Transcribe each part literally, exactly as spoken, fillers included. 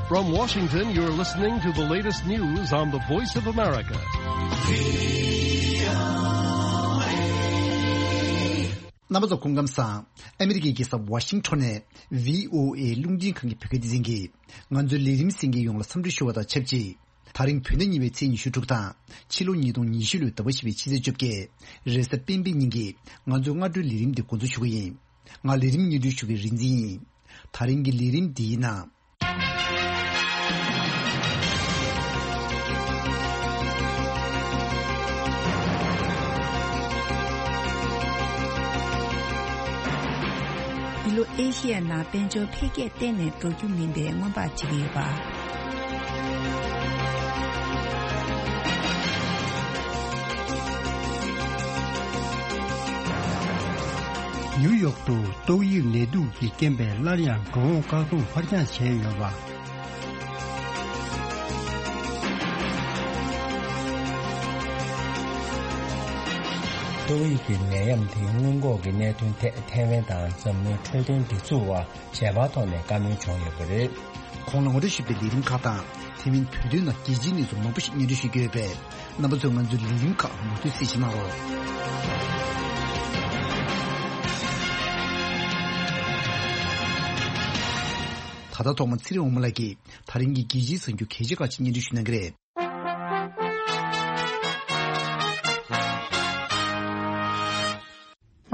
From Washington, you're listening to the latest news on the Voice of America. རྣམ་པ་ཚོ་སྐུ་ཁམས་བཟང་། ཨ་མི་རི་ཀའི་རྒྱལ་ས་ཝ་ཤིང་ཊོན་ནས་བྷི་ཨོ་ཨེ་རླུང་འཕྲིན་ཁང་གི་བོད་སྐད་སྡེ་ཚན་གྱིས་ང་ཚོའི་ལས་རིམ་གསན་མཁན་ཡོངས་ལ་འཚམས་འདྲི་ཞུ་བ་དང་ཆབས་ཅིག་ད་རིང་བོད་ཟླ་གཉིས་པའི་ཚེས་ཉི་ཤུ་དྲུག་དང་ཕྱི་ལོ་ཉིས་སྟོང་ཉི་ཤུ་ལོའི་ཟླ་བ་བཞི་པའི་ཕྱི་ཚེས་བཅོ་བརྒྱད། རེས་གཟའ་སྤེན་པའི་ཉིན་གྱི་ང་ཚོའི་སྔ་དྲོའི་ལས་རིམ་འདི་འགོ་འཛུགས་ཞུ་གི་ཡིན། ང་ལས་རིམ་སྙན་སྒྲོན་ཞུ་མཁན་རིག་འཛིན་ཡིན། ད་རིང་གི་ལས་རིམ་འདིའི་ནང་། འདི་ལོ་ཨེ་ཤི་ཡའི་ནང་དཔལ་འབྱོར་འཕེལ་རྒྱས་གཏན་ནས་འགྲོ་རྒྱུ་མིན་པའི་སྔོན་དཔག་བྱེད་ཀྱི་ཡོད་པ། ནིའུ་ཡོག་ཏུ་ཏོག་དབྱིབས་ནད་དུག་གི་རྐྱེན་པས་སླར་ཡང་འགྲོ་འོང་བཀག་སྡོམ་ཕར་འགྱངས་བྱས་ཡོད་པ། ཏོག་དབྱིབས་ཀྱི་ནད་ཡམས་དེའི་སྔོན་འགོག་གི་གནད་དོན་ཐད་ཐའེ་ཝན་དང་འཛམ་གླིང་འཕྲོད་བསྟེན་སྒྲིག་འཛུགས་བར་ཁྱད་པར་ཐོག་ནས་བཀའ་མོལ་བྱུང་ཡོད་པ་རེད། གོང་ལ་ངོ་སྤྲོད་ཞུས་པའི་ལས་རིམ་ཁག་དང་དེ་མིན་བོད་དོན་ནང་རྒྱལ་སྤྱིའི་གནས་ཚུལ་མང་པོ་ཞིག་སྙན་སྒྲོན་ཞུ་རྒྱུ་ཡོད་པས། རྣམ་པ་ཚོས་ང་ཚོའི་ལས་རིམ་ཁག་མུ་མཐུད་གསན་བཞེས་གནང་རོགས། ད་ལྟ་ཐོག་མ་ཚེ་རིང་དབང་མོ་ལགས་ཀྱིས་ད་རིང་གི་རྒྱལ་སྤྱིའི་གསར་འགྱུར་གལ་ཆེ་ཁག་ཅིག་སྙན་སྒྲོན་ཞུ་གནང་གི་རེད།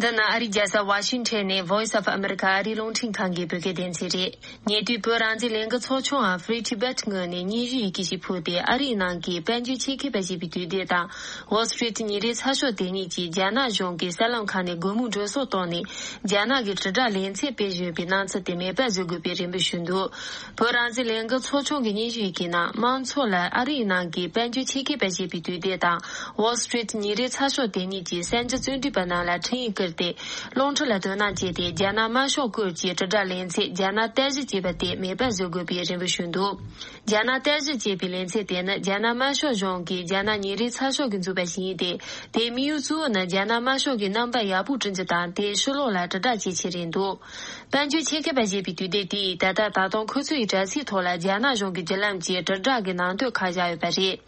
འདི་ནི་ཨ་རིའི་རྒྱལ་ས་ཝ་ཤིང་ཊོན་ནས་Voice of America ཨ་རིའི་རླུང་འཕྲིན་ཁང་གི་བོད་སྐད་སྡེ་ཚན་རེད། ཉེ་དུས་བོད་རང་བཙན་ལས་འགུལ་ཚོགས་ཆུང་འམ་Free Tibet ངོས་ནས་སྙན་ཞུ་ཡི་གེ་ཞིག་ཕུལ་ཏེ། ཨ་རིའི་ནང་གི་དཔལ་འབྱོར་ཆེད་མཁས་པ་ཞེས་པའི་དུས་དེབ་དང་Wall Street ཉིན་རེའི་ཚགས་ཤོག་དེ་གཉིས་ཀྱིས་རྒྱ་ནག་གཞུང་གི་གསར་ལམ་ཁག་ནས་སྒོར་མོ་སྤྲོད་གསོག་བཏང་ནས། རྒྱ་ནག་གི་དྲིལ་བསྒྲགས་ལེ་ཚན་སྤེལ་བཞིན་པའི་སྣང་ཚུལ་དེ་མེད་པར་བཟོ་དགོས་པའི་རེ་འབོད་ཞུས་འདུག་བོད་རང་བཙན་ལས་འགུལ་ཚོགས་ཆུང་གི་སྙན་ཞུ་ཡི་གེ་ནང་། དམངས་ཚོགས་ལ་ཨ་རིའི་ནང་གི་དཔལ་འབྱོར་ཆེད་མཁས་པ་ཞེས་པའི་དུས་དེབ་དང་Wall Street ཉིན་རེའི་ཚགས་ཤོག་དེ་གཉིས་ཀྱིས་གསར་འགྱུར་རྩོམ་སྒྲིག་པ་རྣམས་ལ་འཕྲིན་ཡིག་བསྐུར་ཏེ། རླུང་འཕྲིན་ལ་དོ་སྣང་བྱས་ཏེ། རྒྱ་ནག་དམར་ཤོག་སྐོར་གྱི་དྲིལ་བསྒྲགས་ལེ་ཚན་རྒྱ་ནག་བརྟན་གཞི་ཅེས་པ་དེ་མེད་པར་བཟོ་དགོས་པའི་རེ་འབོད་ཞུས་འདུག་རྒྱ་ནག་བརྟན་གཞི་ཅེས་པའི་ལེ་ཚན་དེ་ནི་རྒྱ་ནག་དམར་ཤོག་གཞུང་གིས་རྒྱ་ནག་ཉིན་རེའི་ཚགས་ཤོག་གིས་འཛུགས་པ་ཞིག་ཡིན་ཏེ། དེའི་དམིགས་ཡུལ་གཙོ་བོ་ནི་རྒྱ་ནག་དམར་ཤོག་གི་རྣམ་པ་ཡག་པོ་བསྐྲུན་རྒྱུ་དང་། དེའི་ཕྱི་ལོགས་ལ་དྲིལ་བསྒྲགས་བྱེད་ཆེད་རེད་འདུག་དཔལ་འབྱོར་ཆེད་མཁས་པ་ཞེས་པའི་དུས་དེབ་དེས་ད་ལྟ་ད་དུང་ཁོ་ཚོ་ཡི་དྲ་ཚིགས་ཐོག་ལ་རྒྱ་ནག་གཞུང་གི་བརྒྱུད་ལམ་གྱི་དྲིལ་བསྒྲགས་ཀྱི་ནང་དོན་ཁག་བཞག་ཡོད་པ་རེད།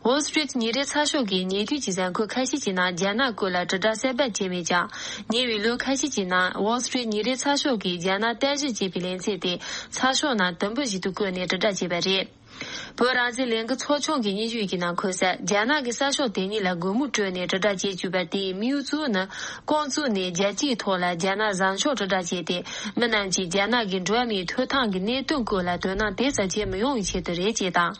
Wall Street ཉིན་རེའི་ཚགས་ཤོག་གིས་ཉེ་དུས་ཀྱི་གཟའ་འཁོར་ཁ་ཤས་ཀྱི་ནང་རྒྱ་ནག་སྐོར་ལ་དྲིལ་བསྒྲགས་གསར་པ་བྱས་མེད་ཀྱང་། ཉེ་བའི་ལོ་ཁ་ཤས་ཀྱི་ནང་Wall Street ཉིན་རེའི་ཚགས་ཤོག་གིས་རྒྱ་ནག་བརྟན་གཞི་ཅེས་པའི་ལེ་ཚན་དེ་ཚགས་ཤོག་ནང་དུམ་བུ་ཞིག་ཏུ་བཀོད་ནས་དྲིལ་བསྒྲགས་བྱས་པ་རེད། བོད་རང་བཙན་ལས་འགུལ་ཚོགས་ཆུང་གི་སྙན་ཞུ་ཡི་གེ་ནང་འཁོད་གསལ། རྒྱ་ནག་གི་གསར་ཤོག་དེ་གཉིས་ལ་སྒོར་མོ་སྤྲོད་ནས་དྲིལ་བསྒྲགས་བྱེད་བཅུག་པ་དེའི་དམིགས་ཡུལ་གཙོ་བོ་ནི། རྐང་བཙུགས་ནས་རྒྱལ་སྤྱིའི་ཐོག་ལ་རྒྱ་ནག་བཟང་ཕྱོགས་དྲིལ་བསྒྲགས་བྱས་ཏེ། མི་རྣམས་ཀྱིས་རྒྱ་ནག་གི་འགྲོ་བ་མིའི་ཐོབ་ཐང་གི་གནད་དོན་སྐོར་ལ་དོ་སྣང་དེ་ཙམ་བྱེད་མི་ཡོང་བའི་ཆེད་དུ་རེད་ཅེས་དང་།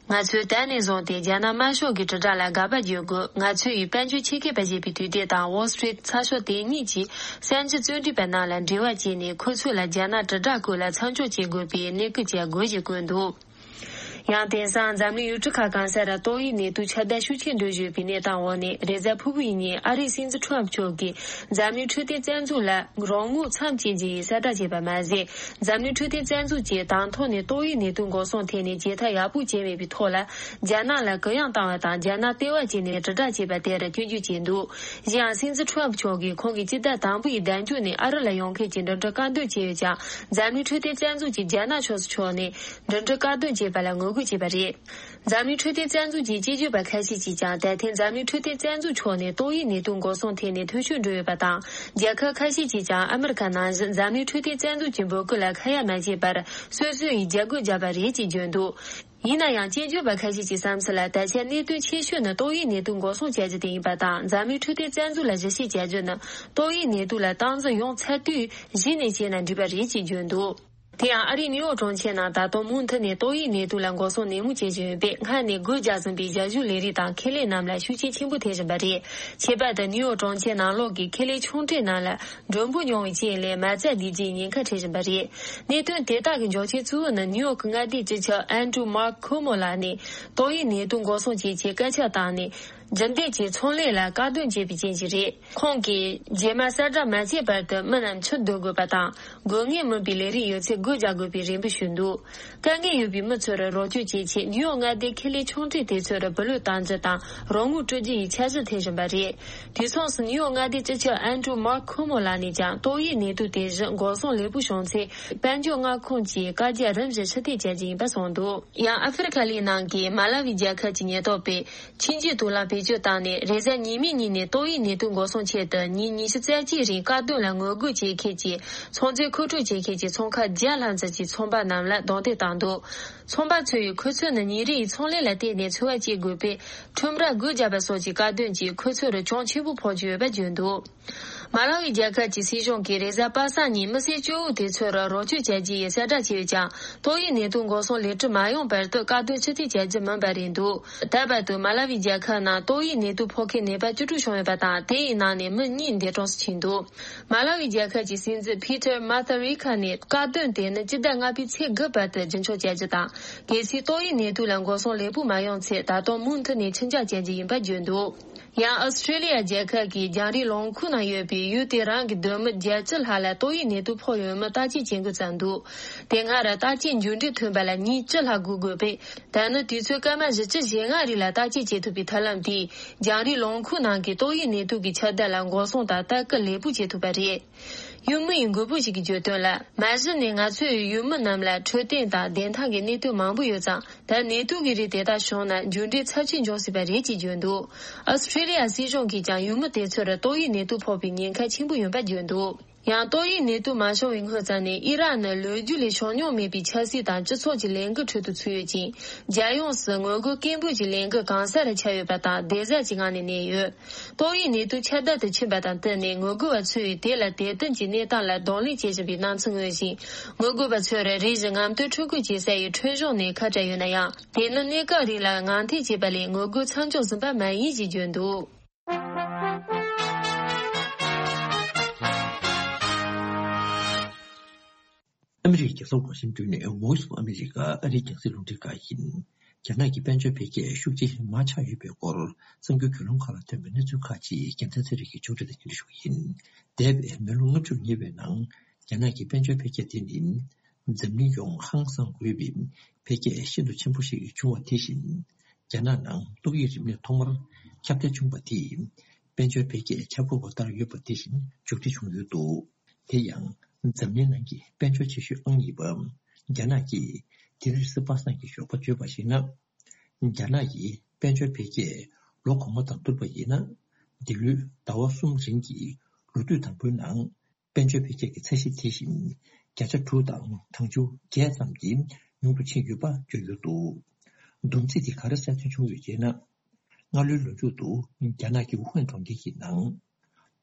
ང་ཚོས་ད་ནས་བཟུང་སྟེ་རྒྱ་ནག་དམར་ཤོག་གི་དྲིལ་བསྒྲགས་ལ་དགག་པ་བརྗོད་དགོས། ང་ཚོ་ཡི་དཔལ་འབྱོར་ཆེད་མཁས་པ་ཞེས་པའི་དུས་དེབ་དང་Wall Street ཚགས་ཤོག་དེ་གཉིས་ཀྱི་གསར་འགྱུར་རྩོམ་སྒྲིག་པ་རྣམས་ལ་འབྲེལ་བ་བྱས་ནས། ཁོ་ཚོ་ལ་རྒྱ་ནག་དྲིལ་བསྒྲགས་སྐོར་ལ་མཚམས་འཇོག་བྱེད་དགོས་པའི་གནས་སྐུལ་བྱ་དགོས་ཞེས་བཀོད་འདུག་ཡང་དེང་སང་འཛམ་གླིང་ཡུལ་གྲུ་ཁག་གང་སར་ཏོག་དབྱིབས་ནད་དུག་ཁྱབ་གདལ་ཤུགས་ཆེན་འགྲོ་བཞིན་པའི་གནས་སྟངས་འོག་ནས། རེས་གཟའ་ཕུར་བུ་ཡི་ཉིན་ཨ་རིའི་སྲིད་འཛིན་ཁྲོམ་མཆོག་གིས་འཛམ་གླིང་འཕྲོད་བསྟེན་རྩ་འཛུགས་ལ་རོགས་དངུལ་མཚམས་བཅད་རྒྱུ་ཡི་གསལ་བསྒྲགས་བྱས་པ་མ་ཟད། འཛམ་གླིང་འཕྲོད་བསྟེན་རྩ་འཛུགས་ཀྱིས་དང་ཐོག་ནས་ཏོག་དབྱིབས་ནད་དུག་འགོག་སྲུང་ཐད་ནས་བྱེད་ཐབས་ཡག་པོ་བྱས་མེད་པའི་ཐོག་ལ། རྒྱ་ནག་ལ་གུ་ཡངས་བཏང་བ་དང་། རྒྱ་ནག་ལྟེ་བ་བྱས་ནས་དྲིལ་བསྒྲགས་བྱས་པ་དེར་སྐྱོན་བརྗོད་བྱས་འདུག་གཞན་ཡང་། སྲིད་འཛིན་ཁྲོམ་མཆོག་གིས་ཁོང་གི་སྤྱི་ཟླ་དང་པོའི་ཟླ་མཇུག་ནས་ཨ་རི་ལ་ཡོང་མཁན་གྱི་འགྲིམ་འགྲུལ་བཀག་སྡོམ་བྱས་ཡོད་ཀྱང་། འཛམ་གླིང་འཕྲོད་བསྟེན་རྩ་འཛུགས་ཀྱིས་རྒྱ་ནག་ཕྱོགས་སུ་ཕྱོགས་ནས་འགྲིམ་འགྲུལ་བཀག་སྡོམ་བྱས་པ་ལ་ངོ་རྒོལ་བྱས་པ་རེད། འཛམ་གླིང་འཕྲོད་བསྟེན་རྩ་འཛུགས་ཀྱི་དཔྱད་བརྗོད་པ་ཁ་ཤས་ཀྱིས་ཀྱང་། ད་ཐེངས་འཛམ་གླིང་འཕྲོད་བསྟེན་རྩ་འཛུགས་ཕྱོགས་ནས་ཏོག་དབྱིབས་ནད་དུག་འགོག་སྲུང་ཐད་ནས་ཐོ་གཤོལ་འགྲོ་ཡོད་པ་དང་། རྒྱལ་ཁབ་ཁ་ཤས་ཀྱིས་ཀྱང་ཨ་མི་རི་ཀ་ནང་བཞིན་འཛམ་གླིང་འཕྲོད་བསྟེན་རྩ་འཛུགས་ཀྱི་འབོད་སྐུལ་ལ་ཁ་ཡ་མ་བྱས་པར། སོ་སོ་ཡིས་རྒྱབ་སྐྱོར་བརྒྱབ་པ་རེད་ཅེས་བརྗོད་འདུག་ཡིན་ན་ཡང་། དཔྱད་བརྗོད་པ་ཁ་ཤས་ཀྱི་བསམ་ཚུལ་ལ། ད་ཆ་གནད་དོན་ཆེ་ཤོས་ནི་ཏོག་དབྱིབས་ནད་དུག་འགོག་སྲུང་བྱ་རྒྱུ་དེ་ཡིན་པ་དང་། འཛམ་གླིང་འཕྲོད་བསྟེན་རྩ་འཛུགས་ལ་ཞིབ་བཤེར་བྱ་རྒྱུ་ནི། ཏོག་དབྱིབས་ནད་དུག་ལ་སྟངས་འཛིན་ཡོང་ཚར་དུས་གཞི་ནས་བྱས་ན་འགྲིག་པ་རེད་ཅེས་བརྗོད་འདུག་དེ་ཡང་། ཨ་རིའི་ནིའུ་ཡོག་གྲོང་ཁྱེར་ནང་ད་དུང་མུ་མཐུད་ནས་ཏོག་དབྱིབས་ནད་དུག་ལ་འགོག་སྲུང་ནན་མོ་བྱེད་བཞིན་ཡོད་པས། སྔར་ནས་སྒོ་རྒྱག་ཟིན་པའི་རྒྱ་གཞུང་ལས་རིགས་དང་ཁེ་ལས་རྣམས་ལ་ཤུགས་རྐྱེན་ཆེན་པོ་ཐེབས་བཞིན་པ་རེད། ཁྱད་པར་དུ་ནིའུ་ཡོག་གྲོང་ཁྱེར་ནང་ལོགས་ཀྱི་ཁེ་ལས་ཆུང་གྲས་རྣམས་ལ། མགྲོན་པོ་ཉུང་བའི་རྐྱེན་ལས་མ་རྩ་བསྡུས་རྒྱུའི་ཉེན་ཁ་འཕྲད་བཞིན་པ་རེད། གནད་དོན་དེ་དག་གི་འབྱུང་རྐྱེན་གཙོ་བོ་ནི། ནིའུ་ཡོག་གི་མངའ་སྡེའི་སྤྱི་ཁྱབ་ཨན་ཌྲུ་མཱརྐ་ཁོ་མོ་ལགས་ནས་ཏོག་དབྱིབས་ནད་དུག་འགོག་སྲུང་བྱེད་ཆེད་སྐད་ཆ་བཏང་ནས། རྒྱུན་ལྡན་གྱི་ཚོང་ལས་ལ་བཀག་སྡོམ་བྱས་པའི་རྐྱེན་གྱིས་རེད། ཁོང་གིས་རྗེས་མ་གསལ་བསྒྲགས་མ་བྱས་བར་དུ་མི་རྣམས་ཕྱིར་སྡོད་དགོས་པ་དང་། དགོས་ངེས་མིན་པའི་ལས་རིགས་ཡོད་ཚད་སྒོ་རྒྱག་དགོས་པའི་རེ་འབོད་ཞུས་འདུག་དཀའ་ངལ་ཡོད་པའི་མི་ཚོར་རོགས་སྐྱོར་བྱེད་ཆེད་ནིའུ་ཡོག་མངའ་སྡེའི་ཁེ་ལས་ཆུང་གྲས་དེ་ཚོར་བུ་ལོན་གཏོང་རྒྱུ་དང་རོགས་དངུལ་སྤྲོད་རྒྱུ་ཡི་འཆར་གཞི་འཐེན་བཞིན་པ་རེད། དུས་མཚུངས་སུ་ནིའུ་ཡོག་མངའ་སྡེའི་སྤྱི་ཁྱབ་ཨན་ཌྲུ་མར་ཁོ་མོ་ལགས་ནས་ཀྱང་ཏོག་དབྱིབས་ནད་དུག་དེ་བཞིན་འགོག་སྲུང་ལས་པོ་བྱུང་ཚེ། དཔལ་འབྱོར་མངའ་ཁོངས་ཀྱི་བཀའ་རྒྱ་རིམ་བཞིན་ཕྱིར་འཐེན་བྱ་རྒྱུ་ཡིན་པ་གསུངས་འདུག་ཡང་ཨ་ཧྥེ་རི་ཁ་ལའི་ནང་གི་མ་ལ་ཝི་རྒྱལ་ཁབ་ཀྱི་ཉེན་རྟོག་པས་ཆིན་ཅི་དུག་ལ་བེད་སྤྱོད་བཏང་ནས། རེས་གཟའ་ཉི་མའི་ཉིན་ནས་ཏོག་དབྱིབས་ནད་དུག་འགོག་སྲུང་ཆེད་དུ་ཉིན་ཉི་ཤུ་རྩ་གཅིག་རིང་བཀག་སྡོམ་ལ་ངོ་རྒོལ་བྱེད་མཁན་གྱི་ཚོང་རྫས་མཁོ་སྤྲོད་བྱེད་མཁན་གྱི་ཚོང་ཁང་བརྒྱ་ལྷག་ཙམ་གྱི་ཚོང་པ་རྣམས་ལ་རྡུང་རྡེག་བཏང་འདུག་ཚོང་པ་ཚོས་ཁོ་ཚོ་ནི་ཉིན་རེའི་ཚོང་ལས་ལ་བརྟེན་ནས་འཚོ་བ་སྐྱེལ་དགོས་པས། ཁྲོམ་ར་སྒོ་བརྒྱབ་པ་སོགས་ཀྱི་བཀག་སྡོམ་གྱིས་ཁོ་ཚོར་གྱོང་ཆེན་པོ་ཕོག་གི་ཡོད་པ་བརྗོད་འདུག་མ་ལ་ཝི་རྒྱལ་ཁབ་ཀྱི་སྲིད་གཞུང་གིས་རེས་གཟའ་པ་སངས་ཉིན་མི་སེར་གཅིག་པོ་དེ་ཚོར་རོགས་སྐྱོར་བྱ་རྒྱུ་ཡི་གསལ་བསྒྲགས་བྱས་ཀྱང་། ཏོག་དབྱིབས་ནད་དུག་འགོག་སྲུང་ལས་གྲུབ་མ་ཡོང་བར་དུ་བཀག་སྡོམ་ཕྱིར་འཐེན་བྱ་རྒྱུ་མིན་པ་རེད་འདུག་ད་བར་དུ་མ་ལ་ཝི་རྒྱལ་ཁབ་ནང་ཏོག་དབྱིབས་ནད་དུག་ཕོག་མཁན་ནད་པ་བཅུ་དྲུག་བྱུང་ཡོད་པ་དང་། དེ་ཡི་ནང་ནས་མི་གཉིས་འདས་གྲོངས་སུ་ཕྱིན་འདུག་མ་ལ་ཝི་རྒྱལ་ཁབ་ཀྱི་སྲིད་འཛིན་ཕི་ཏར་མ་ཐ་རི་ཁ་ནས་བཀག་སྡོམ་དེ་ནི་སྤྱི་ཟླ་ལྔ་པའི་ཚེས་དགུ་བར་དུ་རྒྱུན་འཁྱོངས་བྱ་རྒྱུ་དང་། གལ་སྲིད་ཏོག་དབྱིབས་ནད་དུག་ལ་འགོག་སྲུང་ལེགས་པོ་མ་ཡོང་ཚེ། ད་དུང་མུ་མཐུད་ནས་འཕྱི་འགྱངས་བྱ་རྒྱུ་ཡིན་པ་བརྗོད་འདུག་ཡང་ཨོ་སི་ཁྲེ་ལི་ཡ་རྒྱལ་ཁབ་ཀྱི་རྒྱང་རིང་ལུང་ཁུག་ནང་ཡོད་པའི་ཡུལ་དེ་རང་གི་སྡོད་མི་བརྒྱད་ཅུ་ལྷག་ལ་ཏོག་དབྱིབས་ནད་དུག་ཕོག་ཡོད་མིན་བརྟག་དཔྱད་བྱེད་འགོ་བརྩམས་འདུག་དེ་སྔ་ར་བརྟག་དཔྱད་མཇུག་འབྲས་ཐོན་པ་ལ་ཉིན་བཅུ་ལྷག་སྒུག་དགོས་པས། ད་ནི་དུས་ཚོད་སྐར་མ་བཞི་བཅུ་ཞེ་ལྔ་རིང་ལ་བརྟག་དཔྱད་བྱེད་ཐུབ་པའི་ཐབས་ལམ་དེས་རྒྱང་རིང་ལུང་ཁུག་ནང་གི་ཏོག་དབྱིབས་ནད་དུག་གི་ཁྱབ་གདལ་ལ་འགོག་སྲུང་དང་ལྟ་སྐུལ་ལེགས་པོ་བྱེད་ཐུབ་པ་རེད། ཡུལ་མི་ཡི་མགོན་པོ་ཞིག་གིས་བརྗོད་དོན་ལ། མ་གཞི་ནས་ང་ཚོས་ཡུལ་མི་རྣམས་ལ་འཕྲོད་བསྟེན་དང་བདེ་ཐང་གི་གནད་དོན་མང་པོ་ཡོད་ཙང་། ད་ནད་དུག་གི་རིགས་དེ་དག་བྱུང་ན་མཇུག་འབྲས་ཚབས་ཆེན་འབྱུང་སྲིད་པ་རེད་ཅེས་བརྗོད་འདུག་ཨོ་སི་ཁྲེ་ལི་ཡ་སྲིད་གཞུང་གིས་ཀྱང་ཡུལ་མི་དེ་ཚོར་ཏོག་དབྱིབས་ནད་དུག་ཕོག་པའི་ཉེན་ཁ་ཆེན་པོ་ཡོད་པ་བརྗོད་འདུག་ཡང་ཏོག་དབྱིབས་ནད་དུག་མ་བྱུང་བའི་སྔོན་ཙམ་ནས། ཨི་རག་ནི་ལོ་རྒྱུས་ལས་བྱུང་མྱོང་མེད་པའི་ཆབ་སྲིད་དང་སྤྱི་ཚོགས་ཀྱི་ལས་འགུལ་ཁྲོད་དུ་ཚུད་ཡོད་ཅིང་། རྒྱལ་ཡོངས་སུ་ངོ་རྒོལ་སྐད་འབོད་ཀྱི་ལས་འགུལ་གང་སར་ཁྱབ་ཡོད་པ་དང་བདེ་འཇགས་ཀྱི་ངང་ནས་གནས་ཡོད། ཏོག་དབྱིབས་ནད་དུག་ཁྱབ་གདལ་དུ་ཕྱིན་པ་དང་བསྟུན་ནས། ངོ་རྒོལ་བ་ཚོས་དེ་ལ་དད་འདུན་གྱི་གནས་སྟངས་ལ་གདོང་ལེན་བྱེད་བཞིན་པའི་སྣང་ཚུལ་མངོན་ཞིང་། ངོ་རྒོལ་བ་ཚོར་རེ་ཞིག་ངམ་དུ་འཕྲུལ་འཁོར་བྱེད་ས་ཡི་ཁྲོམ་གཞུང་ནས་ཁ་བྲལ་ཡོད་ན་ཡང་། དེ་ནི་གནས་སྐབས་རིང་ལ་ངང་འཐེན་བྱས་པ་ལས་ངོ་རྒོལ་མཚམས་འཇོག་ཟིན་པ་མ་ཡིན་ཞེས་བརྗོད་འདུག་ཨ་མི་རིགས་རྒྱལ་ས་ཝ་ཤིང་ཏོན་ནས་Voice of America ཨ་རིའི་རྒྱང་སྲིང་རླུང་འཕྲིན་ཁང་ཡིན། རྒྱ་ནག་གི་དཔལ་འབྱོར་འཕེལ་རྒྱས་ཤུགས་ཆེ་མར་ཆག་ཡོད་པའི་སྐོར་གསར་འགྱུར་བརྒྱུད་ལམ་ཁག་ལ་ཐོན་པའི་གནས་ཚུལ་ཁག་ཅིག་རྒྱལ་མཚན་ཚེ་རིང་གིས་ཕྱོགས་སྒྲིག་དང་སྙན་སྒྲོན་ཞུ་གི་ཡིན། འདས་པའི་མི་ལོ་ལྔ་བཅུར་ཉེ་བའི་ནང་རྒྱ་ནག་གི་དཔལ་འབྱོར་འཕེལ་རྒྱས་དེ་ནི་འཛམ་གླིང་ཡོངས་ཧང་སང་དགོས་པའི་འཕེལ་རྒྱས་ཤིན་ཏུ་ཆེན་པོ་ཞིག་བྱུང་བ་དེ་བཞིན། རྒྱ་ནག་ནང་ཏོག་དབྱིབས་རིམས་ནད་ཐོག་མར་ཁྱབ་གདལ་བྱུང་བ་དེས་དཔལ་འབྱོར་འཕེལ་རྒྱས་ཆག་སྒོ་ལྟར་ཡོད་པ་དེ་བཞིན་མཇུག་སྒྲིལ་བྱུང་ཡོད་འདུག་དེ་ཡང་འཛམ་གླིང་ནང་གི་དཔལ་འབྱོར་ཆེ་ཤོས་ཨང་གཉིས་པ་རྒྱ་ནག་གིས་དེ་རིང་རེས་གཟའ་པ་སངས་ཀྱི་ཞོགས་པ་བརྗོད་པར་གཞིགས་ན། རྒྱ་ནག་གི་དཔལ་འབྱོར་འཕེལ་རྒྱས་ལོ་གོང་མ་དང་བསྡུར་བ་ཡིན་ན། འདི་ལོའི་ཟླ་བ་གསུམ་རིང་གི་ལོ་དུས་དང་པོའི་ནང་། དཔལ་འབྱོར་འཕེལ་རྒྱས་ཀྱི་ཚད་གཞི་དེ་བཞིན་བརྒྱ་ཆ་དྲུག་དང་གྲངས་ཆུང་བརྒྱད་ཙམ་གྱིས་ཉུང་དུ་ཕྱིན་ཡོད་པ་བརྗོད་ཡོད་འདུག་བསྡོམས་རྩིས་དེ་ག་རེ་གསལ་སྟོན་བྱུང་ཡོད་ཅེ་ན། སྔ་ལོའི་ལོ་མཇུག་ཏུ་རྒྱ་ནག་གི་ཝུ་ཧན་གྲོང་ཁྱེར་གྱི་ནང་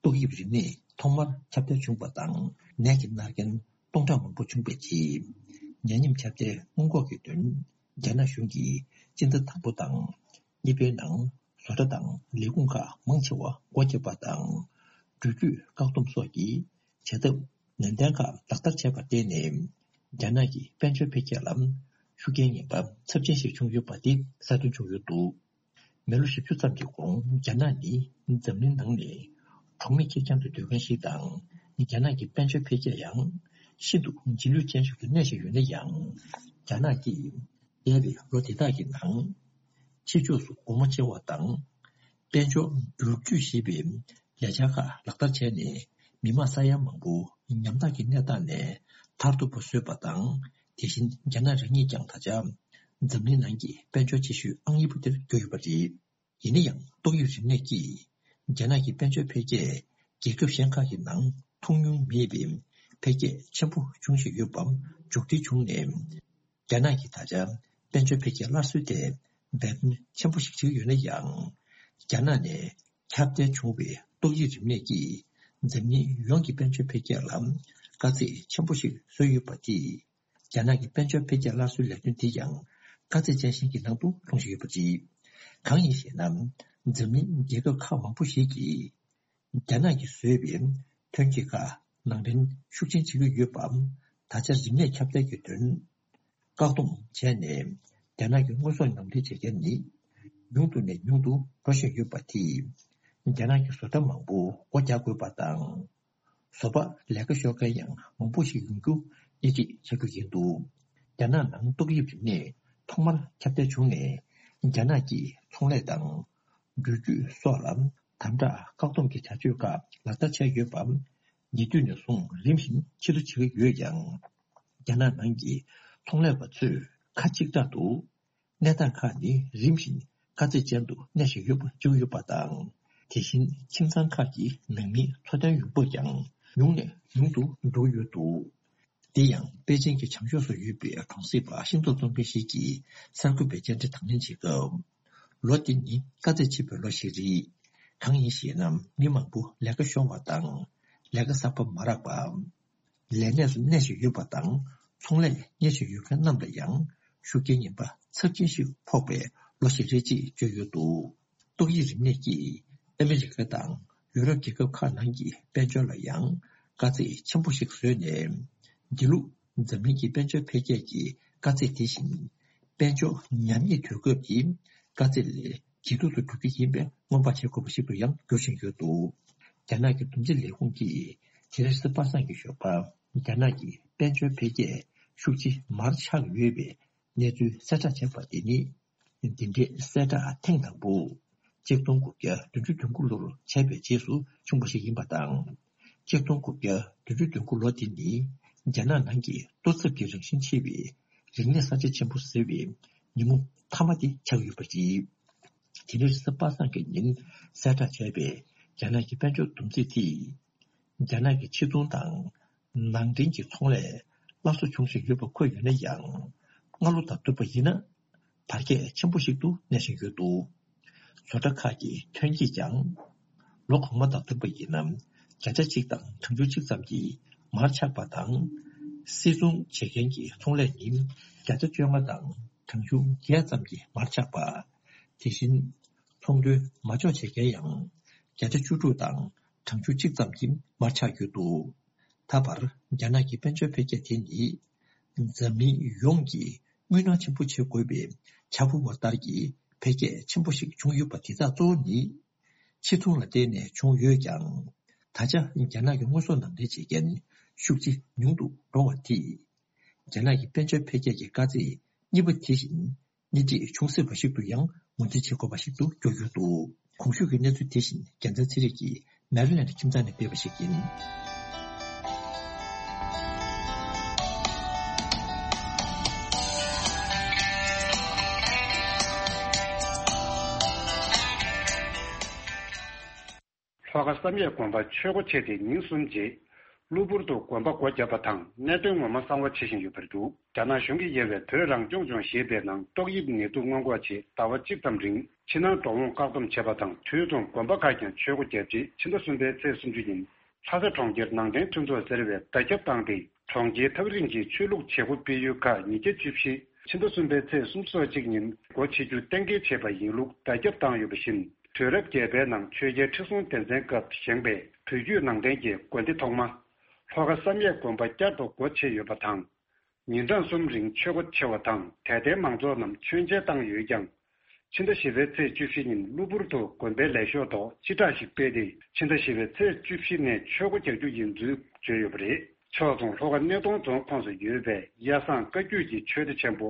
ཏོག་དབྱིབས་རིམས་ནད་ཐོག་མར་ཁྱབ་གདལ་བྱུང་བ་དང་ནད་ཀྱིས་མནར་མཁན་སྟོང་ཕྲག་མང་པོ་བྱུང་བའི་རྗེས། ཉེན་མཉམ་ཁྱབ་གདལ་སྔོན་འགོག་གི་དོན་རྒྱ་ནག་གཞུང་གིས་སྤྱི་ཟླ་དང་པོ་དང་། གཉིས་པའི་ནང་བཟོ་གྲྭ་དང་ལས་ཁུངས་ཁག་མང་ཆེ་བ་སྒོ་བརྒྱབ་པ་དང་། འགྲུལ་སྐྱོད་བཀག་སྡོམ་སོགས་ཀྱི་བྱ་ཐབས་ནན་ཏན་ཁག་ལག་བསྟར་བྱས་པར་བརྟེན་ནས། རྒྱ་ནག་གི་དཔལ་འབྱོར་འཕེལ་རྒྱས་ལ་ཤུགས་རྐྱེན་ངན་པ་ཚབས་ཆེན་ཞིག་བྱུང་ཡོད་པ་དེ་གསལ་སྟོན་བྱུང་ཡོད་འདུག་མི་ལོ་བཞི་བཅུ་ཙམ་གྱི་གོང་རྒྱ་ནག་ནི་འཛམ་གླིང་ནང་ནས་གྲོང་མི་ཁེར་རྐྱང་དུ་སྡོད་མཁན་ཞིག་དང་། རྒྱ་ནག་གི་དཔལ་འབྱོར་འཕེལ་རྒྱས་ཡང་ཤིན་ཏུ་རྗེས་ལུས་ཅན་ཞིག་ཏུ་གནས་བཞིན་ཡོད་ན་ཡང་། རྒྱ་ནག་གིས་འདས་པའི་ལོ་འདི་དག་གི་ནང་། ཕྱི་ཕྱོགས་སུ་སྒོ་མོ་ཕྱེ་བ་དང་། དཔལ་འབྱོར་བསྒྱུར་བཅོས་ཞེས་པའི་ལས་འཆར་ཁག་ལག་བསྟར་བྱས་ནས། མི་མང་ས་ཡ་མང་པོ་ཉམ་ཐག་གི་གནས་སྟངས་ནས་ཐར་ཐུབ་པ་བཟོས་པ་དང་། དེ་བཞིན་རྒྱ་ནག་རང་ཉིད་ཀྱང་ད་ཆ་འཛམ་གླིང་ནང་གི་དཔལ་འབྱོར་ཆེ་ཤོས་ཨང་གཉིས་པ་དེར་གྱུར་ཡོད་པ་རེད། ཡིན་ན་ཡང་ཏོག་དབྱིབས་རིམས་ནད་ཀྱིས་རྒྱ་ནག་གི་དཔལ་འབྱོར་འཕེལ་རྒྱས་རྒྱལ་ཁབ་གཞན་ཁག་གི་ནང་མཐོང་མྱོང་མེད་པའི་འཕེལ་རྒྱས་ཆེན་པོ་འབྱུང་བཞིན་ཡོད་པ་མཇུག་སྒྲིལ་བྱུང་ནས། རྒྱ་ནག་གིས་ད་ཆ་དཔལ་འབྱོར་འཕེལ་རྒྱས་སླར་གསོའི་ཐད་འབད་བརྩོན་ཆེན་པོ་ཞིག་བྱེད་ཀྱི་ཡོད་ན་ཡང་། རྒྱ་ནག་ནས་ཁྱབ་གདལ་བྱུང་བའི་ཏོག་དབྱིབས་རིམས་ནད་ཀྱིས་འཛམ་གླིང་ཡོངས་ཀྱི་དཔལ་འབྱོར་འཕེལ་རྒྱས་ལ་དཀའ་ཚེགས་ཆེན་པོ་ཞིག་བཟོས་ཡོད་པ་དེས། རྒྱ་ནག་གི་དཔལ་འབྱོར་འཕེལ་རྒྱས་སླར་གསོའི་ལས་དོན་དེ་ཡང་དཀའ་ཚེགས་ཅན་ཞིག་གི་ནང་དུ་ལྷུང་བཞིན་ཡོད་པ་རེད། གང་ཡིན་ཞེ་ན། འཛམ་གླིང་རྒྱལ་ཁབ་ཁག་མང་པོ་ཞིག་གིས་རྒྱ་ནག་གིས་བཟོས་པའི་ཐོན་སྐྱེད་ཁག་ནང་འདྲེན་ཤུགས་ཆེན་བྱེད་ཀྱི་ཡོད་པ། ད་ཆ་རིམས་ནད་ཁྱབ་གདལ་གྱི་དོན་བཀག་སྡོམ་བྱས་ནས། རྒྱ་ནག་གི་དངོས་ཟོག་ནང་འདྲེན་བྱེད་མཁན་ནི་ ཉུང་དུ་ནས་ཉུང་དུ་འགྲོ་བཞིན་ཡོད་པ་དེས། རྒྱ་ནག་གི་བཟོ་གྲྭ་མང་པོ་སྒོ་རྒྱག་དགོས་པ་དང་། བཟོ་པ་ལས་ཀ་ཤོར་མཁན་ཡང་མང་པོ་ཞིག་ཡོང་རྒྱུ་སྣེ་ཁྲིད་བྱ་རྒྱུ་ཡིན་འདུག་རྒྱ་ནག་ནང་ཏོག་དབྱིབས་རིམས་ནད་ཐོག་མར་ཁྱབ་གདལ་བྱུང་ནས། རྒྱ་ནག་གིས་ཚོང་ལས་དང་། འགྲུལ་སྐྱོད་སོགས་ལ་དམ་དྲག་བཀག་སྡོམ་གྱི་བྱ་སྤྱོད་ཁག་ལག་བསྟར་བྱས་ཡོད་པ། ཉེ་དུས་ནས་བཟུང་རིམ་བཞིན་ཕྱིར་བསྡུ་བྱེད་ཀྱི་ཡོད་ཀྱང་། རྒྱ་ནག་ནང་གི་ཚོང་ལས་པ་ཚོས་ཁ་གཅིག་གྲགས་འདུག་གནས་སྟངས་ཁག་ནི་རིམ་བཞིན་དཀའ་ཚེགས་ཅན་དུ་གནས་བཞིན་ཡོད་པ་བརྗོད་ཡོད་པ་དང་། དེ་བཞིན་ཁྱིམ་ཚང་ཁག་གི་ནང་མིའི་འཚོ་རྟེན་ཡོང་འབབ་ཀྱང་ཉུང་ནས་ཉུང་དུ་འགྲོ་ཡོད་འདུག་དེ་ཡང་པེ་ཅིང་གི་བྱང་ཕྱོགས་སུ་ཡོད་པའི་གྲོང་གསེབ་པ་ཤིང་ཏོག་བཙོང་མཁན་ཞིག་གིས་གསར་འགོད་པའི་བཅར་འདྲི་དང་ལེན་བྱེད་སྐབས། ལོ་འདི་ནི་དཀའ་ཚེགས་ཆེ་བའི་ལོ་ཞིག་རེད། གང་ཡིན་ཞེ་ན། མི་མང་པོ་ལས་ཀ་ཤོར་བ་དང་། ལས་ཀ་གསར་པ་མ་རག་པ། ལས་གནས་སུ་གནས་བཞིན་ཡོད་པ་དང་། ཚོང་ལས་གཉེར་བཞིན་ཡོད་མཁན་རྣམས་ལ་ཡང་ཤུགས་རྐྱེན་ངན་པ་ཚབས་ཆེན་ཞིག་ཕོག་པའི་ལོ་ཞིག་རེད་ཅེས་བརྗོད་ཡོད་འདུག་ཏོག་དབྱིབས་རིམས་ནད་ཀྱིས་ཨ་མི་རི་ཀ་དང་ཡུ་རོབ་རྒྱལ་ཁབ་ཁག་ནང་གི་དཔལ་འབྱོར་ལ་ཡང་དཀའ་ཚེགས་ཆེན་པོ་ཞིག་བཟོས་ནས། དེ་ལུགས་འཛམ་གླིང་གི་དཔལ་འབྱོར་འཕེལ་རྒྱས་ཀྱི་དཀའ་ཚེགས་དེ་བཞིན། དཔལ་འབྱོར་ཉམས་ཉེས་དུས་སྐབས་ཀྱི་དཀའ་ཚེགས་ལས་ཇེ་སྡུག་ཏུ་འགྲོ་རྒྱུ་ཡིན་པའི་སྔོན་དཔག་བྱེད་དགོས་པ་ཞིག་ཏུ་ཡང་འགྱུར་བཞིན་ཡོད་འདུག་རྒྱ་ནག་གི་འདུམ་འགྲིག་ལས་ཁུངས་ཀྱིས་དེ་རིང་གཟའ་པ་སངས་ཀྱི་ཞོགས་པ། རྒྱ་ནག་གི་དཔལ་འབྱོར་འཕེལ་རྒྱས་ཤུགས་ཆེ་མར་ཆག་ཡོད་པའི་གནས་ཚུལ་གསལ་བསྒྲགས་བྱས་པ་དེ་ནི། འདི་འདྲའི་གསལ་བསྒྲགས་ཐེངས་དང་པོ། ཆིག་སྟོང་དགུ་བརྒྱ་བདུན་ཅུ་དོན་དགུ་ལོར་བྱས་པའི་རྗེས་སུ་བྱུང་བ་ཞིག་ཡིན་པ་དང་། ཆིག་སྟོང་དགུ་བརྒྱ་བདུན་ཅུ་དོན་དགུ་ལོ་དེ་ནི་རྒྱ་ནག་ནང་གི་གཏོར་ཚབ་ཀྱི་རང་བཞིན་ཆེ་བའི་རིག་གནས་གསར་བརྗེ་ཆེན་པོ་ཟེར་བའི་ཉིན་མོ་མཐའ་མ་དེ་ཆགས་ཡོད་པ་རེད། དེ་ནི་རེས་གཟའ་པ་སངས་ཀྱི་ཉིན་གསལ་བསྒྲགས་བྱས་པའི་རྒྱ་ནག་གི་དཔལ་འབྱོར་བསྡོམས་རྩིས་དེས། རྒྱ་ནག་གི་ཕྱི་ཚོང་དང་ནང་འདྲེན་གྱི་ཚོང་ལས་སླར་གསོ་བྱུང་བཞིན་ཡོད་པ་འཁོད་ཡོད་ན་ཡང་། སྔ་ལོ་དང་བསྡུར་བ་ཡིན་ན། བར་ཁྱད་ཆེན་པོ་ཞིག་ཏུ་གནས་བཞིན་ཡོད་འདུག་བཟོ་གྲྭ་ཁག་གི་ཐོན་སྐྱེད་ཀྱང་། ལོ་གོང་མ་དང་བསྡུར་བ་ཡིན་ན། བརྒྱ་ཆ་གཅིག་དང་གྲངས་ཆུང་གཅིག་ཙམ་གྱིས་མར་ཆག་པ་དང་། སིལ་ཚོང་བྱེད་མཁན་གྱི་ཚོང་ལས་ནི་བརྒྱ་ཆ་བཅོ་ལྔ་དང་གྲངས་ཆུང་བརྒྱད་ཙམ་གྱིས་མར་ཆག་པ། དེ་བཞིན། ཚོང་དོན་མ་འཇོག་བྱེད་མཁན་ཡང་བརྒྱ་ཆ་བཅུ་དྲུག་དང་གྲངས་ཆུང་གཅིག་ཙམ་གྱིས་མར་ཆག་ཡོད་འདུག་ད་བར་རྒྱ་ནག་གི་དཔལ་འབྱོར་འཕེལ་རྒྱས་དེ་ནི། འཛམ་གླིང་ཡོངས་ཀྱིས་དངུལ་ནང་ཆེན་པོ་བྱེད་དགོས་པའི་འཆར་འབུལ་བ་ལྟར་གྱི་འཕེལ་རྒྱས་ཆེན་པོ་ཞིག་བྱུང་ཡོད་པ་དེ་དག་གཙོ་བོ་ནི། ཕྱི་ཚོང་ལ་བརྟེན་ནས་བྱུང་ཡོད་ཀྱང་། ད་ཆ་རྒྱ་ནག་གི་དངོས་ཟོག་ནང་འདྲེན་བྱེད་མཁན་ཤུགས་ཆེ་ཉུང་དུ་འགྲོ་བ་དེས། རྒྱ་ནག་གི་དཔལ་འབྱོར་འཕེལ་རྒྱས་ཀྱི་དཀའ་ཚེགས་གཉིས་པ་དེ་བཞིན། སྣེ་ཁྲིད་བྱུང་སྲིད་པ་ཞིག་ཏུ་ཡང་ངོས་འཛིན་བྱེད་དགོས་པ་ཞིག་ཏུ་གྱུར་ཡོད་འདུག་གོང་ཞུས་ཀྱི་གནས་ཚུལ་དེ་བཞིན་རྒྱལ་མཚན་ཚེ་རིང་གིས་མེ་རི་ལེན་ཌི་ཁྱིམ་ཚང་ནས་སྤེལ་བ་ཞིག་ཡིན། ལྷོ་ཁ་བསམ་ཡས་དགོན་པ་ཆོས་སྒོ་ཕྱེ་སྟེ་ཉིན་གསུམ་རྗེས། གློ་བུར་དུ་དགོན་པ་སྒོ་བརྒྱབ་པ་དང་གནད་དོན་ངོ་མ་གསང་བ་བྱེད་བཞིན་ཡོད་པར་འདུག་རྒྱ་ནག་གཞུང་གིས་གཡར་བའི་བོད་རང་སྐྱོང་ལྗོངས་ཞེས་པའི་ནང་ཏོག་དབྱིབས་ནད་དུག་སྔོན་འགོག་ཆེད་ཟླ་བ་གཅིག་ཙམ་རིང་ཕྱི་ནང་འགྲོ་འོང་བཀག་སྡོམ་བྱས་པ་དང་དུས་མཚུངས་དགོན་པ་ཁག་ཀྱང་ཆོས་སྒོ་བརྒྱབ་རྗེས་ཕྱི་ཟླ་གསུམ་པའི་ཚེས་སུམ་ཅུ་ཉིན་ལྷ་ས་གྲོང་ཁྱེར་ནང་བསྟན་མཐུན་ཚོགས་ཟེར་བས་བརྡ་ཁྱབ་བཏང་སྟེ། གྲོང་ཁྱེར་ཐག་རིང་གི་ཆོས་ལུགས་བྱེད་སྒོ་སྤེལ་ཡུལ་ཁག་ཉིས་བརྒྱ་བཅུ་བཞི་ཕྱི་ཟླ་གསུམ་པའི་ཚེས་སུམ་ཅུ་སོ་གཅིག་ཉིན་སྒོ་ཕྱེ་རྒྱུ་གཏན་འཁེལ་བྱས་པ་ཡིན་ལུགས་བརྡ་ཁྱབ་བཏང་ཡོད་པ་བཞིན། དུས་རབས་བརྒྱད་པའི་ནང་ཆོས་རྒྱལ་ཁྲི་སྲོང་ལྡེ་བཙན་སྐབས་བཞེངས་པའི་བོད་བརྒྱུད་ནང་བསྟན་གྱི་དགོན་སྡེ་ཐོག་མ། ལྷོ་ཁ་བསམ་ཡས་དགོན་པ་བསྐྱར་དུ་སྒོ་ཕྱེ་ཡོད་པ་དང་། ཉིན་གྲངས་གསུམ་རིང་ཆོས་སྒོ་ཕྱེ་བ་དང་དད་ལྡན་མང་ཚོགས་རྣམས་མཆོད་མཇལ་བཏང་ཡོད་ཀྱང་། ཕྱི་ཟླ་བཞི་པའི་ཚེས་བཅུ་བཞི་ཉིན་གློ་བུར་དུ་དགོན་པའི་ལས་ཞོར་ཐོག་སྤྱི་བསྒྲགས་ཤིག་སྤེལ་ཏེ། ཕྱི་ཟླ་བཞི་པའི་ཚེས་བཅུ་བཞི་ནས་ཆོས་སྒོ་རྒྱག་རྒྱུ་ཡིན་ཚུལ་བརྗོད་ཡོད་པ་རེད། ཕྱོགས་མཚུངས་ལྷོ་ཁ་སྣེ་གདོང་རྫོང་ཁོངས་སུ་ཡོད་པའི་གཡའ་བཟང་བཀའ་བརྒྱུད་ཀྱི་ཆོས་སྡེ་ཆེན་པོ་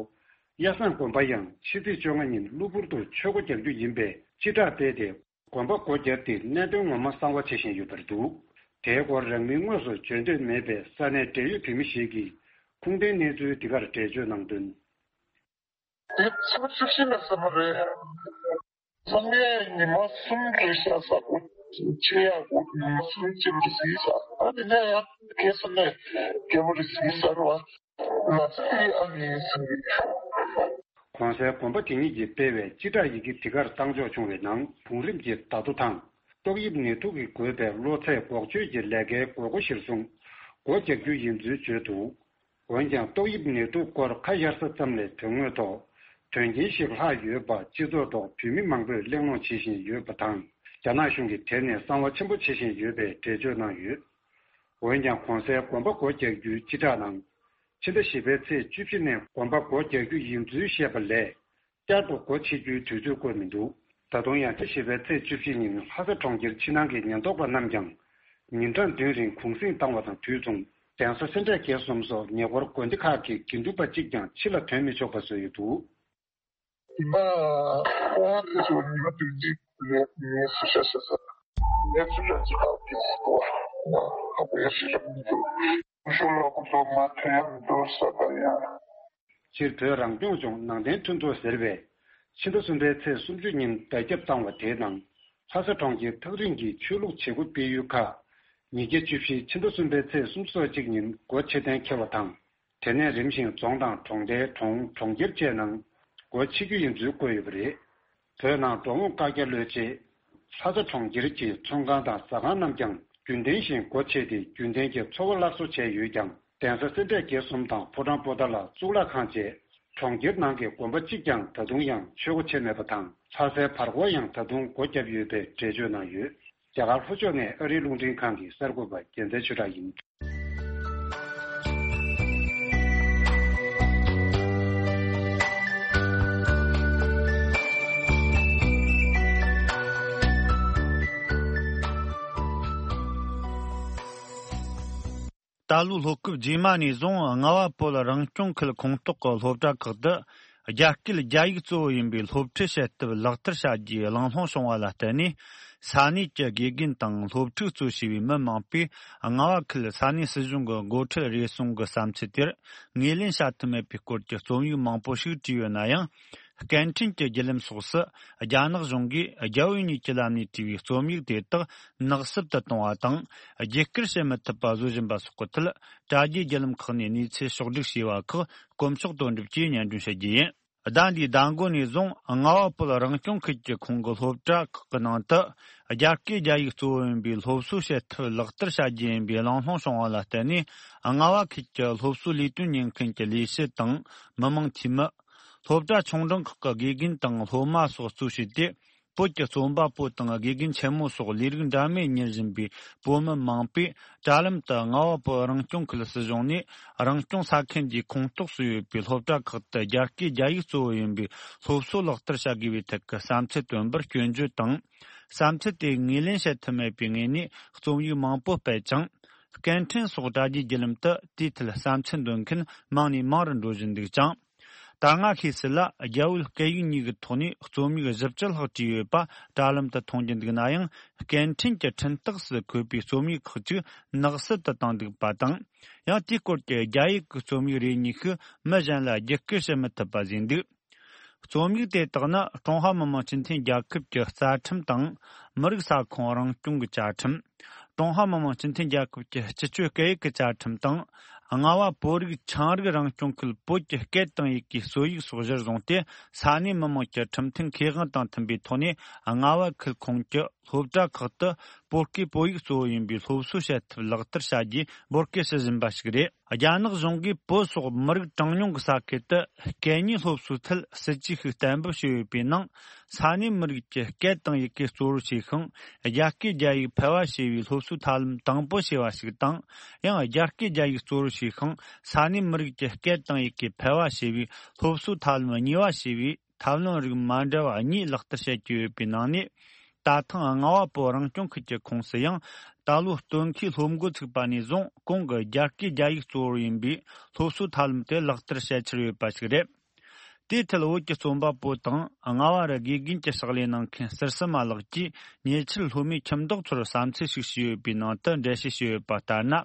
གཡའ་བཟང་དགོན་པ་ཡང་ཕྱི་ཚེས་བཅོ་ལྔ་ཉིན་གློ་བུར་དུ་ཆོས་སྒོ་རྒྱག་རྒྱུ་ཡིན་པའི་སྤྱི་བསྒྲགས་སྤེལ་ཏེ། དགོན་པ་སྒོ་བརྒྱབ་སྟེ་གནད་དོན་ངོ་མ་གསང་བ་བྱེད་བཞིན་ཡོད་པར་འདུག་དེའི་སྐོར་རང་མིང་དངོས་སུ་བརྗོད་འདོད་མེད་པའི་ས་གནས་འབྲེལ་ཡོད་བོད་མི་ཞིག་གིས་ཁུངས་ལྡན་གནས་ཚུལ་འདི་གར་འགྲེལ་བརྗོད་གནང་དོན། དེ་ཚོ་བཅུ་བཞི་ལ་ཟེར་བ་རེད། ཚང་མས་ཉི་མ་གསུམ་རེ་ཤ་ཟ་དགོས། ཆེ་ཡག་དགོས། ཉི་མ་གསུམ་ཅིག་རེ་ཟིག་ཟ། ཨ་ནི་ནས་ཡང་ཁེ་ས་ནས་རྒྱལ་པོ་རེ་ཟིག་ཟ་ར་བ། ང་ཚོ་ཨ་ནི་ཟིག་གོང་གསལ་དགོན་པ་དེ་ཉིད་ཀྱིས་སྤེལ་བའི་སྤྱི་བསྒྲགས་ཡི་གེ་འདི་གར་བཏང་འཇོག་བྱུང་བའི་ནང་བུང་རིམ་གྱི་བརྡ་ཐོ་དང་། ཏོག་དབྱིབས་ནད་དུག་གིས་འགོས་པའི་གློ་ཚད་འགོག་བཅོས་ཀྱི་ལས་ཀའི་དགོས་མཁོ་གཞིར་བཟུང་། སྒོ་རྒྱག་རྒྱུ་ཡིན་ཚུལ་བརྗོད་འདུག་འོན་ཀྱང་། ཏོག་དབྱིབས་ནད་དུག་སྐོར་ཁ་གཡར་ས་ཙམ་ལས་དོན་དངོས་ཐོག་དོན་རྐྱེན་ཞིག་ལྷག་ཡོད་པ་སྤྱི་ཚོགས་ཐོག་བོད་མི་མང་པོས་གླེང་སློང་བྱེད་བཞིན་ཡོད་པ་དང་། རྒྱ་ནག་གཞུང་གིས་དེ་ནས་གསང་བ་ཆེན་པོ་བྱེད་བཞིན་ཡོད་པའི་འགྲེལ་བརྗོད་གནང་ཡོད། འོན་ཀྱང་། གོང་གསལ་དགོན་པ་སྒོ་རྒྱག་རྒྱུའི་སྤྱི་བསྒྲགས་ནང་། ཕྱི་ཟླ་བཞི་པའི་ཚེས་བཅུ་བཞི་ནས་དགོན་པ་སྒོ་རྒྱག་རྒྱུ་ཡིན་ཚུལ་བཤད་པ་ལས། བསྐྱར་དུ་སྒོ་ཕྱེ་རྒྱུའི་དུས་ཚོད་བཀོད་མི་འདུག་ད་དུང་ཡང་ཁྲི་བཞི་པའི་ཚེས་བཅུ་བཞི་ཉིན་ལྷ་ས་གྲོང་ཁྱེར་ཕྱི་ནང་གི་ཉེན་རྟོག་པ་རྣམས་ཀྱང་ཉིན་གྲངས་བདུན་རིང་གུང་གསེང་བཏང་བ་དང་དུས་མཚུངས། གདན་ས་སེ་འབྲས་དགེ་གསུམ་སོགས་ཉེ་འཁོར་དགོན་སྡེ་ཁག་གི་དགེ་འདུན་པ་གཅིག་ཀྱང་ཕྱི་ལ་ཐོན་མི་ཆོག་པ་བཟོས་ཡོད་འདུག་ཉི་མ་ཁོང་དེ་ཚོ་ཉི་མ་བདུན་གཅིག་རེད། ངས་སུ་ཤ་ཤ་ས་ངས་སུ་ཤ་ཅི་ཁག་གི་སྐོར་ང་ཧ་གོ་ཡ་ཤི་རབ་མི་འདུག་ཤོ་ལོ་ཀུ་ཚོ་མ་ཐོན་ཡ་མི་འདུག་ས་པ་ཡ། སྤྱིར་བོད་རང་སྐྱོང་ལྗོངས་ནང་བསྟན་མཐུན་ཚོགས་ཟེར་བས། ཕྱི་ཟླ་གསུམ་པའི་ཚེས་སུམ་ཅུ་ཉིན་བརྡ་ཁྱབ་བཏང་བ་དེའི་ནང་། ལྷ་ས་གྲོང་ཁྱེར་ཐག་རིང་གི་ཆོས་ལུགས་བྱེད་སྒོ་སྤེལ་ཡུལ་ཁག་ཉིས་བརྒྱ་བཅུ་བཞི་ཕྱི་ཟླ་གསུམ་པའི་ཚེས་སུམ་ཅུ་སོ་གཅིག་ཉིན་སྒོ་ཕྱེ་གཏན་འཁེལ་བ་དང་། དེ་ནས་རིམ་བཞིན་རྫོང་དང་གྲོང་རྡལ། གྲོང་། གྲོང་ཁྱེར་བཅས་ནང་སྒོ་ཕྱེ་རྒྱུ་ཡིན་ཚུལ་བཀོད་ཡོད་པ་རེད། བོད་ནང་འགྲོ་འོང་བཀག་རྒྱ་གློད་ཆེད། ལྷ་ས་གྲོང་ཁྱེར་གྱི་ཚོང་ཁང་དང་ཟ་ཁང་རྣམས་ཀྱང་རྒྱུན་ལྡན་བཞིན་སྒོ་ཕྱེ་སྟེ་རྒྱུན་ལྡན་གྱི་འཚོ་བ་སླར་གསོ་བྱས་ཡོད་ཀྱང་། གདན་ས་སེ་འབྲས་དགེ་གསུམ་དང་ཕོ་བྲང་པོ་ཏཱ་ལ་གཙུག་ལག་ཁང་བཅས་གྲོང་ཁྱེར་ནང་གི་དགོན་པ་གཅིག་ཀྱང་ད་དུང་ཡང་ཆོས་སྒོ་ཕྱེ་མེད་པ་དང་། ལྷ་སའི་བར་སྐོར་ཡང་ད་དུང་སྒོ་བརྒྱབ་ཡོད་པའི་འགྲེལ་བརྗོད་གནང་ཡོད། རྒྱ་གར་ལྷོ་ཕྱོགས་ནས་ཨ་རིའི་རླུང་འཕྲིན་ཁང་གི་གསར་འགོད་པ་རྒྱལ་མཚན་ཆོས་གྲགས་ཡིན། ད་ལོའི་ལྷོ་སྐབས་རྗེས་མ་ནས་བཟུང་རྔ་བ་བོད་རང་སྐྱོང་ཁུལ་ཁོངས་གཏོགས་ཀྱི་སློབ་གྲྭ་ཁག་ཏུ་རྒྱ་སྐད་རྒྱ་ཡིག་གཙོ་བོ་ཡིན་པའི་སློབ་ཁྲིད་བྱེད་ཐབས་ལག་བསྟར་བྱ་རྒྱུའི་གླེང་སློང་བྱུང་བ་ལ་བརྟེན་ནས། ས་གནས་ཀྱི་དགེ་རྒན་དང་སློབ་ཕྲུག་གཙོ་བྱས་པའི་མི་མང་པོས་རྔ་བ་ཁུལ་ས་གནས་སྲིད་གཞུང་གི་འགོ་ཁྲིད་རེ་ཟུང་གི་བསམ་ཚུལ་དེར་ངོས་ལེན་བྱ་ཐུབ་མེད་པའི་སྐོར་གྱི་རྩོམ་ཡིག་མང་པོ་ཞིག་བྲིས་ཡོད་ན་ཡང་། སྐད་འཕྲིན་གྱི་བརྒྱུད་ལམ་སོགས་སུ་རྒྱ་ནག་གཞུང་གིས་རྒྱ་བོད་གཉིས་ཀྱི་ལམ་ནས་བྲིས་པའི་རྩོམ་ཡིག་དེ་དག་ནག་སུབ་ཏུ་གཏོང་བ་དང་། བརྒྱུད་བསྐུར་བྱེད་མི་ཐུབ་པ་བཟོ་བཞིན་པ་སོགས་ཀྱི་ཐད། དྲ་རྒྱའི་བརྒྱུད་ལམ་ཁག་ནས་གནས་ཚུལ་ཕྱོགས་བསྒྲིགས་བྱས་པ་ཁག་དཀོན་མཆོག་དོན་གྲུབ་ཀྱིས་སྙན་སྒྲོན་ཞུ་རྒྱུ་ཡིན། ཟླ་འདིའི་ཟླ་མགོ་ནས་བཟུང་རྔ་བ་བོད་རང་སྐྱོང་ཁུལ་གྱི་ཁོངས་ཀྱི་སློབ་གྲྭ་ཁག་གི་ནང་དུ་རྒྱ་སྐད་རྒྱ་ཡིག་གཙོ་བོ་ཡིན་པའི་སློབ་གསོ་བྱེད་ཐབས་ལག་བསྟར་བྱ་རྒྱུ་ཡིན་པའི་གླེང་སློང་བྱུང་བ་ལ་བརྟེན་ནས། རྔ་བ་ཁུལ་གྱི་སློབ་གསོའི་ལས་དོན་གཉེར་མཁན་གྱི་ལས་བྱེད་དང་མི་མང་འཐུས་མི། སློབ་གྲྭ་ཆུང་འབྲིང་ཁག་གི་དགེ་རྒན་དང་སློབ་མ་སོགས་གཙོ་བྱས་ཏེ། བོད་ཀྱི་རྩོམ་པ་པོ་དང་དགེ་རྒན་ཆེན་མོ་སོགས་ལས་རིགས་འདྲ་མིན་གཉེར་བཞིན་པའི་བོད་མི་མང་པོས་དྲ་ལམ་དུ་རྔ་བ་བོད་རང་སྐྱོང་ཁུལ་སྲིད་གཞུང་ནས་རང་སྐྱོང་ས་ཁུལ་འདིའི་ཁོངས་གཏོགས་སུ་ཡོད་པའི་སློབ་གྲྭ་ཁག་ཏུ་རྒྱ་སྐད་རྒྱ་ཡིག་གཙོ་བོ་ཡིན་པའི་སློབ་གསོ་ལག་བསྟར་བྱ་དགོས་པའི་ཐད་ཀྱི་བསམ་ཚུལ་བཏོན་པར་སྐྱོན་བརྗོད་དང་། བསམ་ཚུལ་དེ་ངོས་ལེན་བྱེད་ཐུབ་མེད་པའི་ངོས་ནས་རྩོམ་ཡིག་མང་པོ་སྤེལ་ཀྱང་། སྐད་འཕྲིན་སོགས་དྲ་རྒྱའི་བརྒྱུད་ལམ་དུ་དེའི་ཐད་བསམ་ཚུལ་འདོན་མཁན་མང་ནས་མང་རུ་འགྲོ་བཞིན་འདུག་ཅིང་། ད་སྔ་ཤེས་གསལ་ལ་རྒྱ་བོད་སྐད་ཡིག་གཉིས་ཀྱི་ཐོག་ནས་རྩོམ་ཡིག་བཞི་བཅུ་ལྷག་བྲིས་ཡོད་པ་དྲ་ལམ་དུ་མཐོང་རྒྱུ་འདུག་ན་ཡང་། སྐད་འཕྲིན་གྱི་འཕྲིན་སྟེགས་སུ་འཁོད་པའི་རྩོམ་ཡིག་ཁག་ཅིག་ནག་སུབ་ཏུ་བཏང་འདུག་པ་དང་། ཡང་དེའི་སྐོར་གྱི་རྒྱ་ཡིག་གི་རྩོམ་ཡིག་རེ་གཉིས་ཤིག་མི་གཞན་ལ་བརྒྱུད་བསྐུར་བྱེད་མི་ཐུབ་པ་བཟོས་འདུག་རྩོམ་ཡིག་དེ་དག་ནི་ཀྲུང་ཧྭ་མི་དམངས་སྤྱི་མཐུན་རྒྱལ་ཁབ་ཀྱི་རྩ་ཁྲིམས་དང་། མི་རིགས་ས་ཁོངས་རང་སྐྱོང་གི་བཅའ་ཁྲིམས། ཀྲུང་ཧྭ་མི་དམངས་སྤྱི་མཐུན་རྒྱལ་ཁབ་ཀྱི་སྤྱི་སྤྱོད་སྐད་ཡིག་གི་བཅའ་ཁྲིམས་དང་། རྔ་བ་བོད་རིགས་ཆའང་རིགས་རང་སྐྱོང་ཁུལ་བོད་ཀྱི་སྐད་དང་ཡི་གེའི་སྲོལ་ཡིག་སོགས་གཞིར་བཟུང་སྟེ། ས་གནས་མི་དམངས་ཀྱི་ཁྲིམས་མཐུན་ཁེ་དབང་དང་མཐུན་པའི་ཐོག་ནས། རྔ་བ་ཁུལ་ཁོངས་ཀྱི་སློབ་གྲྭ་ཁག་ཏུ་བོད་སྐད་བོད་ཡིག་གཙོ་བོ་ཡིན་པའི་སློབ་གསོ་བྱེད་ཐབས་ལག་བསྟར་བྱ་རྒྱུའི་འབོད་སྐུལ་ཞུ་བཞིན་པ་ཞིག་རེད། རྒྱ་ནག་གཞུང་གིས་བོད་སོགས་མི་རིགས་གྲངས་ཉུང་གི་ས་ཁུལ་དུ་སྐད་གཉིས་སློབ་གསོའི་ཐད་སྲིད་ཇུས་ཤིག་གཏན་འབེབས་བྱས་ཡོད་པའི་ནང་། ས་གནས་མི་རིགས་ཀྱི་སྐད་དང་ཡི་གེ་གཙོ་བོར་བྱས་ཤིང་། རྒྱ་སྐད་རྒྱ་ཡིག་ཕལ་བ་ཞེས་པའི་སློབ་གསོའི་ཐབས་ལམ་དང་པོ་ཞེས་པ་ཞིག་དང་། ཡང་རྒྱ་སྐད་རྒྱ་ཡིག་གཙོ་བོར་བྱས་ཤིང་། ས་གནས་མི་རིགས་ཀྱི་སྐད་དང་ཡི་གེ་ཕལ་བ་ཞེས་པའི་སློབ་གསོའི་ཐབས་ལམ་གཉིས་པ་ཞེས་པའི་ཐབས་ལམ་རིགས་མ་འདྲ་བ་གཉིས་ལག་བསྟར་བྱེད་ཀྱི་ཡོད་པའི་ནང་ནས། ད་ཐེངས་རྔ་བ་བོད་རང་སྐྱོང་ཁུལ་གྱི་ཁོངས་སུ་ཡང་། ད་ལོ་སྟོན་ཁའི་སློབ་འགོ་ཚུགས་པ་ནས་བཟུང་གོང་གི་རྒྱ་སྐད་རྒྱ་ཡིག་གཙོ་བོར་ཡིན་པའི་སློབ་གསོའི་ཐབས་ལམ་དེ་ལག་བསྟར་བྱེད་འཆར་ཡོད་པ་ཞིག་རེད། དེའི་ཐད་བོད་ཀྱི་རྩོམ་པ་པོ་དང་རྔ་བ་རུ་དགེ་རྒན་གྱི་ཕྱག་ལས་གནང་མཁན་ཟུར་སི་མ་ལགས་ཀྱིས་ཉེ་ཆར་སློབ་མའི་ཁྱིམ་བདག་ཚོར་བསམ་ཚུལ་ཞིག་ཞུས་ཡོད་པའི་ནང་དུ་འགྲེལ་བཤད་ཞུས་ཡོད་པ་ལྟར་ན།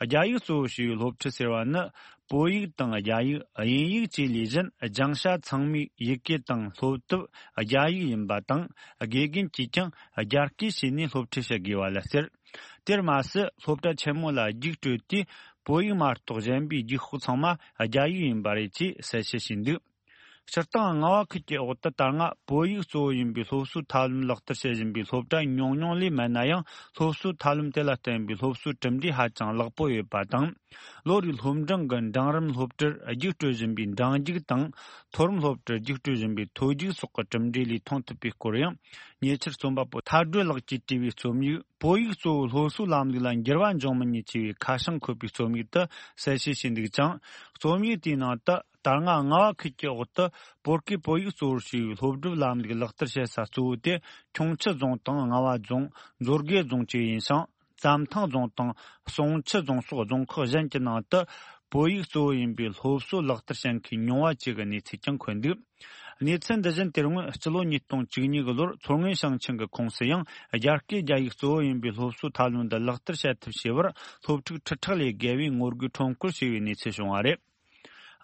རྒྱ་ཡིག་གཙོ་བོ་ཞེས་པའི་སློབ་ཁྲིད་ཟེར་བ་ནི། བོད་ཡིག་དང་རྒྱ་ཡིག་དབྱིན་ཡིག་བཅས་ལས་གཞན་སྦྱང་བྱ་ཚང་མའི་ཡི་གེ་དང་སློབ་དེབ་རྒྱ་ཡིག་ཡིན་པ་དང་། དགེ་རྒན་གྱིས་ཀྱང་རྒྱ་སྐད་བྱས་ནས་སློབ་ཁྲིད་བྱེད་དགོས་པ་ལ་ཟེར། དེར་མ་ཟད། སློབ་གྲྭ་ཆེན་མོ་ལ་རྒྱུགས་སྤྲོད་དུས། བོད་ཡིག་མ་གཏོགས་གཞན་པའི་རྒྱུགས་ཤོག་ཚང་མ་རྒྱ་ཡིག་ཡིན་པ་རེད་ཅེས་གསལ་བཤད་བྱས་འདུག་སྤྱིར་བཏང་། རྔ་བ་ཁུལ་གྱི་འོག་ཏུ་ད་སྔ་བོད་ཡིག་གཙོ་བོ་ཡིན་པའི་སློབ་གསོའི་ཐབས་ལམ་ལག་བསྟར་བྱེད་བཞིན་པའི་སློབ་གྲྭ་ཉུང་ཉུང་ལས་མེད་ན་ཡང་། སློབ་གསོའི་ཐབས་ལམ་དེ་ལ་བརྟེན་པའི་སློབ་གསོའི་གྲུབ་འབྲས་ཧ་ཅང་ལེགས་པོ་ཡོད་པ་དང་། ལོ་རེའི་སློབ་འབྲིང་གི་འབྲིང་རིམ་སློབ་གྲྭར་རྒྱུགས་སྤྲོད་བཞིན་པའི་འབྲིང་རྒྱུགས་དང་། མཐོ་རིམ་སློབ་གྲྭར་རྒྱུགས་སྤྲོད་བཞིན་པའི་མཐོ་རྒྱུགས་སོགས་ཀྱི་གྲུབ་འབྲས་ལས་མཐོང་ཐུབ་པའི་སྐོར་ཡང་། ཉེ་ཆར་རྩོམ་པ་པོ་ཐར་སྒྲོལ་ལགས་ཀྱིས་བྲིས་པའི་རྩོམ་ཡིག་བོད་ཡིག་གཙོ་བོའི་སློབ་གསོའི་ལམ་ལུགས་ལ་འགྱུར་བ་འབྱུང་མི་ཉེན་ཆེ་བའི་ཁ་བྱང་འཁོད་པའི་རྩོམ་ཡིག་དེ་གསལ་བཤད་བྱས་འདུག་ཅིང་། རྩོམ་ཡིག་དེའི་ནང་དུ་ད་སྔ་རྔ་བ་ཁུལ་གྱི་འོག་ཏུ་བོད་སྐད་བོད་ཡིག་གཙོ་བོར་བྱས་པའི་སློབ་སྒྲུབ་ལམ་ལུགས་ལག་བསྟར་བྱེད་ས་གཙོ་བོ་དེ་ཁྱུང་མཆུ་རྫོང་དང་རྔ་བ་རྫོང་། མཛོད་དགེ་རྫོང་བཅས་ཡིན་ཞིང་། བཙམ་ཐང་རྫོང་དང་གསུང་ཆུ་རྫོང་སོགས་རྫོང་ཁག་གཞན་གྱི་ནང་དུ་བོད་ཡིག་གཙོ་བོ་ཡིན་པའི་སློབ་གསོ་ལག་བསྟར་བྱེད་མཁན་ཉུང་བ་བཅས་ཀྱི་གནས་ཚུལ་ཀྱང་འཁོད་འདུག། གནས་ཚུལ་འདི་བཞིན་དེ་སྔོན་སྤྱི་ལོ་ཉིས་སྟོང་བཅུ་གཉིས་ཀྱི་ལོར་མཚོ་སྔོན་ཞིང་ཆེན་གྱི་ཁོངས་སུ་ཡང་རྒྱ་སྐད་རྒྱ་ཡིག་གཙོ་བོ་ཡིན་པའི་སློབ་གསོའི་ཐབས་ལམ་འདི་ལག་བསྟར་བྱེད་ཐབས་བྱས་པར་སློབ་ཕྲུག་ཁྲི་ཕྲག་ལས་བརྒལ་བས་ངོ་རྒོལ་ཁྲོམ་སྐོར་བྱས་པའི་གནས་ཚུལ་བྱུང་བ་རེད།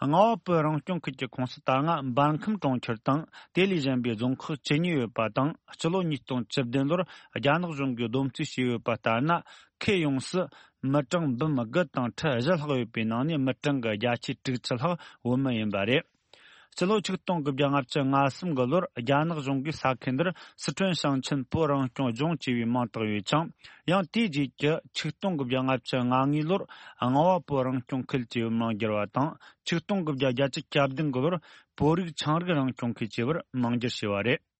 རྔ་བ་བོད་རང་སྐྱོང་ཁུལ་གྱི་ཁོངས་སུ་ད་སྔ་འབར་ཁམས་གྲོང་ཁྱེར་དང་དེ་ལས་གཞན་པའི་རྫོང་ཁག་བཅུ་གཉིས་ཡོད་པ་དང་། སྤྱི་ལོ་ཉིས་སྟོང་བཅུ་བདུན་ལོར་རྒྱ་ནག་གཞུང་གིས་བསྡོམས་རྩིས་བྱས་ཡོད་པ་ལྟར་ན། ཁུལ་ཡོངས་སུ་མི་གྲངས་འབུམ་དགུ་དང་ཁྲི་བཞི་ལྷག་ཡོད་པའི་ནང་ནས་མི་གྲངས་ཀྱི་བརྒྱ་ཆ་དྲུག་ཅུ་ལྷག་བོད་མི་ཡིན་པ་རེད། སྤྱི་ལོ་ཆིག་སྟོང་དགུ་བརྒྱ་ལྔ་བཅུ་ང་གསུམ་གྱི་ལོར་རྒྱ་ནག་གཞུང་གིས་ས་ཁུལ་འདིར་སི་ཁྲོན་ཞིང་ཆེན་བོད་རང་སྐྱོང་ལྗོངས་ཅེས་པའི་མིང་བཏགས་ཡོད་ཅིང་། ཡང་དེའི་རྗེས་ཀྱི་ཆིག་སྟོང་དགུ་བརྒྱ་ལྔ་བཅུ་ང་གཉིས་ལོར་རྔ་བ་བོད་རང་སྐྱོང་ཁུལ་ཅེས་པའི་མིང་བསྒྱུར་བ་དང་། ཆིག་སྟོང་དགུ་བརྒྱ་བརྒྱད་ཅུ་གྱ་བདུན་གྱི་ལོར་བོད་རིགས་ཆའང་རིགས་རང་སྐྱོང་ཁུལ་ཅེས་པར་མིང་བསྒྱུར་བྱས་པ་རེད།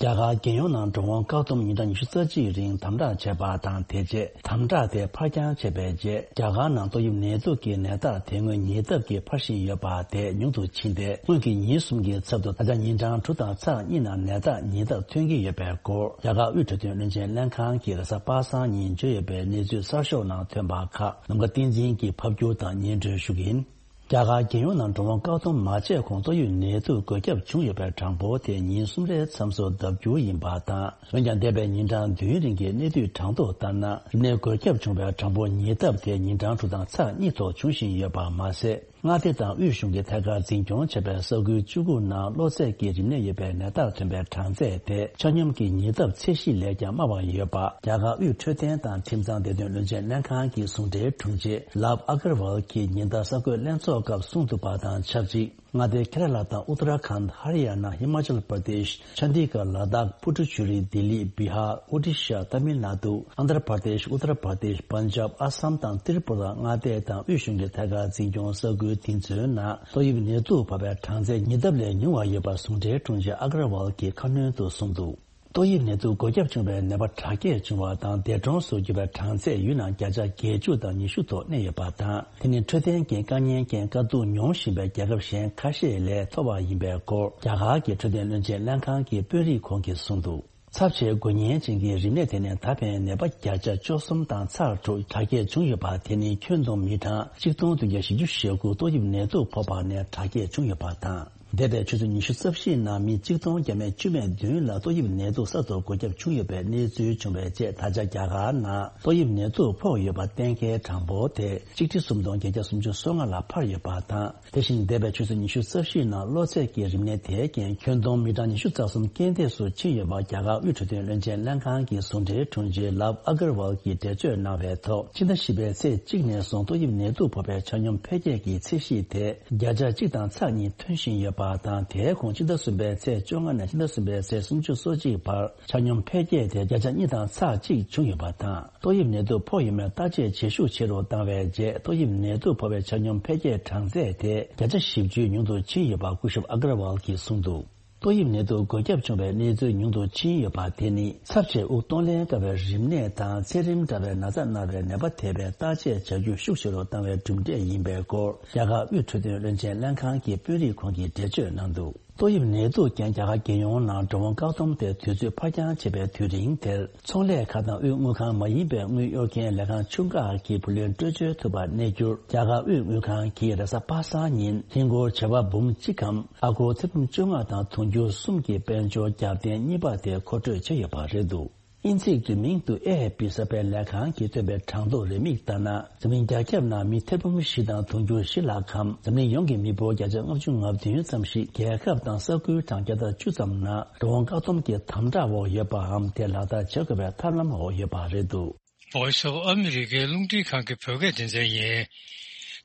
རྒྱ་གར་རྒྱལ་ཡོངས་ནང་འགྲོ་འོང་བཀག་སྡོམ་ཉིན་གྲངས་ཉི་ཤུ་རྩ་གཅིག་རིང་དམ་དྲག་བྱས་པ་དང་། དེ་རྗེས་དམ་དྲག་དེ་ཕར་འགྱངས་བྱས་པའི་རྗེས། རྒྱ་གར་ནང་ཏོག་དབྱིབས་ནད་དུག་གི་ནད་རྟགས་དེ་སྔོན་ཉེ་ལྡབ་ཀྱིས་འཕར་བཞིན་ཡོད་པ་དེ་ཉུང་དུ་ཕྱིན་ཏེ། སྔོན་གྱི་ཉིན་གསུམ་གྱི་ཚབ་ཏུ་ད་ཆ་ཉིན་གྲངས་དྲུག་དང་ཚེག་གཉིས་ནང་ནད་རྟགས་ཉེ་ལྡབ་ཐོན་གྱི་ཡོད་པའི་སྐོར། རྒྱ་གར་དབུས་འཕྲོད་བསྟེན་བློན་ཆེན་ལྷན་ཁང་གིས་རེས་གཟའ་པ་སངས་ཉིན་བརྗོད་ཡོད་པའི་གནས་ཚུལ་གསར་ཤོག་ནང་ཐོན་པ་ཁག་ནམ་མཁའ་བསྟན་འཛིན་གྱིས་ཕབ་སྒྱུར་དང་སྙན་སྒྲོན་ཞུ་གི་ཡིན། རྒྱ་གར་རྒྱལ་ཡོངས་ནང་འགྲོ་འོང་བཀག་སྡོམ་མ་བྱས་གོང་ཏོག་དབྱིབས་ནད་དུག་འགོས་ཁྱབ་བྱུང་ཡོད་པའི་གྲངས་འབོར་དེ་ཉིན་གསུམ་རེའི་མཚམས་སུ་ལྡབ་འགྱུར་ཡིན་པ་དང་། འོན་ཀྱང་། འདས་པའི་ཉིན་གྲངས་བདུན་རིང་གི་གནས་སྡུད་གྲངས་ཐོ་ལྟར་ན། རིམས་ནད་འགོས་ཁྱབ་བྱུང་བའི་གྲངས་འབོར་ཉེ་ལྡབ་དེ་ཉིན་གྲངས་དྲུག་དང་ཚེག་གཉིས་ཐོག་འབྱུང་བཞིན་ཡོད་པ་མ་ཟད། མངའ་སྡེ་དང་དབུས་གཞུང་གིས་ཐད་ཀར་འཛིན་སྐྱོང་བྱས་པའི་ས་ཁུལ་བཅུ་དགུ་ནང་གློ་ཚད་ཀྱི་རིམས་ནད་ཡོད་པའི་ནད་རྟགས་ཐོན་པའི་གྲངས་ཚད་དེ་ཆ་སྙོམས་ཀྱི་ཉེ་ལྡབ་ཚད་གཞི་ལས་ཀྱང་དམའ་བ་ཡོད་པ། རྒྱ་གར་དབུས་འཕྲོད་བསྟེན་དང་ཁྲིམས་གཙང་བདེ་དོན་བློན་ཆེན་ལྷན་ཁང་གི་ཟུང་འབྲེལ་དྲུང་ཆེ་ལབ་ཨ་གར་ཝལ་གྱིས་ཉིན་ལྟར་གསར་འགོད་ལྷན་ཚོགས་སྐབས་གསུངས་འདུག་པ་དང་ཆབས་ཅིག་མངའ་སྡེ་ཁེ་ར་ལ་དང་ཨུ་ཏ་ར་ཁཱན། ཧ་རི་ཡ་ན། ཧི་མ་ཅལ་པར་དེཤ། ཆ་ཌི་གྷར། ལ་དྭགས། པུ་ཏུ་ཅུ་རི། ལྡི་ལི། བི་ཧར། ཨོ་ཌི་ཤ། ཏ་མིལ་ནཱ་ཏུ། ཨན་དྷྲ་པར་དེཤ། ཨུ་ཏར་པར་དེཤ། པན་ཇབ། ཨ་སམ་དང་ཏྲི་པུ་ར་མངའ་སྡེ་དང་དབུས་གཞུང་གི་ཐད་ཀར་འཛིན་སྐྱོང་ས་ཁུལ་དེ་ཚོའི་ནང་ཏོག་དབྱིབས་ནད་དུག་ཕོག་པའི་གྲངས་ཚད་ཉེ་ལྡབ་ལས་ཉུང་བ་ཡོད་པ་ཟུང་འབྲེལ་དྲུང་ཆེ་ཨ་གར་ཝལ་གྱིས་ཁ་སྣོན་དུ་གསུངས་འདུག་ཏོག་དབྱིབས་ནད་དུག་འགོས་ཁྱབ་བྱུང་བའི་ནད་པ་དྲག་སྐྱེད་བྱུང་བ་དང་འདས་གྲོངས་སུ་གྱུར་པའི་གྲངས་ཚད་ཡུལ་ནང་བརྒྱ་ཆ་བརྒྱད་ཅུ་དང་ཉི་ཤུ་ཐོག་གནས་ཡོད་པ་དང་། དེ་ནི་འཕྲོད་བསྟེན་གྱི་དཀའ་ངལ་རྐྱེན་དཀའ་སྡུག་མྱོང་བཞིན་པའི་རྒྱལ་ཁབ་གཞན་ཁ་ཤས་ལས་མཐོ་བ་ཡིན་པའི་སྐོར། རྒྱ་གར་གྱི་འཕྲོད་བསྟེན་བློན་ཆེན་ལྷན་ཁང་གི་དཔོན་རིགས་ཁོང་གིས་གསུངས་འདུག་ཚབས་ཆེའི་འགོས་ཉེན་ཅན་གྱི་རིམས་ནད་དེ་ནི་ད་ཕན་ནད་པ་བརྒྱ་ཆ་བཅུ་གསུམ་དང་ཚེག་དྲུག་དྲག་སྐྱེད་བྱུང་ཡོད་པ། དེ་ནི་ཁྱོན་བསྡོམས་མི་གྲངས་གཅིག་སྟོང་བདུན་བརྒྱ་བཞི་བཅུ་ཞེ་དགུ་ཏོག་དབྱིབས་ནད་དུག་ཕོག་པ་ནས་དྲག་སྐྱེད་བྱུང་ཡོད་པ་དང་། འདས་པའི་ཆུ་ཚོད་ཉི་ཤུ་རྩ་བཞིའི་ནང་མི་གཅིག་སྟོང་བརྒྱ་མེད་བཅུ་མེད་བདུན་ལ་ཏོག་དབྱིབས་ནད་དུག་གསར་དུ་འགོས་ཁྱབ་བྱུང་ཡོད་པའི་གནས་ཚུལ་བྱུང་བའི་རྗེས། ད་ཆ་རྒྱ་གར་ནང་ཏོག་དབྱིབས་ནད་དུག་ཕོག་ཡོད་པ་གཏན་འཁེལ་གྲངས་འབོར་དེ་གཅིག་ཁྲི་སུམ་སྟོང་བརྒྱད་བརྒྱ་སུམ་ཅུ་སོ་ལྔ་ལ་འཕར་ཡོད་པ་དང་། དེ་བཞིན་འདས་པའི་ཆུ་ཚོད་ཉི་ཤུ་རྩ་བཞིའི་ནང་གློ་ཚད་ཀྱི་རིམས་ནད་དེ་རྐྱེན་ཁྱོན་བསྡོམས་མི་གྲངས་ཉི་ཤུ་རྩ་གསུམ་རྐྱེན་འདས་སུ་ཕྱིན་ཡོད་པ། རྒྱ་གར་དབུས་འཕྲོད་བསྟེན་བློན་ཆེན་ལྷན་ཁང་གི་ཟུང་འབྲེལ་དྲུང་ཆེ་ལབ་ཨ་གར་ཝལ་གྱིས་འགྲེལ་བརྗོད་གནང་བའི་ཐོག་ཕྱི་ཟླ་བཞི་པའི་ཚེས་གཅིག་ནས་བཟུང་ཏོག་དབྱིབས་ནད་དུག་ཕོག་པའི་ཆ་སྙོམས་འཕེལ་རྒྱས་ཀྱི་ཚད་གཞི་དེ་བརྒྱ་ཆ་གཅིག་དང་ཚེག་གཉིས་ཐོན་བཞིན་ཡོད་པ་དང་། དེའི་ཁོངས་ཕྱི་ཟླ་གསུམ་པའི་ཚེས་བཅོ་ལྔ་ནས་ཕྱི་ཟླ་གསུམ་པའི་ཚེས་སུམ་ཅུ་སོ་གཅིག་བར་ཆ་སྙོམས་འཕེལ་རྒྱས་དེ་བརྒྱ་ཆ་གཉིས་དང་ཚེག་གཅིག་བྱུང་ཡོད་པ་དང་། ཏོག་དབྱིབས་ནད་དུག་ཕོག་ཡོད་མེད་བརྟག་དཔྱད་བྱེད་ཤུགས་ཆེ་རུ་བཏང་བའི་རྗེས། ཏོག་དབྱིབས་ནད་དུག་ཕོག་པའི་ཆ་སྙོམས་འཕེལ་རྒྱས་གྲངས་ཚད་དེ་བརྒྱ་ཆ་བཞི་བཅུ་ཉུང་དུ་ཕྱིན་ཡོད་པ་སྐུ་ཞབས་ཨ་གར་ཝལ་གྱིས་གསུངས་འདུག་ཏོག་དབྱིབས་ནད་དུག་འགོས་ཁྱབ་བྱུང་བའི་གནས་ཚུལ་ཉུང་དུ་ཕྱིན་ཡོད་པ་དེ་ནི་ཚབས་ཆེ་དབུགས་གཏོང་ལེན་དཀའ་བའི་རིམས་ནད་དང་ཚད་རིམས་འདྲ་བའི་ན་ཚ་ན་བའི་ནད་པ་དེ་བས་བརྟག་དཔྱད་བྱ་རྒྱུ་ཤུགས་ཆེ་རུ་བཏང་བའི་གྲུབ་འབྲས་ཡིན་པའི་སྐོར། རྒྱ་གར་དབུས་འཕྲོད་བསྟེན་བློན་ཆེན་ལྷན་ཁང་གི་དཔོན་རིགས་ཁོང་གིས་འགྲེལ་བརྗོད་གནང་འདུག་ཏོག་དབྱིབས་ནད་དུག་རྐྱེན་རྒྱ་གར་རྒྱལ་ཡོངས་ནང་འགྲོ་འོང་བཀག་སྡོམ་དེ་དུས་ཚོད་ཕར་འགྱངས་བྱེད་པའི་དུས་རིང་དེར། ཚོང་ལས་ཁང་དང་དབུས་དངུལ་ཁང་མ་ཡིན་པའི་དངུལ་གཡོར་མཁན་ལས་ཁང་ཆུང་ཁག་གི་བུ་ལོན་སྤྲོད་འབྱོར་ཐུབ་པ་གནས་རྒྱུར། རྒྱ་གར་དབུས་དངུལ་ཁང་གིས་རེས་གཟའ་པ་སངས་ཉིན་ཧིན་སྒོར་བྱེ་བ་འབུམ་གཅིག་གམ་ཨ་སྒོར་ཐེར་འབུམ་བཅོ་ལྔ་དང་དུང་ཕྱུར་གསུམ་གྱི་དཔལ་འབྱོར་རྒྱབ་རྟེན་གཉིས་པ་དེ་མཁོ་སྤྲོད་བྱས་ཡོད་པ་རེད་འདུག་དབྱིན་ཚིག་བསྡུས་མིང་དུ་ཨེ་ཨེཕ་པི་གསར་སྤེལ་ལས་ཁང་གིས་བཏོན་པའི་གྲངས་ཐོ་རེའུ་མིག་ལྟར་ན། འཛམ་གླིང་རྒྱ་ཁྱབ་ནང་མི་ཐེར་འབུམ་བཞི་དང་དུང་ཕྱུར་བཞི་ལྷག་གམ། འཛམ་གླིང་ཡོངས་ཀྱི་མི་འབོར་བརྒྱ་ཆ་ལྔ་བཅུ་ང་བདུན་ཙམ་ཞིག་རྒྱལ་ཁབ་དང་ས་ཁུལ་གྲངས་བརྒྱ་དང་བཅུ་ཙམ་ནང་འགྲོ་འོང་བཀག་སྡོམ་གྱི་དམ་དྲག་འོག་ཡོད་པའམ། དེ་ལག་བསྟར་བྱེད་དགོས་པའི་ཐབས་ལམ་འོག་ཡོད་པ་རེད་འདུག Voice of America རླུང་འཕྲིན་ཁང་གི་བོད་སྐད་སྡེ་ཚན་ཡིན།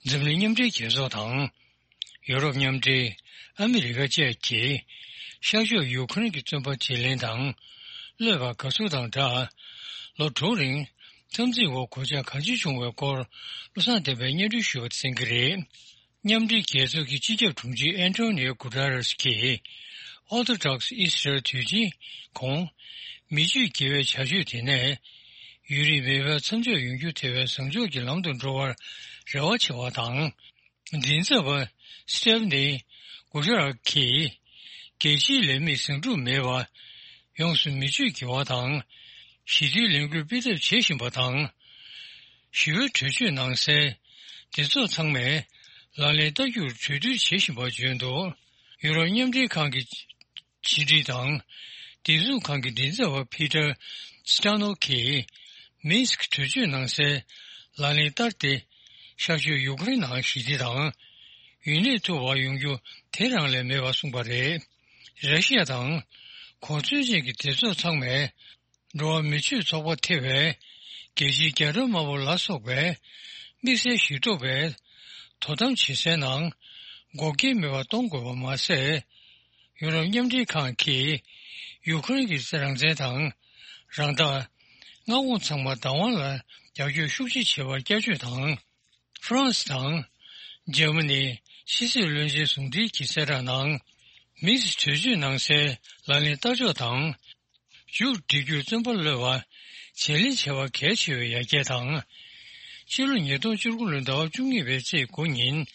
འཛམ་གླིང་མཉམ་འབྲེལ་རྒྱལ་ཚོགས་དང་། ཡོ་རོབ་མཉམ་འབྲེལ། ཨ་མི་རི་ཀ་བཅས་ཀྱིས་ཤར་ཕྱོགས་ཡུ་ཁུ་རེན་གྱི་བཙོན་པ་བརྗེ་ལེན་དང་གློད་པ་དགའ་བསུ་དང་སྦྲགས། ལོ་དྲུག་རིང་ འཐབ་འཛིང་འོག་གོད་ཆག་གང་ཅི་བྱུང་བའི་སྐོར་བློ་བཟང་བསྟན་པས་སྙན་སྒྲོན་ཞུས་པ་དེ་གསན་གྱི་རེད། མཉམ་འབྲེལ་རྒྱལ་ཚོགས་ཀྱི་སྤྱི་ཁྱབ་དྲུང་ཆེ་ཨན་ཏོ་ནིའོ་གུ་ཏ་རེས་ཀྱིས། ཨོ་ཐོ་ཌོག་སི་ཨི་སི་རལ་དུས་ཆེན་གོང་། མི་སྤྱོད་དགེ་བའི་བྱ་སྤྱོད་དེ་ནས། ཡུན་རིང་མེད་པའི་མཚམས་འཇོག་ཡོང་རྒྱུ་དེ་བས་བཟང་ཕྱོགས་ཀྱི་ལམ་དུ་འགྲོ་བར་རེ་བ་ཆེ་བ་དང་། མགྲིན་ཚབ་པ་སི་ཏེབ་ནི་གུ་ཤ་རག་གིས། རྒྱལ་སྤྱིའི་ལས་མིས་ཟིང་འཁྲུག་མེད་པ། ཡོངས་སུ་མི་སྤྱོད་དགེ་བ་དང་། ཞི་བདེའི་ལས་འགུལ་སྤེལ་ཐབས་བྱེད་བཞིན་པ་དང་། ཞི་བའི་གྲོས་ཆོད་ནང་གསལ། སྡེ་ཚོགས་ཚང་མས་ལག་ལེན་བསྟར་རྒྱུར་གྲོས་བསྡུར་བྱེད་བཞིན་པ་བརྗོད་འདུག་ཡུ་རོབ་མཉམ་འབྲེལ་ཁང་གི་ཕྱི་དྲིལ་དང་། བདེ་སྲུང་ཁང་གི་མགྲིན་ཚབ་པ་ཕི་ཏར་སི་ཏ་ནོ་གིས། མིན་སི་ཀི་གྲོས་ཆོད་ནང་གསལ་ལག་ལེན་བསྟར་ཏེ། ཤར་ཕྱོགས་ཡུ་ཀེ་རེན་ནང་ཞི་བདེ་དང་། ཡུན་གནས་ཐུབ་པ་ཡོང་རྒྱུ་དེ་རང་ལས་མེད་པ་གསུངས་པ་རེད། ར་ཤི་ཡ་དང་གོ་མཚོན་ཅན་གྱི་སྡེ་ཚོགས་ཚང་མས། འགྲོ་བ་མི་ཆོས་ཚོགས་པ་ཐེ་བའི་རྒྱལ་སྤྱིའི་རྒྱ་སྒྲོལ་དམར་པོ་ལ་སོགས་པའི་དམིགས་བསལ་ཞིག་ཐོབ་པའི་དོ་དམ་བྱེད་སའི་ནང་འགོག་རྐྱེན་མེད་པར་གཏོང་དགོས་པ་མ་ཟད། ཡུ་རོབ་མཉམ་འབྲེལ་ཁང་གིས་ཡུ་ཁུ་རེན་གྱི་རང་བཙན་དང་རང་བདག་མངའ་ཁོངས་ཚང་མ་བདག་དབང་ལ་རྒྱབ་སྐྱོར་ཤུགས་ཆེ་བྱེད་པར་བསྐྱར་བརྗོད་དང་། ཧྥ་རན་སི་དང་། འཇར་མ་ནི་ཕྱི་སྲིད་བློན་ཆེན་ཟུང་འབྲེལ་གྱི་གསལ་བསྒྲགས་ནང་། མིན་སི་གྲོས་ཆོད་ནང་གསལ་ལག་ལེན་བསྟར་ཕྱོགས་དང་། མཇུག་སྒྲིལ་རྒྱུར་བརྩོན་པ་བློས་པ། བརྗེ་ལེན་བྱ་བ་གལ་ཆེ་བའི་ཡར་རྒྱས་དང་། ཕྱི་ལོ་ཉིས་སྟོང་བཅུ་དགུ་ལོའི་ཟླ་བ་བཅུ་གཉིས་པའི་ཚེས་དགུ་ཉིན།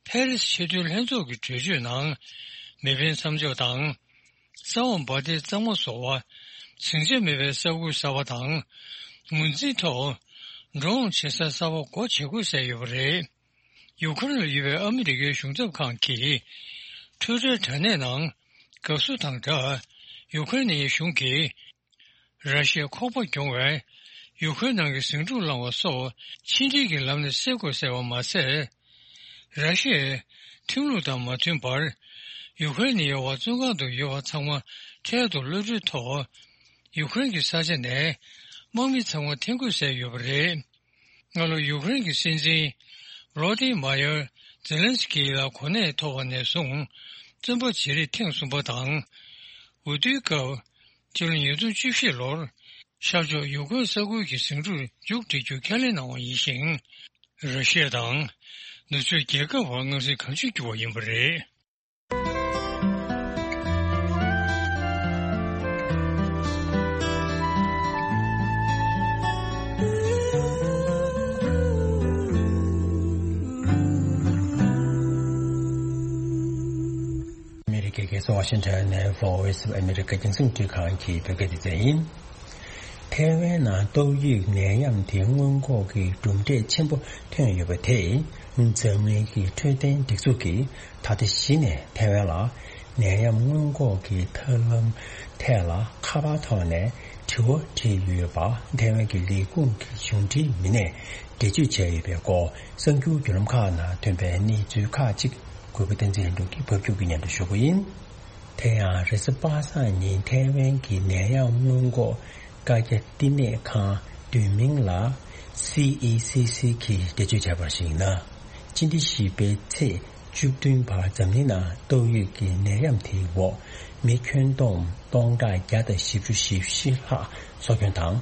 ཕེ་རེ་སི་ཆེས་མཐོའི་ལྷན་ཚོགས་ཀྱི་གྲོས་ཆོད་ནང་། མེ་འཕེན་མཚམས་འཇོག་དང་། ས་འོག་འབར་མདེལ་གཙང་མ་བཟོ་བ། ཟིང་ཆ་མེད་པའི་ས་ཁུལ་གསར་པ་དང་། ངོས་འཛིན་ཐོག་འགྲོ་འོང་བྱེད་ས་གསར་པ་སྒོ་འབྱེད་དགོས་གསལ་ཡོད་པ་རེད། ཡུ་ཁུ་རེན་ལ་ཡོད་པའི་ཨ་མི་རི་ཀའི་གཞུང་ཚབ་ཁང་གིས། ཊུའི་ཊར་དྲ་གནས་ནང་། དགའ་བསུ་དང་སྦྲགས། ཡུ་ཁུ་རེན་གཞུང་གིས། ར་ཤི་ཡའི་ཁོག་པ་རྒྱོང་བའི་ཡུ་ཁུ་རེན་ནང་གི་ཟིང་འཁྲུག་བསླངས་པ་སོགས་ཕྱི་འབྲེལ་གྱི་ལམ་ནས་སེལ་དགོས་ཟེར་བ་མ་ཟད། ར་ཤི་ཡའི་ཁྲིམས་ལུགས་དང་མ་མཐུན་པར་ཡུ་ཁུ་རེན་ནི་ཡ་བ་བཙོན་ཁང་དུ་ཡོད་པ་ཚང་མ་འཕྲལ་དུ་གློད་གྲོལ་ཐོག་ཡུ་ཁུ་རེན་གྱི་ས་ཆ་ནས་དམག་མི་ཚང་མ་འཐེན་དགོས་ཟེར་ཡོད་པ་རེད། སྔ་ལོ་ཡུ་ཁུ་རེན་གྱི་སྲིད་འཛིན་བྷོ་ལོ་ཏི་མ་ཡར་ཛེ་ལན་སི་ཀི་ལ་གོ་གནས་ཐོབ་པ་ནས་བཟུང་བཙོན་པ་བྱེད་རིགས་ཐེངས་གསུམ་པ་དང་། འོས་བསྡུའི་སྐབས། ཕྱི་ལོ་ཉིས་སྟོང་བཅུ་བཞི་ལོར་ཤར་ཕྱོགས་ཡུ་ཀེ་རེན་ས་ཁུལ་གྱི་ཟིང་འཁྲུག་མཇུག་སྒྲིལ་རྒྱུ་ཁས་ལེན་གནང་བ་ཡིན་ཞིང་། ར་ཤི་ཡ་དང་ནུབ་ཕྱོགས་རྒྱལ་ཁབ་བར་མངའ་ཐང་གང་ཅིར་འགྱུར་བ་ཡིན་པ་རེད། ཨ་མི་རི་ཀའི་རྒྱལ་ས་ཝ་ཤིང་ཊོན་ནས་Voice of America་རྒྱང་སྲིང་འཕྲིན་ཁང་གི་བོད་སྐད་སྡེ་ཚན་ཡིན། ཐའེ་ཝན་ནང་ཏོག་དབྱིབས་ནད་ཡམས་དེ་སྔོན་འགོག་གི་གྲུབ་འབྲས་ཆེན་པོ་ཐོན་ཡོད་པ་དེས། འཛམ་གླིང་གི་འཕྲོད་བསྟེན་སྒྲིག་འཛུགས་ཀྱིས་ད་ལྟ་གཞི་ནས་ཐའེ་ཝན་ལ་ནད་ཡམས་སྔོན་འགོག་གི་ཐབས་ལམ་ཐད་ལ་ཁ་པར་ཐོག་ནས་དྲི་བ་དྲིས་ཡོད་པ། ཐའེ་ཝན་གྱི་ལས་ཁུངས་ཀྱི་གཞུང་འབྲེལ་མི་སྣས་འགྲེལ་བརྗོད་བྱས་ཡོད་པའི་སྐོར། གསར་འགྱུར་བརྒྱུད་ལམ་ཁག་ནང་ཐོན་པའི་གནས་ཚུལ་ཁག་ཅིག་གུས་པ་བསྟན་འཛིན་ལྷུན་གྲུབ་ཀྱིས་ཕབ་སྒྱུར་གྱིས་སྙན་སྒྲོན་ཞུ་གི་ཡིན། དེ་ཡང་རེས་གཟའ་པ་སངས་ཉིན་ཐའེ་ཝན་གྱི་ནད་ཡམས་སྔོན་འགོག་བཀའ་རྒྱ་བསྟི་གནས་ཁང་བསྡུས་མིང་ལ་སི་ཨི་སི་སི་གིས་འགྲེལ་བརྗོད་བྱས་པར་གཞིགས་ན། སྤྱི་ཟླ་བཞི་པའི་ཚེས་བཅུ་བདུན་བར་འཛམ་གླིང་ནང་ཏོག་དབྱིབས་ཀྱི་ནད་ཡམས་དེའི་འོག་མི་ཁྱོན་བསྡོམས་སྟོང་ཕྲག་བརྒྱ་དང་བཞི་བཅུ་ཞེ་བཞི་ལྷག་སྲོག་སྐྱོན་དང་།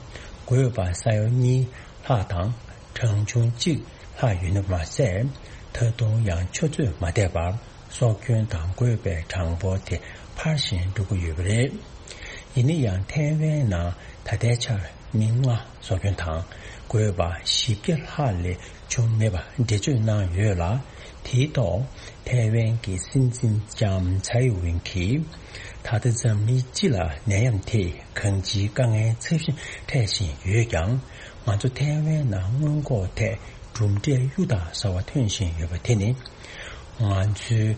འགོས་པ་ས་ཡ་གཉིས་ལྷག་དང་། གྲངས་ཆུང་གཅིག་ལྷག་ཡོད་ན་མ་ཟད། ད་དུང་ཡང་ཆུ་ཚོད་མ་འདས་པར་སྲོག་སྐྱོན་དང་འགོས་པའི་གྲངས་འབོར་དེ་འཕར་བཞིན་འགྲོ་གི་ཡོད་པ་རེད། ཡིན་ན་ཡང་ཐའེ་ཝན་ནང་ད་ལྟའི་ཆར་མི་ལྔ་སྲོག་སྐྱོན་དང་འགོས་པ་བཞི་བརྒྱ་ལྷག་ལས་བྱུང་མེད་པ་འགྲེལ་བརྗོད་གནང་ཡོད་ལ། དེའི་ཐོག་ཐའེ་ཝན་གྱི་སྲིད་འཛིན་ལྕམ་ཚའེ་ཝེན་གྱིས། ད་ལྟ་འཛམ་གླིང་སྤྱི་ལ་ནད་ཡམས་དེས་གང་ཅིའི་དཀའ་ངལ་ཚབས་ཆེན་འཕྲད་བཞིན་ཡོད་ཀྱང་། ང་ཚོ་ཐའེ་ཝན་ནང་སྔོན་འགོག་ཐད་གྲུབ་འབྲས་གཡུར་དང་ཟ་བ་ཐོན་བཞིན་ཡོད་པ་དེ་ནི། ང་ཚོའི་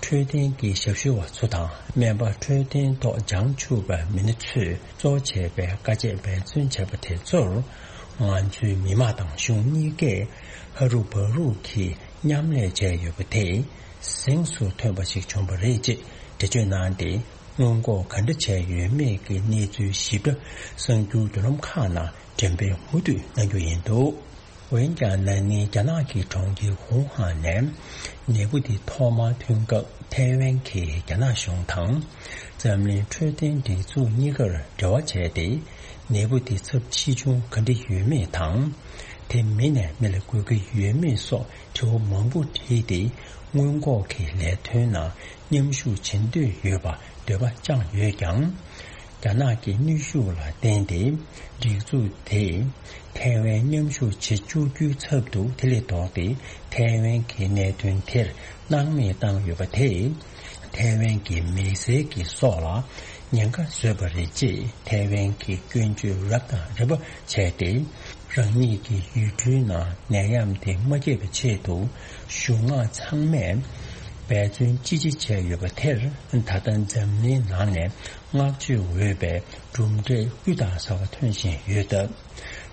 འཕྲོད་བསྟེན་གྱི་ཞབས་ཞུ་བ་ཚོ་དང་སྨན་པ། འཕྲོད་བསྟེན་ཐོག་བྱང་ཆུབ་པའི་མི་སྣ་ཚོས་གཙོ་བྱས་པའི་དཀའ་སྤྱད་འབད་བརྩོན་བྱས་པ་དེ་ཚོར། ང་ཚོའི་མི་དམངས་དང་གཞུང་གཉིས་ཀས་ཧ་རུ་བ་རུ་གིས་མཉམ་ལས་བྱས་ཡོད་པ་དེ་གཟེངས་སུ་ཐོན་པ་ཞིག་བྱུང་བ་རེད་ཅེས་འགྲེལ་བརྗོད་གནང་སྟེ། སྔོན་འགོག་ག་འདྲ་བྱས་ཡོད་མེད་ཀྱི་གནས་ཚུལ་ཞིབ་ཕྲ་གསར་འགྱུར་བརྒྱུད་ལམ་ཁག་ནང་འགྲེམས་སྤེལ་མུ་མཐུད་གནང་རྒྱུ་ཡིན་འདུག། འོན་ཀྱང་ན་ནིང་རྒྱ་ནག་གི་གྲོང་ཁྱེར་ཝུ་ཧན་ནས་ནད་འབུ་དེ་ཐོག་མར་ཐོན་སྐབས་ཐའེ་ཝན་གྱིས་རྒྱ་ནག་གཞུང་དང་། འཛམ་གླིང་འཕྲོད་བསྟེན་སྒྲིག་འཛུགས་གཉིས་ཀར་འབྲེལ་བ་བྱས་ཏེ། ནད་འབུ་དེ་ཚབས་ཆེ་ཆུང་ག་འདྲ་ཡོད་མེད་དང་། དེ་མི་ནས་མི་ལ་འགོས་ཀྱི་ཡོད་མེད་སོགས་དྲི་བ་མང་པོ་དྲིས་ཏེ། སྔོན་འགོག་གི་ལས་དོན་ནང་མཉམ་ཞུགས་བྱེད་འདོད་ཡོད་པ་འདོད་པ་བཅངས་ཡོད་ཀྱང་། རྒྱ་ནག་གི་གནོན་ཤུགས་ལ་བརྟེན་ཏེ། སྒྲིག་འཛུགས་དེས་ཐའེ་ཝན་མཉམ་ཞུགས་བྱེད་བཅུག་རྒྱུའི་ཚབ་ཏུ་དེ་ལས་ལྡོག་སྟེ། ཐའེ་ཝན་གྱི་གནད་དོན་དེར་སྣང་མེད་བཏང་ཡོད་པ་དེས། ཐའེ་ཝན་གྱི་མི་སེར་གྱི་སྲོག་ལ་ཉེན་ཁ་བཟོས་པ་རེད་ཅེས་ཐའེ་ཝན་གྱི་སྐྱོན་བརྗོད་རབ་དང་རིམ་པ་བྱས་ཏེ། རང་ཉིད་ཀྱི་ཡུལ་གྲུའི་ནང་ནད་ཡམས་དེ་མ་སྐྱེས་པའི་ཆེད་དུ། གཞུང་མང་ཚང་མས་འབད་བརྩོན་ཅི་ཆེ་བྱས་ཡོད་པ་དེར། ད་ལྟ་འཛམ་གླིང་ནང་ནས་བསྔགས་བརྗོད་འོས་པའི་གྲུབ་འབྲས་སྐུ་དང་ཟབ་པ་ཐོན་བཞིན་ཡོད་སྟབས།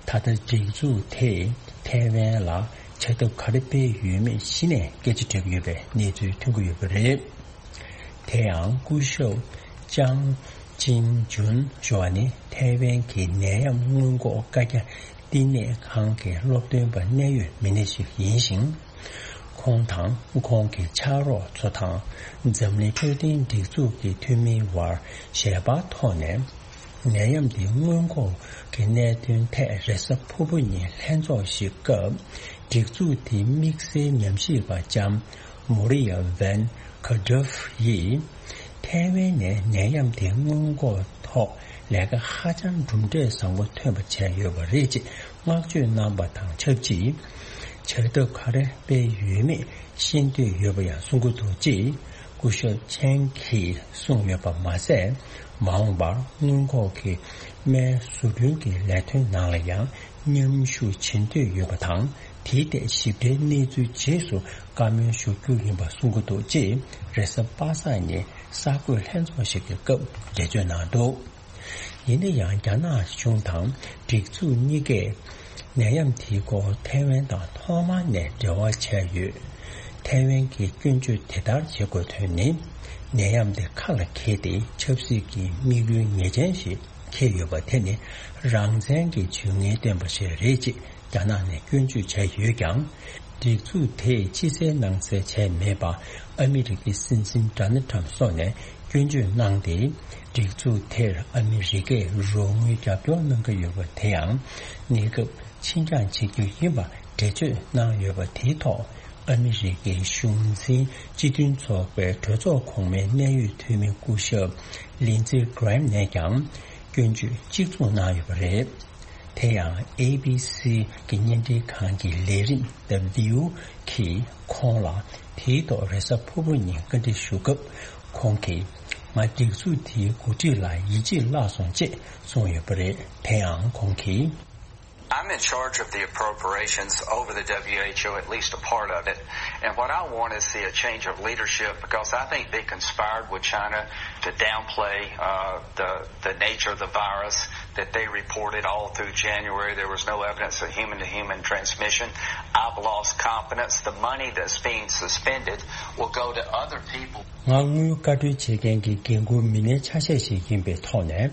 ད་ལྟ་སྒྲིག་འཛུགས་དེས་ཐའེ་ཝན་ལ་བྱ་ཐབས་ག་རེ་སྤེལ་ཡོད་མེད་གཞི་ནས་སྐད་ཆ་དྲིས་ཡོད་པའི་གནས་ཚུལ་ཐོན་གྱི་ཡོད་པ་རེད། དེ་ཡང་སྐུ་ཞབས་ཅང་ཅིང་ཇུན་ཞུ་བ་ནི་ཐའེ་ཝན་གྱི་ནད་ཡམས་སྔོན་འགོག་བཀའ་རྒྱ་བསྟི་གནས་ཁང་གི་སློབ་སྟོན་པ་གནད་ཡོད་མི་སྣ་ཞིག་ཡིན་ཞིང་། ཁོང་དང་ཁོང་གི་ཕྱག་རོགས་ཚོ་དང་འཛམ་གླིང་འཕྲོད་བསྟེན་སྒྲིག་འཛུགས་ཀྱི་འཐུས་མིའི་དབར་ཞལ་པར་ཐོག་ནས། ནད་ཡམས་འདི་སྔོན་འགོག་གི་གནད་དོན་ཐད་རེས་གཟའ་ཕུར་བུ་ཉིན་ལྷན་ཚོགས་ཤིག་སྐབས། སྒྲིག་འཛུགས་དེའི་དམིགས་བསལ་ཉམས་ཞིབ་པ་ལྕམ་མོ་རི་ཡ་ཝན་ཁ་ཌོབ་ཡིས། ཐའེ་ཝན་ནས་ནད་ཡམས་དེ་སྔོན་འགོག་ཐོག་ལས་ཀ་ཧ་ཅང་གྲུབ་འབྲས་བཟང་པོ་ཐོན་པ་བྱས་ཡོད་པ་རེད་ཅེས་བསྔགས་བརྗོད་གནང་པ་དང་ཆབས་ཅིག་བྱ་ཐབས་ག་རེ་སྤེལ་ཡོད་མེད་ཤེས་འདོད་ཡོད་པ་ཡང་གསུང་གི་འདུག་ཅེས་སྐུ་ཞབས་ཆན་གྱིས་གསུངས་ཡོད་པ་མ་ཟད། མ་འོངས་པར་སྔོན་འགོག་གི་སྨན་བཟོ་སྐྲུན་གྱི་ལས་དོན་ནང་ལ་ཡང་མཉམ་ཞུགས་བྱེད་འདོད་ཡོད་པ་དང་། དེའི་ཐད་ཞིབ་ཕྲའི་གནས་ཚུལ་རྗེས་སུ་བཀའ་མོལ་ཞུ་རྒྱུ་ཡིན་པ་གསུང་གི་འདུག་ཅེས་རེས་གཟའ་པ་སངས་ཉིན་གསར་འགོད་ལྷན་ཚོགས་ཤིག་གི་སྐབས་འགྲེལ་བརྗོད་གནང་འདུག་ཡིན་ན་ཡང་རྒྱ་ནག་གཞུང་དང་སྒྲིག་འཛུགས་གཉིས་ཀས་ནད་ཡམས་དེའི་སྐོར་ཐའེ་ཝན་དང་ཐོག་མ་ནས་འབྲེལ་བ་བྱས་ཡོད། ཐའེ་ཝན་གྱིས་སྐྱོན་བརྗོད་དེ་ལྟར་བྱེད་དགོས་དོན་ནི། ནད་ཡམས་དེ་ཁ་ལ་འཁྱེར་ཏེ་ཆབ་སྲིད་ཀྱི་དམིགས་ཡུལ་ངེས་ཅན་ཞིག་འཁྱེར་ཡོད་པ་དེ་ནི་རང་བཙན་གྱི་ཇུས་ངན་བསྟན་པ་ཞིག་རེད་ཅེས་རྒྱ་ནག་ནས་སྐྱོན་བརྗོད་བྱས་ཡོད་ཀྱང་། སྒྲིག་འཛུགས་དེས་ཕྱི་གསལ་ནང་གསལ་བྱས་མེད་པ་ཨ་མི་རི་ཀའི་སྲིད་འཛིན་ཌོ་ནལ་ཊམ་སོགས་ནས་སྐྱོན་བརྗོད་གནང་སྟེ། སྒྲིག་འཛུགས་དེར་ཨ་མི་རི་ཀས་རོགས་དངུལ་རྒྱབ་སྐྱོར་གནང་གི་ཡོད་པ་དེ་ཡང་གནས་སྐབས་ཕྱིར་འགྱངས་བྱེད་རྒྱུ་ཡིན་པ་འགྲེལ་བརྗོད་གནང་ཡོད་པ་དེའི་ཐོག་ཨ་མི་རི་ཀའི་གཞུང་འཛིན་སྤྱི་མཐུན་ཚོགས་པའི་གྲོས་ཚོགས་གོང་མའི་གནད་ཡོད་འཐུས་མི་སྐུ་ཞབས་ལིན་ཙི་གྷི་རེམ་ནས་ཀྱང་སྐྱོན་བརྗོད་གཅིག་མཚུངས་གནང་ཡོད་པ་རེད། དེ་ཡང་ཨེ་བི་སི་གི་བརྙན་འཕྲིན་ཁང་གི་ལས་རིམ་The View གིས་ཁོང་ལ་དེའི་ཐོག་རེས་གཟའ་ཕུར་བུ་ཉིན་བཀའ་འདྲི་ཞུ་སྐབས། ཁོང་གིས་ང་སྒྲིག་འཛུགས་དེའི་འགོ་ཁྲིད་ལ་ཡིད་ཆེས་བརླག་སོང་ཅེས་གསུངས་ཡོད་པ་རེད། དེ་ཡང་ཁོང་གིས། I'm in charge of the appropriations over the W H O, at least a part of it. And what I want is see a change of leadership because I think they conspired with China to downplay uh, the, the nature of the virus, that they reported all through January there was no evidence of human to human transmission. I've lost confidence. The money that's being suspended will go to other people. ང་དངུལ་བཀའ་འཁྲོལ་བྱེད་མཁན་གྱི་འགན་འཁུར་མི་སྣའི་ཆ་ཤས་ཤིག་ཡིན་པའི་ཐོག་ནས།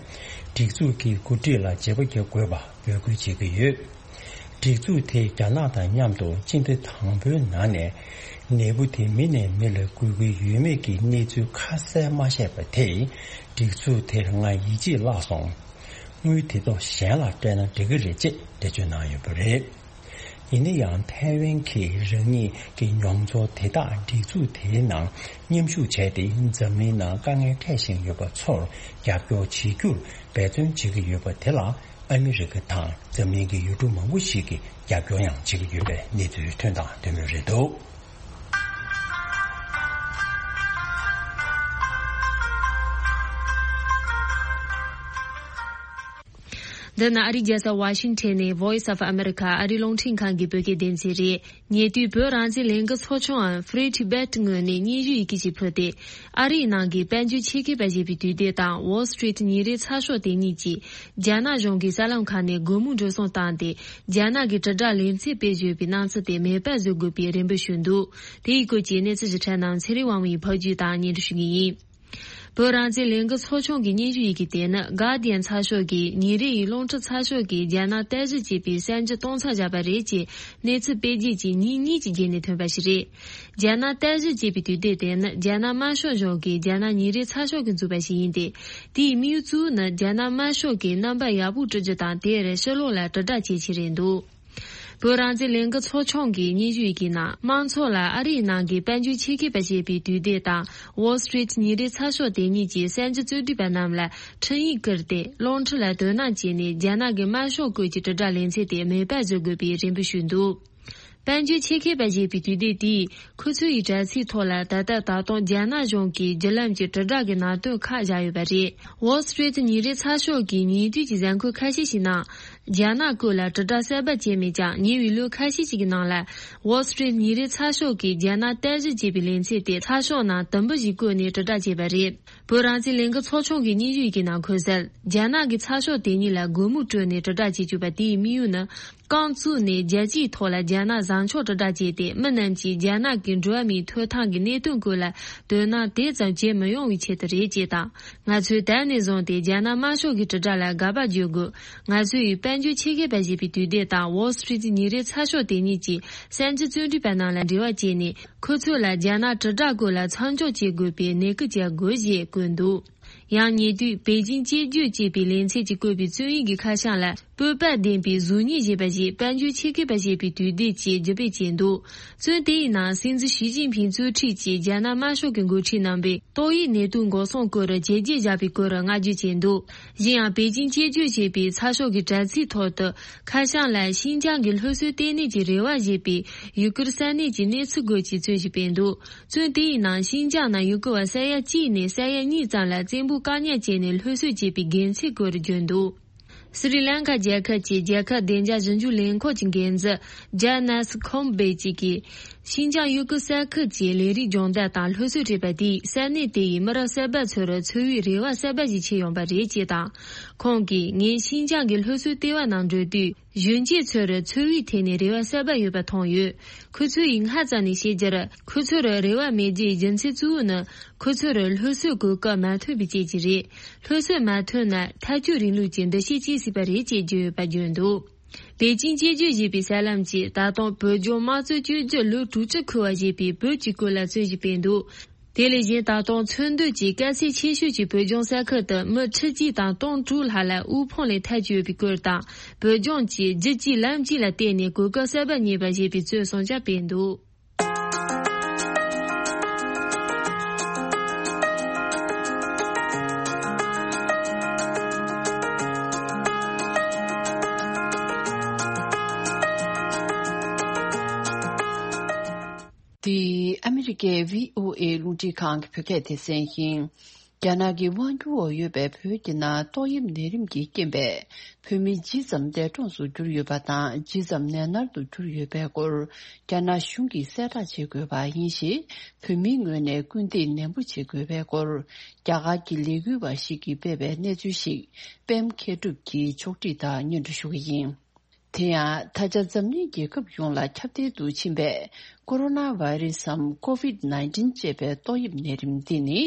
སྒྲིག་འཛུགས་ཀྱི་འགོ་ཁྲིད་ལ་བརྗེ་པོ་རྒྱག་དགོས་པ་འབོད་སྐུལ་བྱེད་ཀྱི་ཡོད། སྒྲིག་འཛུགས་དེས་རྒྱ་ནག་དང་མཉམ་དུ་སྤྱི་ཟླ་དང་པོའི་ནང་ནས་ནད་འབུ་དེ་མི་ནས་མི་ལ་འགོས་ཀྱི་ཡོད་མེད་ཀྱི་གནས་ཚུལ་ཁ་གསལ་མ་བཤད་པ་དེས་སྒྲིག་འཛུགས་དེར་ང་ཡིད་ཆེས་བརླག་སོང་། དངུལ་དེ་ཚོ་གཞན་ལ་སྤྲད་ན་འགྲིག་གི་རེད་ཅེས་འགྲེལ་བརྗོད་གནང་ཡོད་པ་རེད། ཡིན་ན་ཡང་ཐའེ་ཝན་གྱིས་རང་ཉིད་ཀྱི་མྱོང་ཚོར་དེ་དག་སྒྲིག་འཛུགས་དེའི་ནང་མཉམ་ཞུགས་བྱས་ཏེ་འཛམ་གླིང་ནང་དཀའ་ངལ་འཕྲད་བཞིན་ཡོད་པ་ཚོར་རྒྱབ་སྐྱོར་བྱེད་རྒྱུར་འབད་བརྩོན་བྱེད་ཀྱི་ཡོད་པ་དེ་ལ། ཨ་མི་རི་ཀ་དང་འཛམ་གླིང་གི་ཡུལ་གྲུ་མང་པོ་ཞིག་གིས་རྒྱབ་སྐྱོར་ཡང་བྱེད་ཀྱི་ཡོད་པའི་གནས་ཚུལ་ཐོན་དང་ཐོན་མུས་རེད་འདུག་འདི་ནི་ཨ་རིའི་རྒྱལ་ས་ཝ་ཤིང་ཊོན་ནས་Voice of America ཨ་རིའི་རླུང་འཕྲིན་ཁང་གི་བོད་སྐད་སྡེ་ཚན་རེད། ཉེ་དུས་བོད་རང་བཙན་ལས་འགུལ་ཚོགས་ཆུང་འམ་Free Tibet ངོས་ནས་སྙན་ཞུ་ཡི་གེ་ཞིག་ཕུལ་ཏེ། ཨ་རིའི་ནང་གི་དཔལ་འབྱོར་ཆེད་མཁས་པ་ཞེས་པའི་དུས་དེབ་དང་Wall Street ཉིན་རེའི་ཚགས་ཤོག་དེ་གཉིས་ཀྱིས་རྒྱ་ནག་གཞུང་གི་གསར་ལམ་ཁག་ནས་སྒོར་མོ་འགྲོ་སོང་བཏང་སྟེ། རྒྱ་ནག་གི་དྲིལ་བསྒྲགས་ལས་འཛིན་པས་བརྗོད་པའི་སྣང་ཚུལ་དེ་མེད་པར་བཟོ་དགོས་པའི་རེ་འབོད་ཞུས་འདུག་དེའི་སྐོར་གྱི་གནས་ཚུལ་ཞིབ་ཕྲ་རྣམས་ཚེ་རིང་དབང་མོའི་ཕབ་སྒྱུར་དང་སྙན་སྒྲོན་ཞུ་གི་ཡིན། བོད་རང་བཙན་ལས་འགུལ་ཚོགས་ཆུང་གི་སྙན་ཞུ་ཡི་གེ་དེ་ནི་Guardian་ཚགས་ཤོག་གིས་ཉིན་རེའི་རླུང་འཕྲིན་ཚགས་ཤོག་གིས་རྒྱ་ནག་བརྟན་གཞི་ཅེས་པའི་གསར་འགྱུར་གཏོང་མཚམས་བཞག་པ་རེད་ཅེས་གནས་ཚུལ་སྤེལ་རྗེས་ཀྱི་ཉིན་གཉིས་ཀྱི་རྗེས་ནས་ཐོན་པ་ཞིག་རེད། རྒྱ་ནག་བརྟན་གཞི་ཅེས་པའི་དུས་དེབ་དེ་ནི་རྒྱ་ནག་དམར་ཤོག་གཞུང་གིས་རྒྱ་ནག་ཉིན་རེའི་ཚགས་ཤོག་གིས་བཙུགས་པ་ཞིག་ཡིན་ཏེ། དེའི་དམིགས་ཡུལ་གཙོ་བོ་ནི་རྒྱ་ནག་དམར་ཤོག་གི་རྣམ་པ་ཡག་པོ་བསྐྲུན་རྒྱུ་དང་། དེར་ཕྱི་ལོགས་ལ་དྲིལ་བསྒྲགས་བྱེད་ཆེད་རེད་འདུག་བོད་རང་བཙན་ལས་འགུལ་ཚོགས་ཆུང་གི་སྙན་ཞུ་ཡི་གེ་ནང་། དམངས་ཚོགས་ལ་ཨ་རིའི་ནང་གི་དཔལ་འབྱོར་ཆེད་མཁས་པ་ཞེས་པའི་དུས་དེབ་དང་Wall Street་ཉིན་རེའི་ཚགས་ཤོག་དེ་གཉིས་ཀྱི་གསར་འགྱུར་རྩོམ་སྒྲིག་པ་རྣམས་ལ་འཕྲིན་ཡིག་བསྐུར་ཏེ། རླུང་འཕྲིན་ལ་དོ་སྣང་བྱས་ནས་རྒྱ་ནག་གི་དམར་ཤོག་སྐོར་གྱི་དྲིལ་བསྒྲགས་ལེ་ཚན་དེ་མེད་པར་བཟོ་དགོས་པའི་རེ་འབོད་ཞུས་འདུག་དཔལ་འབྱོར་ཆེད་མཁས་པ་ཞེས་པའི་དུས་དེབ་དེས་ཁོ་ཚོའི་དྲ་ཚིགས་ཐོག་ལ། ད་ལྟ་ད་དུང་རྒྱ་ནག་གཞུང་གིས་བརྒྱུད་ལམ་གྱི་དྲིལ་བསྒྲགས་ཀྱི་ནང་དོན་ཁག་བཞག་ཡོད་པ་རེད། Wall Street་ཉིན་རེའི་ཚགས་ཤོག་གིས་ཉེ་དུས་ཀྱི་གཟའ་འཁོར་ཁ་ཤས་ཤིག་ནང་། རྒྱ་ནག་སྐོར་ལ་དྲིལ་བསྒྲགས་གསར་པ་བྱས་མེད་ཀྱང་། ཉེ་བའི་ལོ་ཁ་ཤས་ཤིག་གི་ནང་ལ། Wall Street་ཉིན་རེའི་ཚགས་ཤོག་གིས་རྒྱ་ནག་བརྟན་གཞི་ཅེས་པའི་ལེ་ཚན་དེ་ཚགས་ཤོག་ནང་དུམ་བུ་ཞིག་བཀོད་ནས་དྲིལ་བསྒྲགས་བྱས་པ་རེད། བོད་རང་བཙན་ལས་འགུལ་ཚོགས་ཆུང་གི་སྙན་ཞུ་ཡི་གེ་ནང་འཁོད་གསལ། རྒྱ་ནག་གི་ཚགས་ཤོག་དེ་གཉིས་ལ་སྒོ་མོ་སྤྲོད་ནས་དྲིལ་བསྒྲགས་བྱེད་བཅུག་པ་དེའི་དམིགས་ཡུལ་ནི། རྐང་བཙུགས་ནས་རྒྱལ་སྤྱིའི་ཐོག་ལ་རྒྱ་ནག་བཟང་ཕྱོགས་དྲིལ་བསྒྲགས་བྱས་ཏེ། མི་རྣམས་ཀྱིས་རྒྱ་ནག་གི་འགྲོ་བ་མིའི་ཐོབ་ཐང་གི་གནད་དོན་སྐོར་ལ་དོ་སྣང་དེ་ཙམ་བྱེད་མི་ཡོང་བའི་ཆེད་དུ་རེད་ཅེས་དང་། ང་ཚོས་ད་ནས་བཟུང་སྟེ་རྒྱ་ནག་དམར་ཤོག་གི་དྲིལ་བསྒྲགས་ལ་དགག་པ་བརྗོད་དགོས། ང་ཚོ་ཡིས་དཔལ་འབྱོར་ཆེད་མཁས་པ་ཞེས་པའི་དུས་དེབ་དང་Wall Street་ཉིན་རེའི་ཚགས་ཤོག་དེ་གཉིས་ཀྱི་གསར་འགྱུར་རྩོམ་སྒྲིག་པ་རྣམས་ལ་འབྲེལ་བ་བྱས་ནས། ཁོ་ཚོ་ལ་རྒྱ་ནག་དྲིལ་བསྒྲགས་སྐོར་ལ་མཚམས་འཇོག་བྱེད་དགོས་པའི་ནན་སྐུལ་བྱ་དགོས་ཞེས་བཀོད་འདུག་ཡང་ཉེ་དུས་པེ་ཅིང་དཔྱད་བརྗོད་ཅེས་པའི་ལེ་ཚན་གྱིས་བཀོད་པའི་རྩོམ་ཡིག་གི་ཁ་བྱང་ལ། སྤོབས་པ་ལྡན་པའི་གཟུགས་བརྙན་ཞེས་པ་ཞིག་དཔལ་འབྱོར་ཆེད་མཁས་པ་ཞེས་པའི་དུས་དེབ་ཀྱིས་བརྒྱུད་སྤེལ་བྱས་འདུག་རྩོམ་དེའི་ནང་། སྲིད་འཛིན་ཞི་ཅིན་ཕིང་གཙོས་ཁྲིད་ཀྱི་རྒྱ་ནག་དམར་ཤོག་གི་འགོ་ཁྲིད་རྣམ་པས་ཏོག་དབྱིབས་ནད་དུག་འགོག་སྲུང་སྐོར་བྱས་རྗེས་བཞག་པའི་སྐོར་བསྔགས་བརྗོད་བྱས་འདུག་གཞན་ཡང་། པེ་ཅིང་དཔྱད་བརྗོད་ཅེས་པའི་ཚགས་ཤོག་གི་དྲ་ཚིགས་ཐོག་ཏུ། ཁ་བྱང་ལ། ཤིན་ཅང་གི་སློབ་གསོའི་ལྟེ་གནས་ཀྱི་རེ་བ་ཞེས་པའི་ཡུ་གུར་ས་གནས་ཀྱི་གནས་ཚུལ་སྐོར་གྱི་རྩོམ་ཞིག་སྤེལ་འདུག་རྩོམ་དེའི་ནང་། ཤིན་ཅང་ནང་ཡུ་གུར་བ་ས་ཡ་གཅིག་ནས་ས་ཡ་གཉིས་ཙམ་ལ་བཙན་པོས་བཀག་ཉར་བྱས་ནས་སློབ་གསོ་བྱས་པའི་དགེ་མཚན་སྐོར་བརྗོད་འདུག་སི་རི་ལང་ཀ་རྒྱལ་ཁབ་ཀྱི་རྒྱལ་ཁབ་བདེ་འཇགས་ཞིབ་འཇུག་ལས་ཁུངས་ཀྱི་འགན་འཛིན་ཇཱ་ནཱ་སི་ཁོམ་བེ་ཅིག་གིས། ཤིན་ཅང་ཡུ་གུར་ས་ཁུལ་གྱི་ལས་རིགས་སྦྱོང་བརྡར་དང་སློབ་གསོ་སྤྲད་པ་དེས་ས་གནས་དེ་ཡི་མི་རབས་གསར་པ་ཚོར་འཚོ་བའི་རེ་བ་གསར་པ་ཞིག་ཕྱེ་ཡོང་པ་རེད་ཅེས་དང་། ཁོང་གིས། ངས་ཤིན་ཅང་གི་སློབ་གསོའི་ལྟེ་བ་ནང་འགྲོ་དུས། གཞོན་སྐྱེས་ཚོར་འཚོ་བའི་ཐད་ནས་རེ་བ་གསར་པ་ཡོད་པ་མཐོང་ཡོད། ཁོ་ཚོ་ཡིས་སྔ་ཙམ་ནས་བཤད་རྒྱུར། ཁོ་ཚོར་རེ་བ་མེད་རྒྱུའི་རྒྱུ་མཚན་གཙོ་བོ་ནི། ཁོ་ཚོར་སློབ་གསོའི་གོ་སྐབས་མ་ཐོན་པའི་རྐྱེན་གྱིས་རེད། སློབ་གསོ་མ་ཐོན་ན་ཐལ་སྐྱོད་རིང་ལུགས་ཀྱི་འདུ་ཤེས་སྐྱེ་སྲིད་པ་རེད་ཅེས་བརྗོད་ཡོད་པ་བརྗོད་འདུག་པེ་ཅིང་དཔྱད་བརྗོད་ཞེས་པའི་གསར་ལམ་གྱིས་ད་དུང་བོད་ལྗོངས་དམངས་གཙོའི་བཅོས་བསྒྱུར་ལོ་དྲུག་ཅུ་འཁོར་བ་ཞེས་པའི་བོད་ཀྱི་སྐོར་ལ་རྩོམ་ཞིག་སྤེལ་འདུག་དེ་ལས་གཞན། ད་དུང་མཚོན་དོན་གྱི་དཀའ་ཚེགས་ཆེ་ཤོས་ཀྱི་བོད་ལྗོངས་ས་ཁུལ་དུ་མི་ཁྲི་གཅིག་དང་སྟོང་དྲུག་ལྷག་ལ་དབུལ་ཕོངས་ལས་ཐར་གྱི་ཡོད་པའི་སྐོར་དང་། བོད་ལྗོངས་ཀྱིས་རྒྱུད་གཅིག་ལམ་གཅིག་ལ་བརྟེན་ནས་གོ་སྐབས་གསར་པ་རྙེད་པ་ཞེས་པའི་རྩོམ་གསུམ་ཀྱང་སྤེལ་འདུག་འདི་ཨ་མི་རི་ཀའི་བྷི་ཨོ་ཨེ་རླུང་འཕྲིན་ཁང་གི་བོད་སྐད་སྡེ་ཚན་ཡིན། རྒྱ་ནག་གི་དབང་སྒྱུར་འོག་ཡོད་པའི་བོད་ཀྱི་ནང་ཏོག་དབྱིབས་ནད་རིམས་ཀྱི་རྐྱེན་པས་བོད་མི་ཇི་ཙམ་འདས་གྲོངས་སུ་གྱུར་ཡོད་པ་དང་། ཇི་ཙམ་ནད་མནར་དུ་གྱུར་ཡོད་པའི་སྐོར་རྒྱ་ནག་གཞུང་གིས་གསལ་བསྒྲགས་བྱེད་དགོས་པ་ཡིན་ཞེས། བོད་མིའི་ངོས་ནས་སྐུལ་འདེད་ནན་པོ་བྱེད་དགོས་པའི་སྐོར་རྒྱ་གར་གྱི་ལས་འགུལ་བ་ཞིག་གིས་སྤེལ་བའི་གནས་ཚུལ་ཞིག་པད་མ་མཁས་གྲུབ་ཀྱིས་ཕྱོགས་སྒྲིག་དང་སྙན་སྒྲོན་ཞུ་གི་ཡིན། དེ་ཡང་། ད་ཆ་འཛམ་གླིང་རྒྱལ་ཁབ་ཡོངས་ལ་ཁྱབ་གདལ་དུ་ཕྱིན་པའི་ཀོ་རོ་ན་བྷ་ཡི་རེ་སི་སམ། ཀོ་ཝིད་ནའིན་ཊིན་ཅེས་པའི་ཏོག་དབྱིབས་ནད་རིམས་འདི་ནི།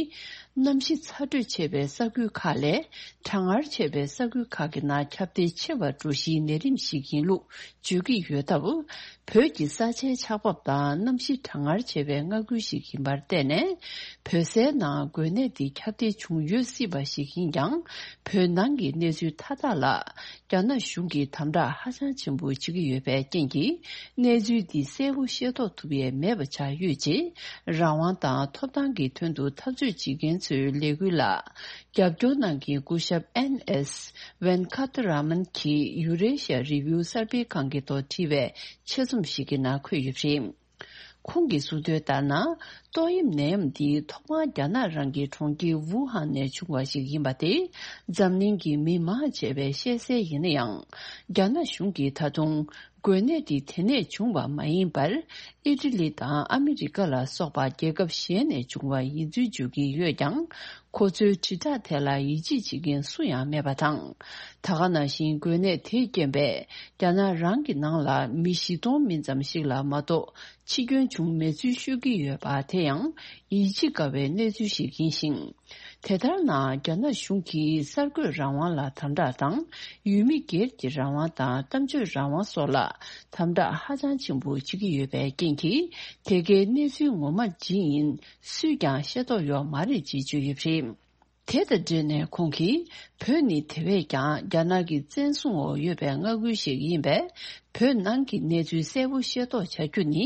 གནམ་གཤིས་ཚ་དྲོད་ཆེ་བའི་ས་ཁུལ་ཁག་ལས་གྲང་ངར་ཆེ་བའི་ས་ཁུལ་ཁག་གི་ནང་ཁྱབ་གདལ་ཆེ་བར་འགྲོ་གཞིའི་ནད་རིམས་ཤིག་ཡིན་ལུགས་བརྗོད་ཀྱི་ཡོད་སྟབས། བོད་ཀྱི་ས་ཆའི་ཆགས་བབ་དང་གནམ་གཤིས་གྲང་ངར་ཆེ་བའི་མངའ་ཁུལ་ཞིག་ཡིན་པར་བརྟེན་ནས། བོད་སའི་ནང་འགོས་ནད་འདི་ཁྱབ་གདལ་བྱུང་ཡོད་སྲིད་པ་ཞིག་ཡིན་ཀྱང་། བོད་ནང་གི་གནས་ཚུལ་མཐའ་དག་ལ། རྒྱ་ནག་གཞུང་གིས་དམ་དྲག་ཧ་ཅང་ཆེན་པོ་བྱེད་ཀྱི་ཡོད་པའི་རྐྱེན་གྱིས། གནས་ཚུལ་འདི་གསལ་པོ་ཤེས་རྟོགས་ཐུབ་ཡས་མེད་པ་ཆགས་ཡོད་ཅེས། རང་དབང་དང་ཐོབ་ཐང་གི་དོན་དུ་འཐབ་རྩོད་བྱེད་མཁན་ཚོའི་ལས་འགུལ་ལ་རྒྱབ་སྐྱོར་གནང་མཁན་སྐུ་ཞབས་ཨེན་ཨེས་ཝེན་ཁ་ཐ་ར་མན་གྱིས་ཡུ་རེ་ཤ་རི་བིའུ་གསར་སྤེལ་ཁང་གི་ཐོག་བྲིས་པའི་ཆེད་རྩོམ་ཞིག་གི་ནང་འཁོད་ཡོད་པ་རེད། ཁོང་གིས་གསུངས་དོན་ལྟར་ན། ཏོག་དབྱིབས་ནད་ཡམས་འདི་ཐོག་མར་རྒྱ་ནག་རང་གི་གྲོང་ཁྱེར་ཝུ་ཧན་ནས་བྱུང་བ་ཞིག་ཡིན་པ་དེ་འཛམ་གླིང་གི་མི་མང་ཆེ་བས་ཤེས་གསལ་ཡིན་ན་ཡང་། རྒྱ་ནག་གཞུང་གིས་ད་དུང་འགོས་ནད་འདི་དེ་ནས་བྱུང་བ་མ་ཡིན་པར། ཨི་ཊ་ལི་དང་ཨ་མི་རི་ཀ་ལ་སོགས་པ་རྒྱལ་ཁབ་གཞན་ནས་བྱུང་བ་ཡིན་ཚུལ་བརྗོད་ཀྱི་ཡོད་ཀྱང་། ཁོ་ཚོའི་དྲིལ་བསྒྲགས་དེ་ལ་ཡིད་ཆེས་བྱེད་མཁན་སུ་ཡང་མེད་པ་དང་། ད་ག་ནང་བཞིན་འགོས་ནད་དེས་རྐྱེན་པས་རྒྱ་ནག་རང་གི་ནང་ལ་མི་བཞི་སྟོང་མིན་ཙམ་ཞིག་ལ་མ་གཏོགས་འཆི་སྐྱོན་བྱུང་མེད་ཚུལ་ཤོད་ཀྱི་ཡོད་པ་དེ་ཡང་ཡིད་ཆེས་དཀའ་བའི་གནས་ཚུལ་ཞིག་ཡིན་ཞིང་། དེ་ལྟར་ན་རྒྱ་ནག་གཞུང་གིས་གསར་འགོད་རང་དབང་ལ་དམ་དྲག་དང་ཡུལ་མི་སྒེར་གྱི་རང་དབང་དང་གཏམ་བརྗོད་རང་དབང་སོགས་ལ་དམ་དྲག་ཧ་ཅང་ཆེན་པོ་བྱེད་ཀྱི་ཡོད་པའི་རྐྱེན་གྱིས། དེ་གའི་གནས་ཚུལ་ངོ་མ་ཇི་ཡིན་སུས་ཀྱང་ཤེས་རྟོགས་ཡོད་མ་རེད་ཅེས་བརྗོད་ཡོད་པ་རེད། དེ་དང་འབྲེལ་ནས་ཁོང་གིས། བོད་ནི་དེ་བས་ཀྱང་རྒྱ་ནག་གི་བཙན་བཟུང་འོག་ཡོད་པའི་མངའ་ཁུལ་ཞིག་ཡིན་པས། བོད་ནང་གི་གནས་ཚུལ་གསལ་པོ་ཤེས་རྟོགས་བྱ་རྒྱུ་ནི་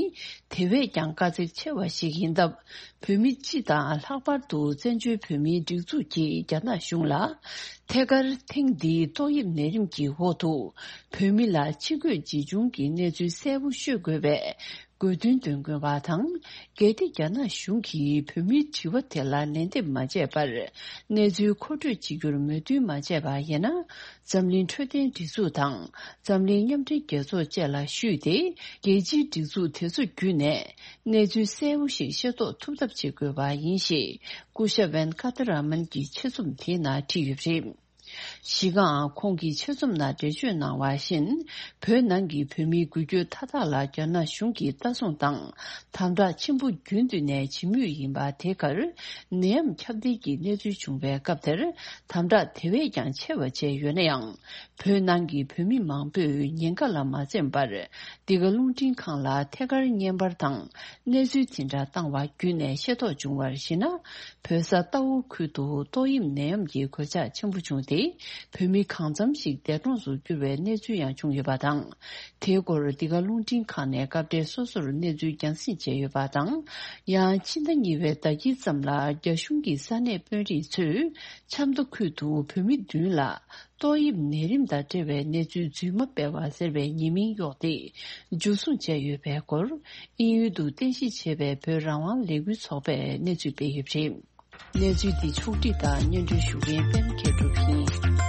དེ་བས་ཀྱང་དཀའ་ཚེགས་ཆེ་བ་ཞིག་ཡིན་སྟབས། བོད་མི་སྤྱི་དང་ལྷག་པར་དུ་བཙན་བྱོལ་བོད་མིའི་སྒྲིག་འཛུགས་ཀྱིས་རྒྱ་ནག་གཞུང་ལ། ཐད་ཀར་ཐེངས་འདིའི་ཏོག་དབྱིབས་ནད་རིམས་ཀྱི་འོག་ཏུ་བོད་མི་ལ་ཕྱི་འགོད་ཇི་བྱུང་གི་གནས་ཚུལ་གསལ་པོ་ཤོད་དགོས་པའི་དགོས་འདུན་འདོན་དགོས་པ་དང་། གལ་ཏེ་རྒྱ་ནག་གཞུང་གིས་བོད་མིའི་དྲི་བ་དེ་ལ་ལན་འདེབས་མ་བྱས་པར་གནས་ཚུལ་མཁོ་སྤྲོད་བྱེད་རྒྱུར་མོས་མཐུན་མ་བྱས་པ་ཡིན་ན། འཛམ་གླིང་འཕྲོད་བསྟེན་སྒྲིག་འཛུགས་དང་འཛམ་གླིང་མཉམ་འབྲེལ་རྒྱལ་ཚོགས་བཅས་ལ་ཞུས་ཏེ། རྒྱལ་སྤྱིའི་སྒྲིག་འཛུགས་དེ་ཚོ་བརྒྱུད་ནས་གནས་ཚུལ་གསལ་པོ་ཞིག་ཤེས་རྟོགས་ཐུབ་ཐབས་བྱེད་དགོས་པ་ཡིན་ཞེས། སྐུ་ཞབས་ཝན་ཀ་ཏ་ར་མན་གྱིས་ཆེད་རྩོམ་དེའི་ནང་བྲིས་ཡོད་པ་རེད། གཞི་གའང་ཁོང་གིས་ཆེད་རྩོམ་ནང་འགྲེལ་བརྗོད་གནང་བ་བཞིན། བོད་ནང་གི་བོད་མིའི་འགུལ་སྐྱོད་མཐའ་དག་ལ་རྒྱ་ནག་གཞུང་གིས་ལྟ་སྲུང་དང་དམ་དྲག་ཆེན་པོ་རྒྱུན་དུ་ནས་བྱེད་མུས་ཡིན་པ་དེ་གར། ནད་ཡམས་ཁྱབ་གདལ་གྱི་གནས་ཚུལ་བྱུང་བའི་སྐབས་དེར་དམ་དྲག་དེ་བས་ཀྱང་ཆེ་བ་བྱས་ཡོད་ན་ཡང་། བོད་ནང་གི་བོད་མི་མང་པོས་ཉེན་ཁ་ལ་མ་འཛེམས་པར། འདི་ག་རླུང་འཕྲིན་ཁང་ལ་ཐད་ཀར་བརྙན་པར་དང་གནས་ཚུལ་འཛིན་གྲྭ་བཏང་བ་བརྒྱུད་ནས་ཤེས་རྟོགས་བྱུང་བར་གཞིགས་ན། བོད་ས་རྟའུ་ཁུལ་དུ་ཏོག་དབྱིབས་ནད་ཡམས་ཀྱི་གོད་ཆག་ཆེན་པོ་བྱུང་སྟེ། བོད་མི་གང་འཚམ་ཞིག་འདས་གྲོངས་སུ་གྱུར་བའི་གནས་ཚུལ་ཡང་བྱུང་ཡོད་པ་དང་། དེའི་སྐོར་འདི་ག་རླུང་འཕྲིན་ཁང་ནས་སྐབས་འཕྲལ་སོ་སོར་གནས་ཚུལ་རྒྱང་སྲིང་བྱས་ཡོད་པ་དང་། ཡང་ཕྱི་ཟླ་གཉིས་པའི་ཟླ་དཀྱིལ་ཙམ་ལ་རྒྱ་གཞུང་གི་ས་གནས་དཔོན་རིགས་ཚོས་ཆབ་མདོ་ཁུལ་དུ་བོད་མི་བདུན་ལ། ཏོག་དབྱིབས་ནད་རིམས་དང་འབྲེལ་བའི་གནས་ཚུལ་རྫུན་མ་སྤེལ་བ་ཟེར་བའི་ཉེས་མིང་གཡོགས་ཏེ། འཇུ་བཟུང་བྱས་ཡོད་པའི་སྐོར། དབྱིན་ཡུལ་དུ་རྟེན་གཞི་བྱས་པའི་བོད་རང་དབང་ལས་འགུལ་ཚོགས་པས་གནས་ཚུལ་སྤེལ་ཡོད་པ་རེད། གནས་ཚུལ་འདི་ཕྱོགས་བསྒྲིགས་དང་སྙན་སྒྲོན་ཞུ་མཁན་པད་མ་མཁས་གྲུབ་ཡིན།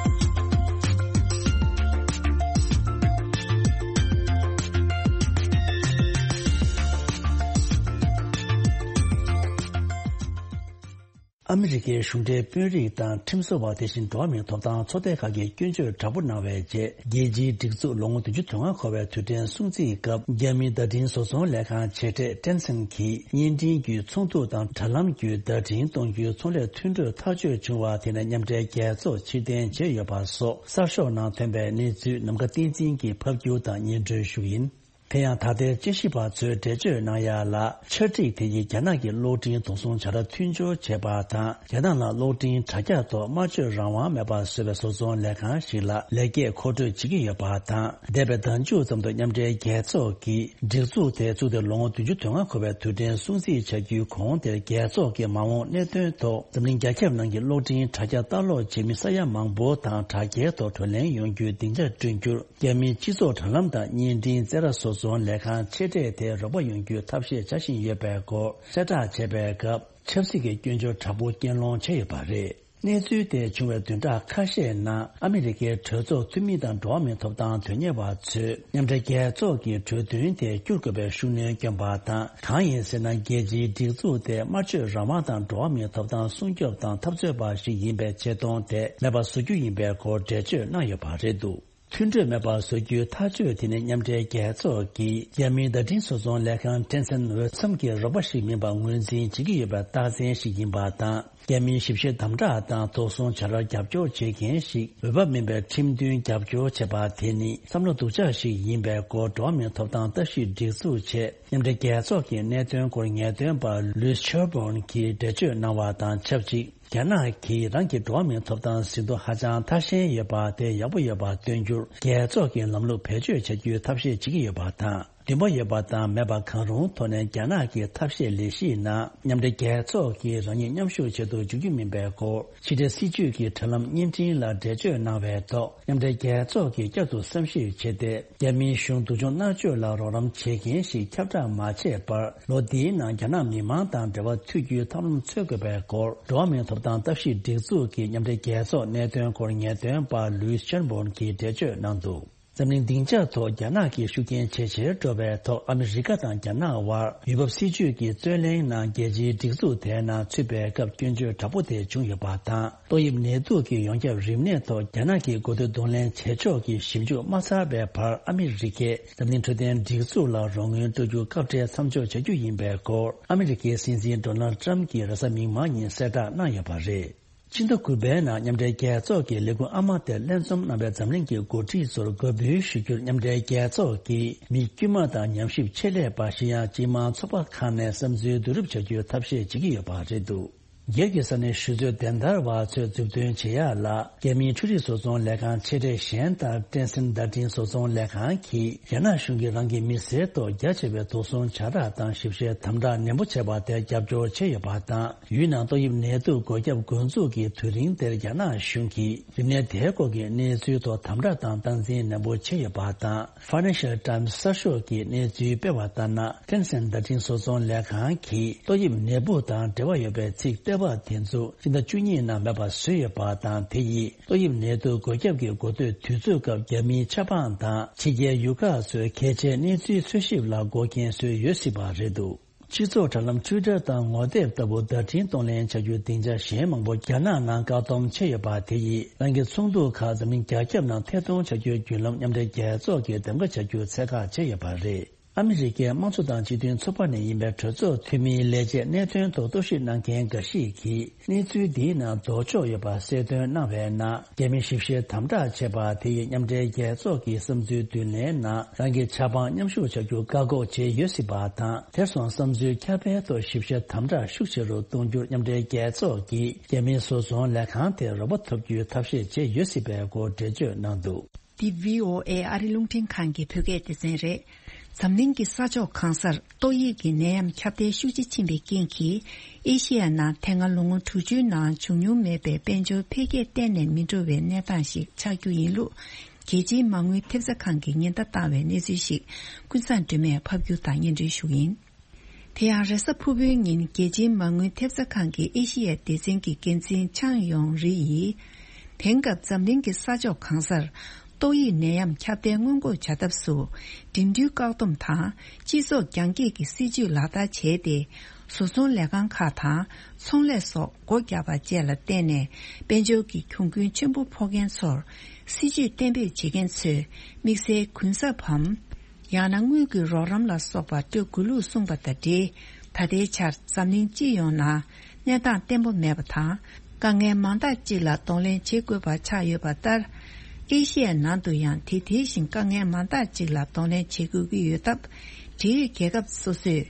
ཨ་མི་རི་ཀའི་གཞུང་འབྲེལ་དཔོན་རིགས་དང་ཁྲིམས་བཟོ་བ། དེ་བཞིན་འགྲོ་བ་མིའི་ཐོབ་ཐང་ཚོགས་སྡེ་ཁག་གིས་སྐྱོན་བརྗོད་དྲག་པོ་གནང་བའི་རྗེས། རྒྱལ་སྤྱིའི་སྒྲིག་འཛུགས་ལོ་ངོ་བདུན་ཅུ་དོན་ལྔ་འཁོར་བའི་དུས་དྲན་སྲུང་བརྩིའི་སྐབས། རྒྱ་མིའི་བརྡ་འཕྲིན་བཟོ་ཚོང་ལས་ཁང་ཆེ་གྲས་Tencent་གྱིས་བརྙན་འཕྲིན་བརྒྱུད་ཚོགས་འདུ་དང་དྲ་ལམ་བརྒྱུད་བརྡ་འཕྲིན་གཏོང་རྒྱུའི་ཚོང་ལས་མཐུན་གྲོས་ཐག་གཅོད་བྱུང་བ་དེ་ནི་མཉམ་འབྲེལ་རྒྱལ་ཚོགས་ཕྱིར་འཐེན་བྱས་ཡོད་པ་སོགས་གསར་ཤོག་ནང་ཐོན་པའི་གནས་ཚུལ་ནམ་མཁའ་བསྟན་འཛིན་གྱིས་ཕབ་སྒྱུར་དང་སྙན་སྒྲོན་ཞུ་ཡིན། དེ་ཡང་ད་ལྟའི་དཔྱད་ཞིབ་པ་ཚོས་འགྲེལ་བརྗོད་གནང་ཡ་ལ། འཆར་སྒྲིག་དེ་ཡིས་རྒྱ་ནག་གི་གློག་འཕྲིན་དོགས་ཟོན་བྱ་ར་མཐུན་སྦྱོར་བྱས་པ་དང་། རྒྱ་ནག་ལ་གློག་འཕྲིན་དྲ་རྒྱ་ཐོག་སྨྲ་བརྗོད་རང་དབང་མེད་པར་བཟོས་པའི་བཟོ་ཚོང་ལས་ཁང་ཞིག་ལ་ལེགས་སྐྱེས་མཁོ་སྤྲོད་བྱེད་ཀྱི་ཡོད་པ་དང་། འདས་པའི་ཟླ་མཇུག་ཙམ་དུ་མཉམ་འབྲེལ་རྒྱལ་ཚོགས་ཀྱིས་སྒྲིག་འཛུགས་དེ་བཙུགས་ཏེ་ལོ་ངོ་བདུན་ཅུ་དོན་ལྔ་འཁོར་བའི་དུས་དྲན་སྲུང་བརྩི་བྱ་རྒྱུའི་གོང་དེར། རྒྱལ་ཚོགས་ཀྱི་མ་འོངས་གནད་དོན་ཐོག་འཛམ་གླིང་རྒྱ་ཁྱབ་ནང་གི་གློག་འཕྲིན་དྲ་རྒྱ་ལྟ་ཀློག་བྱེད་མི་ས་ཡ་མང་པོ་དང་དྲ་རྒྱའི་ཐོག་བགྲོ་གླེང་ཡོང་རྒྱུའི་སྡིངས་ཆ་བསྐྲུན་རྒྱུར། རྒྱ་མིའི་སྤྱི་ཚོགས་དྲ་ལམ་དང་བརྙན་འཕྲིན་རྩེད་ར་བཟོ་ཚོང་ལས་ཁང་ཆེ་གྲས་དེ་རོགས་པ་ཡོང་རྒྱུའི་ཐབས་ཤེས་བྱ་བཞིན་ཡོད་པའི་སྐོར་གསལ་བསྒྲགས་བྱས་པའི་སྐབས། ཆབ་སྲིད་ཀྱི་སྐྱོན་བརྗོད་དྲག་པོ་རྐྱེན་སློང་བྱས་ཡོད་པ་རེད། གནས་ཚུལ་དེ་བྱུང་བའི་བདུན་ཕྲག་ཁ་ཤས་ནང་ཨ་མི་རི་ཀའི་གྲོས་ཚོགས་འཐུས་མི་དང་འགྲོ་བ་མིའི་ཐོབ་ཐང་དོན་གཉེར་བ་ཚོས་མཉམ་འབྲེལ་རྒྱལ་ཚོགས་ཀྱི་གྲོས་མཐུན་དེ་བསྒྱུར་དགོས་པའི་ཤུགས་སྣོན་བསྐྱོན་པ་དང་། གང་ཡིན་ཟེར་ན། རྒྱལ་སྤྱིའི་སྒྲིག་འཛུགས་དེ་སྨྲ་བརྗོད་རང་དབང་དང་འགྲོ་བ་མིའི་ཐོབ་ཐང་སྲུང་སྐྱོབ་དང་འཐབ་རྩོད་པ་ཞིག་ཡིན་པའི་ཆེ་མཐོང་དེ་མེད་པ་བཟོ་རྒྱུ་ཡིན་པའི་སྐོར་འགྲེལ་བརྗོད་གནང་ཡོད་པ་རེད་འདུག་མཐུན་གྲོས་མེད་པར་བཟོ་རྒྱུའི་ཐག་གཅོད་དེ་ནི་མཉམ་འབྲེལ་རྒྱལ་ཚོགས་ཀྱིས་རྒྱ་མིའི་བརྡ་འཕྲིན་བཟོ་ཚོང་ལས་ཁང་Tencent་འོས་འཚམ་གྱི་རོགས་པ་ཞིག་མིན་པ་ངོས་འཛིན་བྱེད་ཀྱི་ཡོད་པའི་རྟགས་མཚན་ཞིག་ཡིན་པ་དང་། རྒྱ་མིའི་ཞིབ་བཤེར་དམ་དྲག་དང་དོགས་ཟོན་བྱ་རར་རྒྱབ་སྐྱོར་བྱེད་མཁན་ཞིག་འོས་བབ་མིན་པའི་ཁྲིམས་མཐུན་རྒྱབ་སྐྱོར་བྱས་པ་དེ་ནི་བསམ་བློ་སྡུག་ཅག་ཞིག་ཡིན་པའི་སྐོར། འགྲོ་བ་མིའི་ཐོབ་ཐང་ལྟ་ཞིབ་སྒྲིག་འཛུགས་ཆེད་མཉམ་འབྲེལ་རྒྱལ་ཚོགས་ཀྱི་གནད་དོན་སྐོར་ངེས་སྟོན་པ་Louise Sherborne་གྱིས་འགྲེལ་བརྗོད་གནང་བ་དང་ཆབས་ཅིག་རྒྱ་ནག་གིས་རང་གི་འགྲོ་བ་མིའི་ཐོབ་ཐང་ཟིན་ཐོ་ཧ་ཅང་ཐ་ཞན་ཡོད་པ་དེ་ཡག་པོ་ཡོད་པ་སྟོན་རྒྱུར་རྒྱལ་ཚོགས་ཀྱི་ལམ་ལུགས་བེད་སྤྱོད་བྱ་རྒྱུའི་ཐབས་ཤེས་བྱེད་ཀྱི་ཡོད་པ་དང་། འདུན་པ་ཡོད་པ་དང་མེད་པ་གང་རུང་ཐོག་ནས་རྒྱ་ནག་གི་ཐབས་ཤེས་ལས་གཞིའི་ནང་མཉམ་འབྲེལ་རྒྱལ་ཚོགས་ཀྱིས་རང་ཉིད་མཉམ་ཞུགས་བྱེད་དུ་འཇུག་རྒྱུ་མིན་པའི་སྐོར། ཕྱི་འབྲེལ་སྲིད་བྱུས་ཀྱི་དྲ་ལམ་བརྙན་འཕྲིན་ལ་འགྲེལ་བརྗོད་གནང་བའི་ཐོག་མཉམ་འབྲེལ་རྒྱལ་ཚོགས་ཀྱིས་བསྐྱར་དུ་བསམ་ཞིབ་བྱས་ཏེ། རྒྱ་མིའི་གཞུང་སྡུག་སྦྱོང་མནར་གཅོད་ལ་རོགས་རམ་བྱེད་མཁན་ཞིག་ཁྱབ་བསྒྲགས་མ་བྱས་པར། ལོ་འདིའི་ནང་རྒྱ་ནག་མི་མང་དང་འབྲེལ་བ་མཐུད་རྒྱུའི་ཐབས་ལམ་འཚོལ་དགོས་པའི་སྐོར། འགྲོ་བ་མིའི་ཐོབ་ཐང་ལྟ་ཞིབ་སྒྲིག་འཛུགས་ཀྱི་མཉམ་འབྲེལ་རྒྱལ་ཚོགས་གནད་དོན་སྐོར་ངེས་སྟོན་པ་Louise Sherborne་གྱིས་འགྲེལ་བརྗོད་གནང་འདུག་འཛམ་གླིང་སྡིངས་ཆ་ཐོག་རྒྱ་ནག་གི་ཤུགས་རྐྱེན་ཇེ་ཆེར་འགྲོ་བའི་ཐོག་ཨ་མི་རི་ཀ་དང་རྒྱ་ནག་དབར་འོས་འབབ་སྲིད་ཇུས་ཀྱི་རྩོད་གླེང་ནང་རྒྱལ་སྤྱིའི་སྒྲིག་འཛུགས་དེའི་ནང་ཚུད་པའི་སྐབས་སྐྱོན་བརྗོད་དྲག་པོ་དེ་བྱུང་ཡོད་པ་དང་། ཏོག་དབྱིབས་ནད་དུག་གི་ཡོངས་ཁྱབ་རིམས་ནད་ཐོག་རྒྱ་ནག་གི་འགོ་ཁྲིད་གདོང་ལེན་བྱེད་ཕྱོགས་ཀྱི་ཞིབ་འཇུག་མ་ཚར་བའི་བར་ཨ་མི་རི་ཀས་འཛམ་གླིང་འཕྲོད་བསྟེན་སྒྲིག་འཛུགས་ལ་རོགས་དངུལ་སྤྲོད་རྒྱུ་སྐབས་བྲལ་མཚམས་འཇོག་བྱ་རྒྱུ་ཡིན་པའི་སྐོར་ཨ་མི་རི་ཀའི་སྲིད་འཛིན་ཌོ་ནལ་ཊམ་གྱིས་རེས་གཟའ་མིག་དམར་ཉིན་གསལ་བསྒྲགས་གནང་ཡོད་པ་རེད། ཕྱི་ཟླ་དགུ་པའི་ནང་མཉམ་འབྲེལ་རྒྱལ་ཚོགས་ཀྱི་ལས་ཁུངས་ཨ་མ་དེར་ལྷན་འཛོམས་གནང་བའི་འཛམ་གླིང་གི་འགོ་ཁྲིད་ཚོར་འགོད་འབུལ་ཞུ་རྒྱུར་མཉམ་འབྲེལ་རྒྱལ་ཚོགས་ཀྱིས་མི་དཀྱུས་མ་དང་ཉམས་ཞིབ་ཆེད་ལས་པ་གཞན་ཡང་སྤྱི་དམངས་ཚོགས་པ་ཁག་ནས་བསམ་ཚུལ་བསྡུ་རུབ་བྱ་རྒྱུའི་ཐབས་ཤེས་བྱེད་ཀྱི་ཡོད་པ་རེད་འདུག་སྒེར་གྱི་ས་གནས་ཞུ་གཙོས་བདེན་བདར་བ་ཚོས་མཛུབ་སྟོན་བྱེད་ཡག་ལ། རྒྱ་མིའི་འཕྲུལ་རིག་བཟོ་ཚོང་ལས་ཁང་ཆེ་གྲས་གཞན་ལྟར་ཀྲེན་སེན་བརྡ་འཕྲིན་བཟོ་ཚོང་ལས་ཁང་གིས་རྒྱ་ནག་གཞུང་གིས་རང་གི་མི་སེར་ཐོག་རྒྱ་ཆེ་བའི་དོགས་ཟོན་བྱ་ར་དང་ཞིབ་བཤེར་དམ་དྲག་ནན་པོ་བྱས་པ་དེར་རྒྱབ་སྐྱོར་བྱས་ཡོད་པ་དང་། ཡུལ་ནང་ཏོག་དབྱིབས་ནད་དུག་འགོས་ཁྱབ་འགོ་འཛུགས་ཀྱི་དུས་རིང་དེར་རྒྱ་ནག་གཞུང་གིས་རིམས་ནད་དེའི་སྐོར་གྱི་གནས་ཚུལ་ཐོག་དམ་དྲག་དང་སྟངས་འཛིན་ནན་པོ་བྱས་ཡོད་པ་དང་། Financial Times་གསར་ཤོག་གིས་གནས་ཚུལ་སྤེལ་བ་ལྟར་ན། ཀྲེན་སེན་བརྡ་འཕྲིན་བཟོ་ཚོང་ལས་ཁང་གིས་ཏོག་དབྱིབས་ནད་འབུ་དང་འབྲེལ་བ་ཡོད་པའི་ཚིག་བཏོད་པ་དེ་ཚོ་སྤྱི་ཟླ་བཅུ་གཉིས་ནང་མེད་པ་བཟོས་ཡོད་པ་དང་། དེ་ཡིས་ཏོག་དབྱིབས་ནད་དུག་འགོས་ཁྱབ་ཀྱི་འགོ་སྟོད་དུས་ཚོད་སྐབས་རྒྱ་མིའི་ཆབ་འབངས་དང་ཕྱི་རྒྱལ་ཡུལ་ཁག་ཚོའི་གལ་ཆེའི་གནས་ཚུལ་འཚོལ་ཞིབ་ལ་འགོག་རྐྱེན་བཟོས་ཡོད་སྲིད་པ་རེད་འདུག་སྤྱི་ཚོགས་དྲ་ལམ་Twitter་དང་ངོ་དེབ་ལྟ་བུ་བརྡ་འཕྲིན་གཏོང་ལེན་བྱ་རྒྱུའི་སྡིངས་ཆ་གཞན་མང་པོ་རྒྱ་ནག་ནང་བཀག་སྡོམ་བྱས་ཡོད་པ་དེ་ཡིས་རང་གི་ཚོགས་འདུ་ཁག་འཛམ་གླིང་རྒྱ་ཁྱབ་ནང་ཐད་གཏོང་བྱ་རྒྱུའི་བརྒྱུད་ལམ་མཉམ་འབྲེལ་རྒྱལ་ཚོགས་ཀྱིས་གདམ་ག་བྱ་རྒྱུ་ཚད་བཀག་བྱས་ཡོད་པ་རེད། ཨ་མི་རི་ཀའི་དམངས་གཙོ་དང་སྤྱི་མཐུན་ཚོགས་པ་ནས་ཡིན་པའི་གྲོས་ཚོགས་འཐུས་མིའི་ལས་བྱེད་གནད་དོན་ཐོག་རྟོག་ཞིབ་གནང་མཁན་འགའ་ཞིག་གིས། གནས་ཚུལ་འདིའི་ནང་ལྡོག་ཕྱོགས་ཡོད་པ་གསལ་སྟོན་གནང་བའི་ནང་། རྒྱ་མི་ཞིབ་བཤེར་དམ་དྲག་བྱས་པ་དེ་ཡིས་མཉམ་འབྲེལ་རྒྱལ་ཚོགས་ཀྱི་བསམ་ཚུལ་བསྡུ་ལེན་ནང་རང་གི་ཆབ་འབངས་མཉམ་ཞུགས་བྱ་རྒྱུ་བཀག་འགོག་བྱས་ཡོད་སྲིད་པ་དང་། དེར་སོང་བསམ་ཚུལ་ཁྱབ་སྤེལ་ཐོག་ཞིབ་བཤེར་དམ་དྲག་ཤུགས་ཆེ་རུ་གཏོང་རྒྱུར་མཉམ་འབྲེལ་རྒྱལ་ཚོགས་ཀྱིས་རྒྱ་མིའི་བཟོ་ཚོང་ལས་ཁང་དེར་རོགས་པ་ཐོབ་རྒྱུའི་ཐབས་ཤེས་བྱས་ཡོད་སྲིད་པའི་སྐོར་འགྲེལ་བརྗོད་གནང་འདུག་འདི་བྷི་ཨོ་ཨེ་ཨ་རི་རླུང་འཕྲིན་ཁང་གི་བོད་སྐད་སྡེ་ཚན་རེད། འཛམ་གླིང་གི་ས་ཕྱོགས་གང་སར་ཏོག་དབྱིབས་ཀྱི་ནད་ཡམས་ཁྱབ་གདལ་ཤུགས་ཆེ་ཕྱིན་པའི་རྐྱེན་གྱིས། ཨེ་ཤེ་ཡ་ནང་དེ་སྔ་ལོ་ངོ་དྲུག་ཅུའི་ནང་བྱུང་མྱོང་མེད་པའི་དཔལ་འབྱོར་འཕེལ་རྒྱས་གཏན་ནས་མི་འགྲོ་བའི་གནས་སྟངས་ཤིག་ཆགས་རྒྱུ་ཡིན་ལུགས། རྒྱལ་སྤྱིའི་མ་དངུལ་ཐེབས་རྩ་ཁང་གིས་ཉེན་བརྡ་བཏང་བའི་གནས་ཚུལ་ཞིག་ཀུན་བཟང་སྒྲོལ་མས་ཕབ་སྒྱུར་དང་སྙན་སྒྲོན་ཞུ་གི་ཡིན། དེ་ཡང་རེས་གཟའ་ཕུར་བུའི་ཉིན་རྒྱལ་སྤྱིའི་མ་དངུལ་ཐེབས་རྩ་ཁང་གི་ཨེ་ཤི་ཡའི་སྡེ་ཚན་གྱི་འགན་འཛིན་ཆང་ཡོང་རི་ཡིས། དེང་སྐབས་འཛམ་གླིང་གི་ས་ཕྱོགས་གང་སར་ཏོག་དབྱིབས་ནད་ཡམས་ཁྱབ་གདལ་སྔོན་འགོག་བྱ་ཐབས་སུ། འགྲིམ་འགྲུལ་བཀག་སྡོམ་དང་སྤྱི་ཚོགས་རྒྱང་བཀྱེད་ཀྱི་སྲིད་ཇུས་ལག་བསྟར་བྱས་ཏེ། བཟོ་ཚོང་ལས་ཁང་ཁག་དང་ཚོང་ལས་སོགས་སྒོ་བརྒྱབ་པ་བཅས་ལ་བརྟེན་ནས་དཔལ་འབྱོར་གྱི་གྱོང་གུན་ཆེན་པོ་ཕོག་མཁན་ཚོར་སྲིད་ཇུས་གཏན་འབེབས་བྱེད་མཁན་ཚོས་དམིགས་བསལ་གུན་གསབ་བམ། ཡང་ན་དངུལ་གྱི་རོགས་རམ་ལ་སོགས་པ་སྤྲོད་དགོས་ལུགས་གསུངས་པ་དང་འབྲེལ། ད་ལྟའི་ཆར་འཛམ་གླིང་སྤྱི་ཡོངས་ནང་གནས་སྟངས་བརྟན་པོ་མེད་པ་དང་། དཀའ་ངལ་མང་དག་ཅིག་ལ་གདོང་ལེན་བྱེད་དགོས་པ་ཆགས་ཡོད་པ་ལྟར། ཨེ་ཤི་ཡའི་ནང་དུ་ཡང་དེ་དེ་བཞིན་དཀའ་ངལ་མང་དག་ཅིག་ལ་གདོང་ལེན་བྱེད་དགོས་ཀྱི་ཡོད་སྟབས། འབྲེལ་ཡོད་རྒྱལ་ཁབ་སོ་སོས་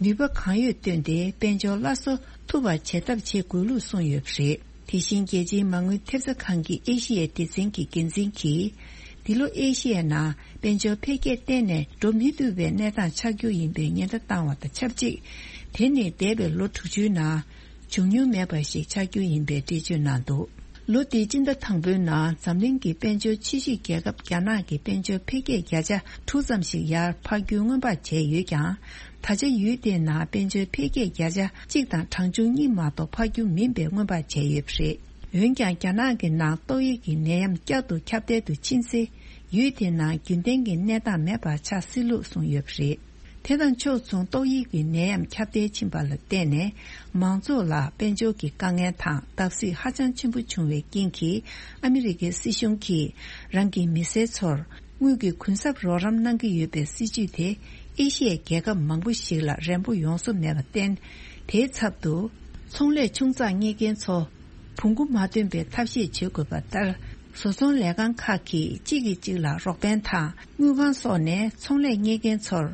ནུས་པ་གང་ཡོད་བཏོན་ཏེ་དཔལ་འབྱོར་སླར་གསོ་ཐུབ་པ་བྱེད་ཐབས་བྱེད་དགོས་ལུགས་གསུངས་ཡོད་པ་རེད། དེ་བཞིན་རྒྱལ་སྤྱིའི་མ་དངུལ་ཐེབས་རྩ་ཁང་གི་ཨེ་ཤི་ཡའི་སྡེ་ཚན་གྱི་འགན་འཛིན་གྱིས། འདི་ལོ་ཨེ་ཤི་ཡའི་ནང་དཔལ་འབྱོར་འཕེལ་རྒྱས་གཏན་ནས་འགྲོ་མི་ཐུབ་པའི་གནས་སྟངས་ཆགས་རྒྱུ་ཡིན་པའི་ཉེན་བརྡ་བཏང་བ་དང་ཆབས་ཅིག་དེ་ནི་འདས་པའི་ལོ་དྲུག་ཅུའི་ནང་བྱུང་མྱོང་མེད་པ་ཞིག་ཆགས་རྒྱུ་ཡིན་པའི་འགྲེལ་བརྗོད་གནང་འདུག་ལོ་འདིའི་སྤྱི་ཟླ་དང་པོའི་ནང་འཛམ་གླིང་གི་དཔལ་འབྱོར་ཆེ་ཤོས་རྒྱལ་ཁབ་རྒྱ་ནག་གི་དཔལ་འབྱོར་འཕེལ་རྒྱས་བརྒྱ་ཆ་དྲུག་ཙམ་ཞིག་ཡར་འཕར་རྒྱུའི་སྔོན་དཔག་བྱས་ཡོད་ཀྱང་། ད་ཆ་ཡུལ་དེའི་ནང་དཔལ་འབྱོར་འཕེལ་རྒྱས་བརྒྱ་ཆ་གཅིག་དང་གྲངས་ཆུང་གཉིས་མ་གཏོགས་འཕར་རྒྱུ་མིན་པའི་སྔོན་དཔག་བྱས་ཡོད་པ་རེད། འོན་ཀྱང་རྒྱ་ནག་གི་ནང་ཏོག་དབྱིབས་ཀྱི་ནད་ཡམས་བསྐྱར་དུ་ཁྱབ་གདལ་དུ་ཕྱིན་ཚེ། ཡུལ་དེའི་ནང་རྒྱུན་ལྡན་གྱི་གནས་སྟངས་མེད་པ་ཆགས་སྲིད་ལུགས་གསུངས་ཡོད་པ་རེད། དེ་དང་ཕྱོགས་མཚུངས་ཏོག་དབྱིབས་ཀྱི་ནད་ཡམས་ཁྱབ་གདལ་ཕྱིན་པ་ལ་བརྟེན་ནས། མང་ཚོགས་ལ་དཔལ་འབྱོར་གྱི་དཀའ་ངལ་དང་བརྡབ་གསིག་ཧ་ཅང་ཆེན་པོ་བྱུང་བའི་རྐྱེན་གྱིས། ཨ་མི་རི་ཀའི་སྲིད་གཞུང་གིས་རང་གི་མི་སེར་ཚོར་དངུལ་གྱི་གུན་གསབ་རོགས་རམ་གནང་གི་ཡོད་པའི་སྲིད་ཇུས་དེ། ཨེ་ཤི་ཡའི་རྒྱལ་ཁབ་མང་པོ་ཞིག་ལ་རན་པོ་ཡོང་བཟོ་མེད་པར་བརྟེན། དེའི་ཚབ་ཏུ། ཚོང་ལས་ཆུང་ཙག་གཉེར་མཁན་ཚོ། བོང་གུ་མ་ཐོན་པའི་ཐབས་ཤེས་བྱེད་དགོས་པ་ལྟར། བཟོ་ཚོང་ལས་ཁང་ཁག་གིས་གཅིག་གིས་གཅིག་ལ་རོགས་ཕན་དང་། དངུལ་ཁང་སོགས་ནས་ཚོང་ལས་གཉེར་མཁན་ཚོར།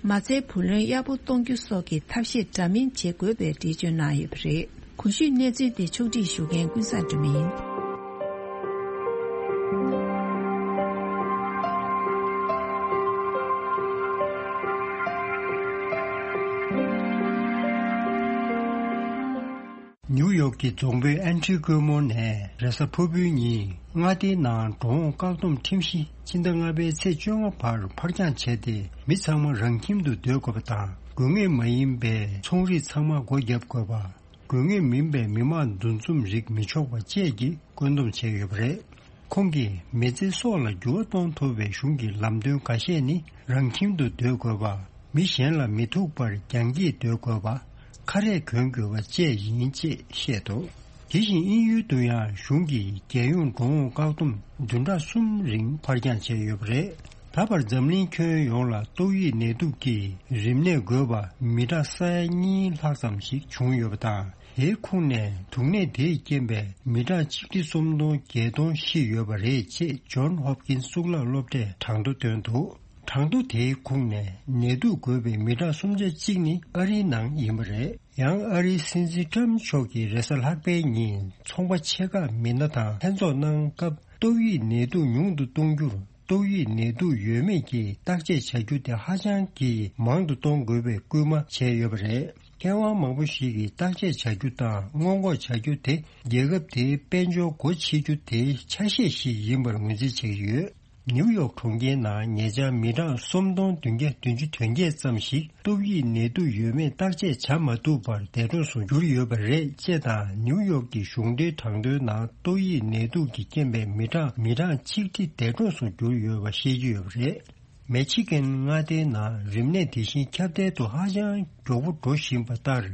མ་རྩའི་བུ་ལོན་ཡག་པོ་གཏོང་རྒྱུ་སོགས་ཀྱི་ཐབས་ཤེས་འདྲ་མིན་བྱེད་དགོས་པའི་འགྲེལ་བརྗོད་གནང་ཡོད་པ་རེད། གོང་ཞུས་གནས་ཚུལ་དེ་ཕྱོགས་སྒྲིག་ཞུ་མཁན་ཀུན་བཟང་སྒྲོལ་མ་ཡིན། ནིའུ་ཡོག་གི་རྫོང་དཔོན་ཨན་ཁྲི་ཀོ་མོ་ནས་རེས་གཟའ་ཕུར་བུའི་ཉིན་མངའ་སྡེའི་ནང་འགྲོ་འོང་བཀག་སྡོམ་ཁྲིམས་གཞི་ཕྱི་ཟླ་ལྔ་པའི་ཚེས་བཅོ་ལྔ་བར་ཕར་འགྱངས་བྱས་ཏེ། མི་ཚང་མ་རང་ཁྱིམ་དུ་སྡོད་དགོས་པ་དང་། དགོས་ངེས་མ་ཡིན་པའི་ཚོང་རིགས་ཚང་མ་སྒོ་བརྒྱབ་དགོས་པ། དགོས་ངེས་མིན་པའི་མི་མང་འདུ་འཛོམས་རིགས་མི་ཆོག་པ་བཅས་ཀྱི་བཀོད་འདོམས་བྱས་ཡོད་པ་རེད། ཁོང་གིས་མི་ཚེ་སྲོག་ལ་འགྱུར་བ་གཏོང་ཐུབ་པའི་གཞུང་གི་ལམ་སྟོན་འགའ་ཤས་ནི། རང་ཁྱིམ་དུ་སྡོད་དགོས་པ། མི་གཞན་ལ་མི་ཐུག་པར་རྒྱང་སྐྱེད་སྡོད་དགོས་པ། ཁ་རས་གོན་དགོས་པ་བཅས་ཡིན་ཅེས་བཤད་འདུག་དེ་བཞིན་དབྱིན་ཡུལ་དུ་ཡང་གཞུང་གིས་རྒྱལ་ཡོངས་འགྲོ་འོང་བཀག་སྡོམ་བདུན་ཕྲག་གསུམ་རིང་ཕར་འགྱངས་བྱས་ཡོད་པ་རེད། ད་བར་འཛམ་གླིང་ཁྱོན་ཡོངས་ལ་ཏོག་དབྱིབས་ནད་དུག་གིས་རིམས་ནད་འགོས་པ་མི་གྲངས་ས་ཡ་གཉིས་ལྷག་ཙམ་ཞིག་བྱུང་ཡོད་པ་དང་། དེའི་ཁོངས་ནས་དུག་ནད་དེས་རྐྱེན་པས་མི་གྲངས་ཆིག་ཁྲི་སུམ་སྟོང་བརྒྱད་སྟོང་ཤི་ཡོད་པ་རེད་ཅེས་ཇོན་ཧོབ་ཀིན་གཙུག་ལག་སློབ་གྲྭས་གྲངས་ཐོ་བཏོན་འདུག་གྲངས་ཐོ་དེའི་ཁོངས་ནས་ནད་དུག་འགོས་པའི་མི་གྲངས་སུམ་ཆ་གཅིག་ནི་ཨ་རིའི་ནང་ཡིན་པ་རེད། ཡང་ཨ་རིའི་སྲིད་འཛིན་ཊམ་མཆོག་གིས་རེས་གཟའ་ལྷག་པའི་ཉིན་ཚོང་པ་ཆེ་ཁག་མི་སྣ་དང་ལྷན་ཚོགས་གནང་སྐབས། ཏོག་དབྱིབས་ནད་དུག་ཉུང་དུ་གཏོང་རྒྱུར་ཏོག་དབྱིབས་ནད་དུག་ཡོད་མེད་ཀྱི་བརྟག་དཔྱད་བྱ་རྒྱུ་དེ་ཧ་ཅང་གི་མང་དུ་གཏོང་དགོས་པའི་སྐུལ་མ་བྱས་ཡོད་པ་རེད། མཁས་དབང་མང་པོ་ཞིག་གིས་བརྟག་དཔྱད་བྱ་རྒྱུ་དང་སྔོན་འགོག་བྱ་རྒྱུ་དེ་རྒྱལ་ཁབ་དེའི་དཔལ་འབྱོར་སྒོ་ཕྱེ་རྒྱུ་དེའི་ཆ་ཤས་ཤིག་ཡིན་པར་ངོས་འཛིན་བྱེད་ཀྱི་ཡོད། ནིའུ་ཡོག་གྲོང་ཁྱེར་ནང་ཉེ་ཆར་མི་གྲངས་སུམ་སྟོང་བདུན་བརྒྱ་བདུན་ཅུ་དོན་བརྒྱད་ཙམ་ཞིག་ཏོག་དབྱིབས་ནད་དུག་ཡོད་མེད་བརྟག་དཔྱད་བྱ་མ་ཐུབ་པར་འདས་གྲོངས་སུ་གྱུར་ཡོད་པ་རེད་ཅེས་དང་། ནིའུ་ཡོག་གི་གཞུང་འབྲེལ་གྲངས་ཐོའི་ནང་ཏོག་དབྱིབས་ནད་དུག་གི་རྐྱེན་པས་མི་གྲངས་མི་གྲངས་ཆིག་ཁྲི་འདས་གྲོངས་སུ་གྱུར་ཡོད་པ་ཤེས་ཀྱི་ཡོད་པ་རེད། མེ་ཆི་གན་མངའ་སྡེའི་ནང་རིམས་ནད་དེ་བཞིན་ཁྱབ་གདལ་དུ་ཧ་ཅང་མགྱོགས་པོ་འགྲོ་བཞིན་པ་ལྟར།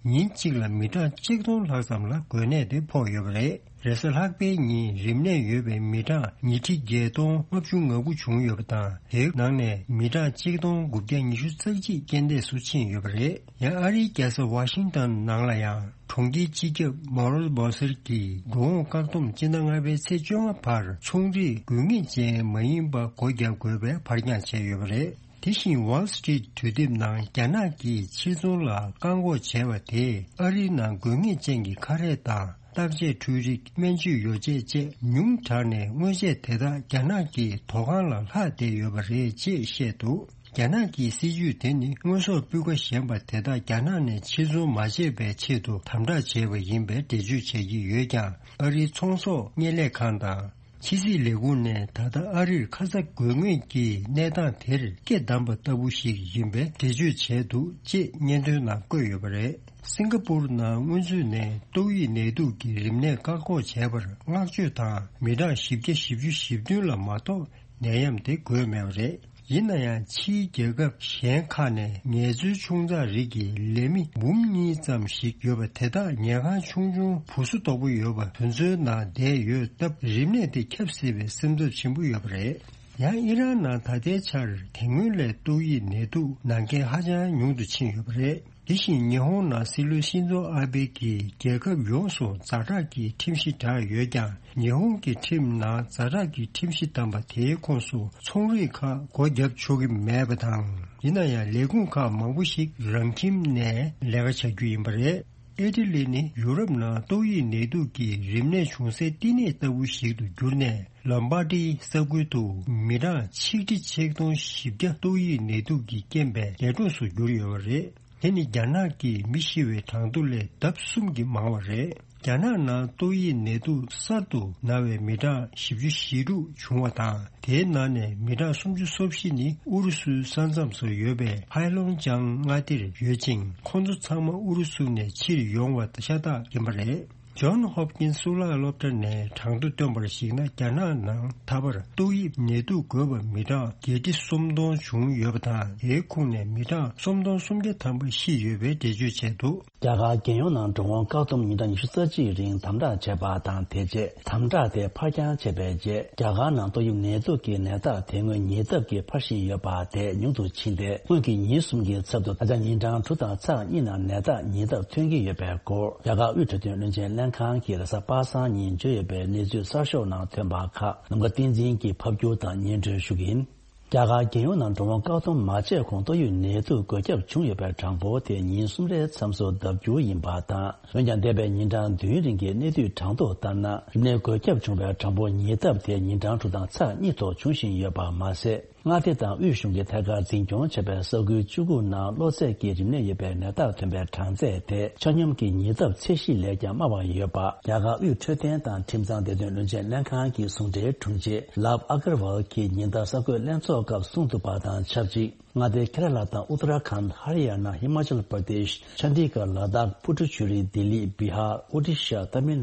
ཉིན་གཅིག་ལ་མི་གྲངས་གཅིག་སྟོང་ལྷག་ཙམ་ལ་འགོས་ནད་དེ་ཕོག་ཡོད་པ་རེད། རེས་གཟའ་ལྷག་པའི་ཉིན་རིམས་ནད་ཡོད་པའི་མི་གྲངས་ཉིས་ཁྲི་བརྒྱད་སྟོང་ལྔ་བཅུ་ང་དགུ་བྱུང་ཡོད་པ་དང་། དེའི་ནང་ནས་མི་གྲངས་གཅིག་སྟོང་དགུ་བརྒྱ་ཉི་ཤུ་རྩ་གཅིག་རྐྱེན་འདས་སུ་ཕྱིན་ཡོད་པ་རེད། ཡང་ཨ་རིའི་རྒྱལ་ས་ཝ་ཤིང་ཏོན་ནང་ལ་ཡང་གྲོང་ཁྱེར་སྤྱི་ཁྱབ་མོ་རོལ་བོ་སེར་གྱིས་འགྲོ་འོང་བཀག་སྡོམ་སྤྱི་ཟླ་ལྔ་པའི་ཚེས་བཅོ་ལྔ་བར་ཚོང་རིགས་དགོས་ངེས་ཅན་མ་ཡིན་པ་སྒོ་བརྒྱབ་དགོས་པའི་ཕར་འགྱངས་བྱས་ཡོད་པ་རེད། དེ་བཞིན་Wall Street་དུས་དེབ་ནང་རྒྱ་ནག་གིས་ཕྱིར་ཚོང་ལ་བཀག་འགོག་བྱས་པ་དེས་ཨ་རིའི་ནང་དགོས་ངེས་ཅན་གྱི་ཁ་རས་དང་བརྟག་དཔྱད་འཕྲུལ་རིགས། སྨན་བཅོས་ཡོ་བྱད་བཅས་ཉུང་དྲགས་ནས་དངོས་ཆས་དེ་དག་རྒྱ་ནག་གི་ཐོག་ཁང་ལ་ལྷག་བསྡད་ཡོད་པ་རེད་ཅེས་བཤད་འདུག་རྒྱ་ནག་གི་སྲིད་ཇུས་དེ་ནི་དངོས་ཟོག་སྤུས་ཀ་ཞན་པ་དེ་དག་རྒྱ་ནག་ནས་ཕྱིར་ཚོང་མ་བྱས་པའི་ཆེད་དུ་དམ་དྲག་བྱས་པ་ཡིན་པའི་འགྲེལ་བརྗོད་བྱེད་ཀྱི་ཡོད་ཀྱང་། ཨ་རིའི་ཚོང་ཟོག་བརྙན་ལས་ཁང་དང་། ཕྱི་སྲིད་ལས་ཁུངས་ནས་ད་ལྟ་ཨ་རིར་ཁ་ཚ་དགོས་ངེས་ཀྱི་གནས་སྟངས་དེར་སྐད་བསྡམས་པ་ལྟ་བུ་ཞིག་ཡིན་པའི་འགྲེལ་བརྗོད་བྱས་འདུག་ཅེས་སྙན་ཐོའི་ནང་བཀོད་ཡོད་པ་རེད། སིང་ག་པུར་ནང་སྔོན་ཚུད་ནས་ཏོག་དབྱིབས་ནད་དུག་གི་རིམས་ནད་བཀག་འགོག་བྱས་པར་བསྔགས་བརྗོད་དང་། མི་གྲངས་བཞི་བརྒྱ་བཞི་བཅུ་ཞེ་བདུན་ལ་མ་གཏོགས་ནད་ཡམས་དེ་འགོས་མེད་པ་རེད། ཡིན་ན་ཡང་ཕྱིའི་རྒྱལ་ཁབ་གཞན་ཁག་ནས་ངལ་རྩོལ་ཆུང་ཙག་རིགས་ཀྱི་ལས་མི་འབུམ་གཉིས་ཙམ་ཞིག་ཡོད་པ་དེ་དག་ཉལ་ཁང་ཆུང་ཆུང་བུ་སུ་དོག་པོ་ཡོད་པ་དེ་ཚོའི་ནང་བསྡད་ཡོད་སྟབས། རིམས་ནད་དེ་ཁྱབ་སྲིད་པའི་སེམས་འཚབ་ཆེན་པོ་ཡོད་པ་རེད། ཡང་ཨི་རན་ནང་ད་ལྟའི་ཆར་དེ་སྔོན་ལས་ཏོག་དབྱིབས་ནད་དུག་ན་མཁན་ཧ་ཅང་ཉུང་དུ་ཕྱིན་ཡོད་པ་རེད། དེ་བཞིན་ཉི་ཧོང་ནང་སྲིད་བློན་ཤིན་ཛོ་ཨ་བྷེ་གིས་རྒྱལ་ཁབ་ཡོངས་སུ་ཛ་དྲག་གི་ཁྲིམས་གཞི་བསྒྲགས་ཡོད་ཀྱང་། ཉི་ཧོང་གི་ཁྲིམས་ནང་ཛ་དྲག་གི་ཁྲིམས་གཞི་བསྡམས་པ་དེའི་ཁོངས་སུ་ཚོང་རིགས་ཁག་སྒོ་བརྒྱབ་ཆོག་གི་མེད་པ་དང་། ཡིན་ན་ཡང་ལས་ཁུངས་ཁག་མང་པོ་ཞིག་རང་ཁྱིམ་ནས་ལས་ཀ་བྱ་རྒྱུ་ཡིན་པ་རེད། ཨི་ཊ་ལི་ནི་ཡུ་རོབ་ནང་ཏོག་དབྱིབས་ནད་དུག་གི་རིམས་ནད་བྱུང་སའི་བསྟི་གནས་ལྟ་བུ་ཞིག་ཏུ་གྱུར་ནས། ལོམ་བྷ་ཏིའི་ས་ཁུལ་དུ་མི་གྲངས་ཆིག་ཁྲི་ཆིག་སྟོང་བཞི་བརྒྱ་ཏོག་དབྱིབས་ནད་དུག་གི་རྐྱེན་པས་འདས་གྲོངས་སུ་གྱུར་ཡོད་པ་རེད། དེ་ནི་རྒྱ་ནག་གི་མི་ཤི་བའི་གྲངས་ཐོ་ལས་ལྡབ་གསུམ་གྱིས་མང་བ་རེད། རྒྱ་ནག་ནང་ཏོག་དབྱིབས་ནད་དུག་གསར་དུ་ན་བའི་མི་གྲངས་བཞི་བཅུ་ཞེ་དྲུག་བྱུང་བ་དང་། དེའི་ནང་ནས་མི་གྲངས་སུམ་ཅུ་སོ་བཞི་ནི་ཨུ་རུ་སུའི་ས་མཚམས་སུ་ཡོད་པའི་ཧའེ་ལོང་ཅང་མངའ་སྡེར་ཡོད་ཅིང་། ཁོང་ཚོ་ཚང་མ་ཨུ་རུ་སུ་ནས་ཕྱིར་ཡོང་བ་ཤ་སྟག་ཡིན་པ་རེད། ཇོན་ཧོབ་ཀིན་གཙུག་ལག་སློབ་གྲྭ་ནས་གྲངས་ཐོ་བཏོན་པར་གཞིགས་ན། རྒྱ་ནག་ནང་ད་བར་ཏོག་དབྱིབས་ནད་དུག་འགོས་པ་མི་གྲངས་བརྒྱད་ཁྲི་སུམ་སྟོང་བྱུང་ཡོད་པ་དང་། དེའི་ཁོངས་ནས་མི་གྲངས་སུམ་སྟོང་སུམ་བརྒྱ་ཐམ་པ་ཤི་ཡོད་པའི་འགྲེལ་བརྗོད་བྱས་འདུག་རྒྱ་གར་རྒྱལ་ཡོངས་ནང་འགྲོ་འོང་བཀག་སྡོམ་ཉིན་གྲངས་ཉི་ཤུ་རྩ་གཅིག་རིང་དམ་དྲག་བྱས་པ་དང་། དེ་རྗེས་དམ་དྲག་དེ་ཕར་འགྱངས་བྱས་པའི་རྗེས། རྒྱ་གར་ནང་ཏོག་དབྱིབས་ནད་དུག་གི་ནད་རྟགས་དེ་སྔོན་ཉེ་ལྡབ་ཀྱིས་འཕར་བཞིན་ཡོད་པ་དེ་ཉུང་དུ་ཕྱིན་ཏེ། སྔོན་གྱི་ཉིན་གསུམ་གྱི་ཚབ་ཏུ་ད་ཆ་ཉིན་གྲངས་དྲུག་དང་ཚེག་གཉིས་ནང་ནད་རྟགས་ཉེ་ལྡབ་ཐོན་གྱི་ཡོད་པའི་སྐོར། རྒྱ་གར་དབུས་འཕྲོད་བསྟེན་བློན་ཆེན་ལྷན་ཁང་གིས་རེས་གཟའ་པ་སངས་ཉིན་བརྗོད་ཡོད་པའི་གནས་ཚུལ་གསར་ཤོག་ནང་ཐོན་པ་ཁག་ནམ་མཁའ་བསྟན་འཛིན་གྱིས་ཕབ་སྒྱུར་དང་སྙན་སྒྲོན་ཞུ་གི་ཡིན། རྒྱ་གར་རྒྱལ་ཡོངས་ནང་འགྲོ་འོང་བཀག་སྡོམ་མ་བྱས་གོང་ཏོག་དབྱིབས་ནད་དུག་འགོས་ཁྱབ་བྱུང་ཡོད་པའི་གྲངས་འབོར་དེ་ཉིན་གསུམ་རེའི་མཚམས་སུ་ལྡབ་འགྱུར་ཡིན་པ་དང་། འོན་ཀྱང་། འདས་པའི་ཉིན་གྲངས་བདུན་རིང་གི་གནས་སྡུད་གྲངས་ཐོ་ལྟར་ན། རིམས་ནད་འགོས་ཁྱབ་བྱུང་བའི་གྲངས་འབོར་ཉེ་ལྡབ་དེ་ཉིན་གྲངས་དྲུག་དང་ཚེག་གཉིས་ཐོག་འབྱུང་བཞིན་ཡོད་པ་མ་ཟད། མངའ་སྡེ་དང་དབུས་གཞུང་གིས་ཐད་ཀར་འཛིན་སྐྱོང་བྱས་པའི་ས་ཁུལ་བཅུ་དགུ་ནང་གློ་ཚད་ཀྱི་རིམས་ནད་ཡོད་པའི་ནད་རྟགས་ཐོན་པའི་གྲངས་ཚད་དེ་ཆ་སྙོམས་ཀྱི་ཉེ་ལྡབ་ཚད་གཞི་ལས་ཀྱང་དམའ་བ་ཡོད་པ། རྒྱ་གར་དབུས་འཕྲོད་བསྟེན་དང་ཁྲིམས་གཙང་བདེ་དོན་བློན་ཆེན་ལྷན་ཁང་གི་ཟུང་འབྲེལ་དྲུང་ཆེ་ལབ་ཨ་ཀར་ཝལ་གྱིས་ཉིན་ལྟར་གསར་འགོད་ལྷན་ཚོགས་སྐབས་གསུངས་འདུག་པ་དང་ཆབས་ཅིག་མངའ་སྡེ་ཁེ་ར་ལ་དང་ཨུ་ཏ་ར་ཁཱན། ཧ་རི་ཡ་ན། ཧི་མ་ཅལ་པར་དེཤ། ཆ་ཌི་གྷར། ལ་དྭགས། པུ་ཏུ་ཅུ་རི། ལྡི་ལི། བི་ཧར། ཨོ་ཌི་ཤ། ཏ་མིལ་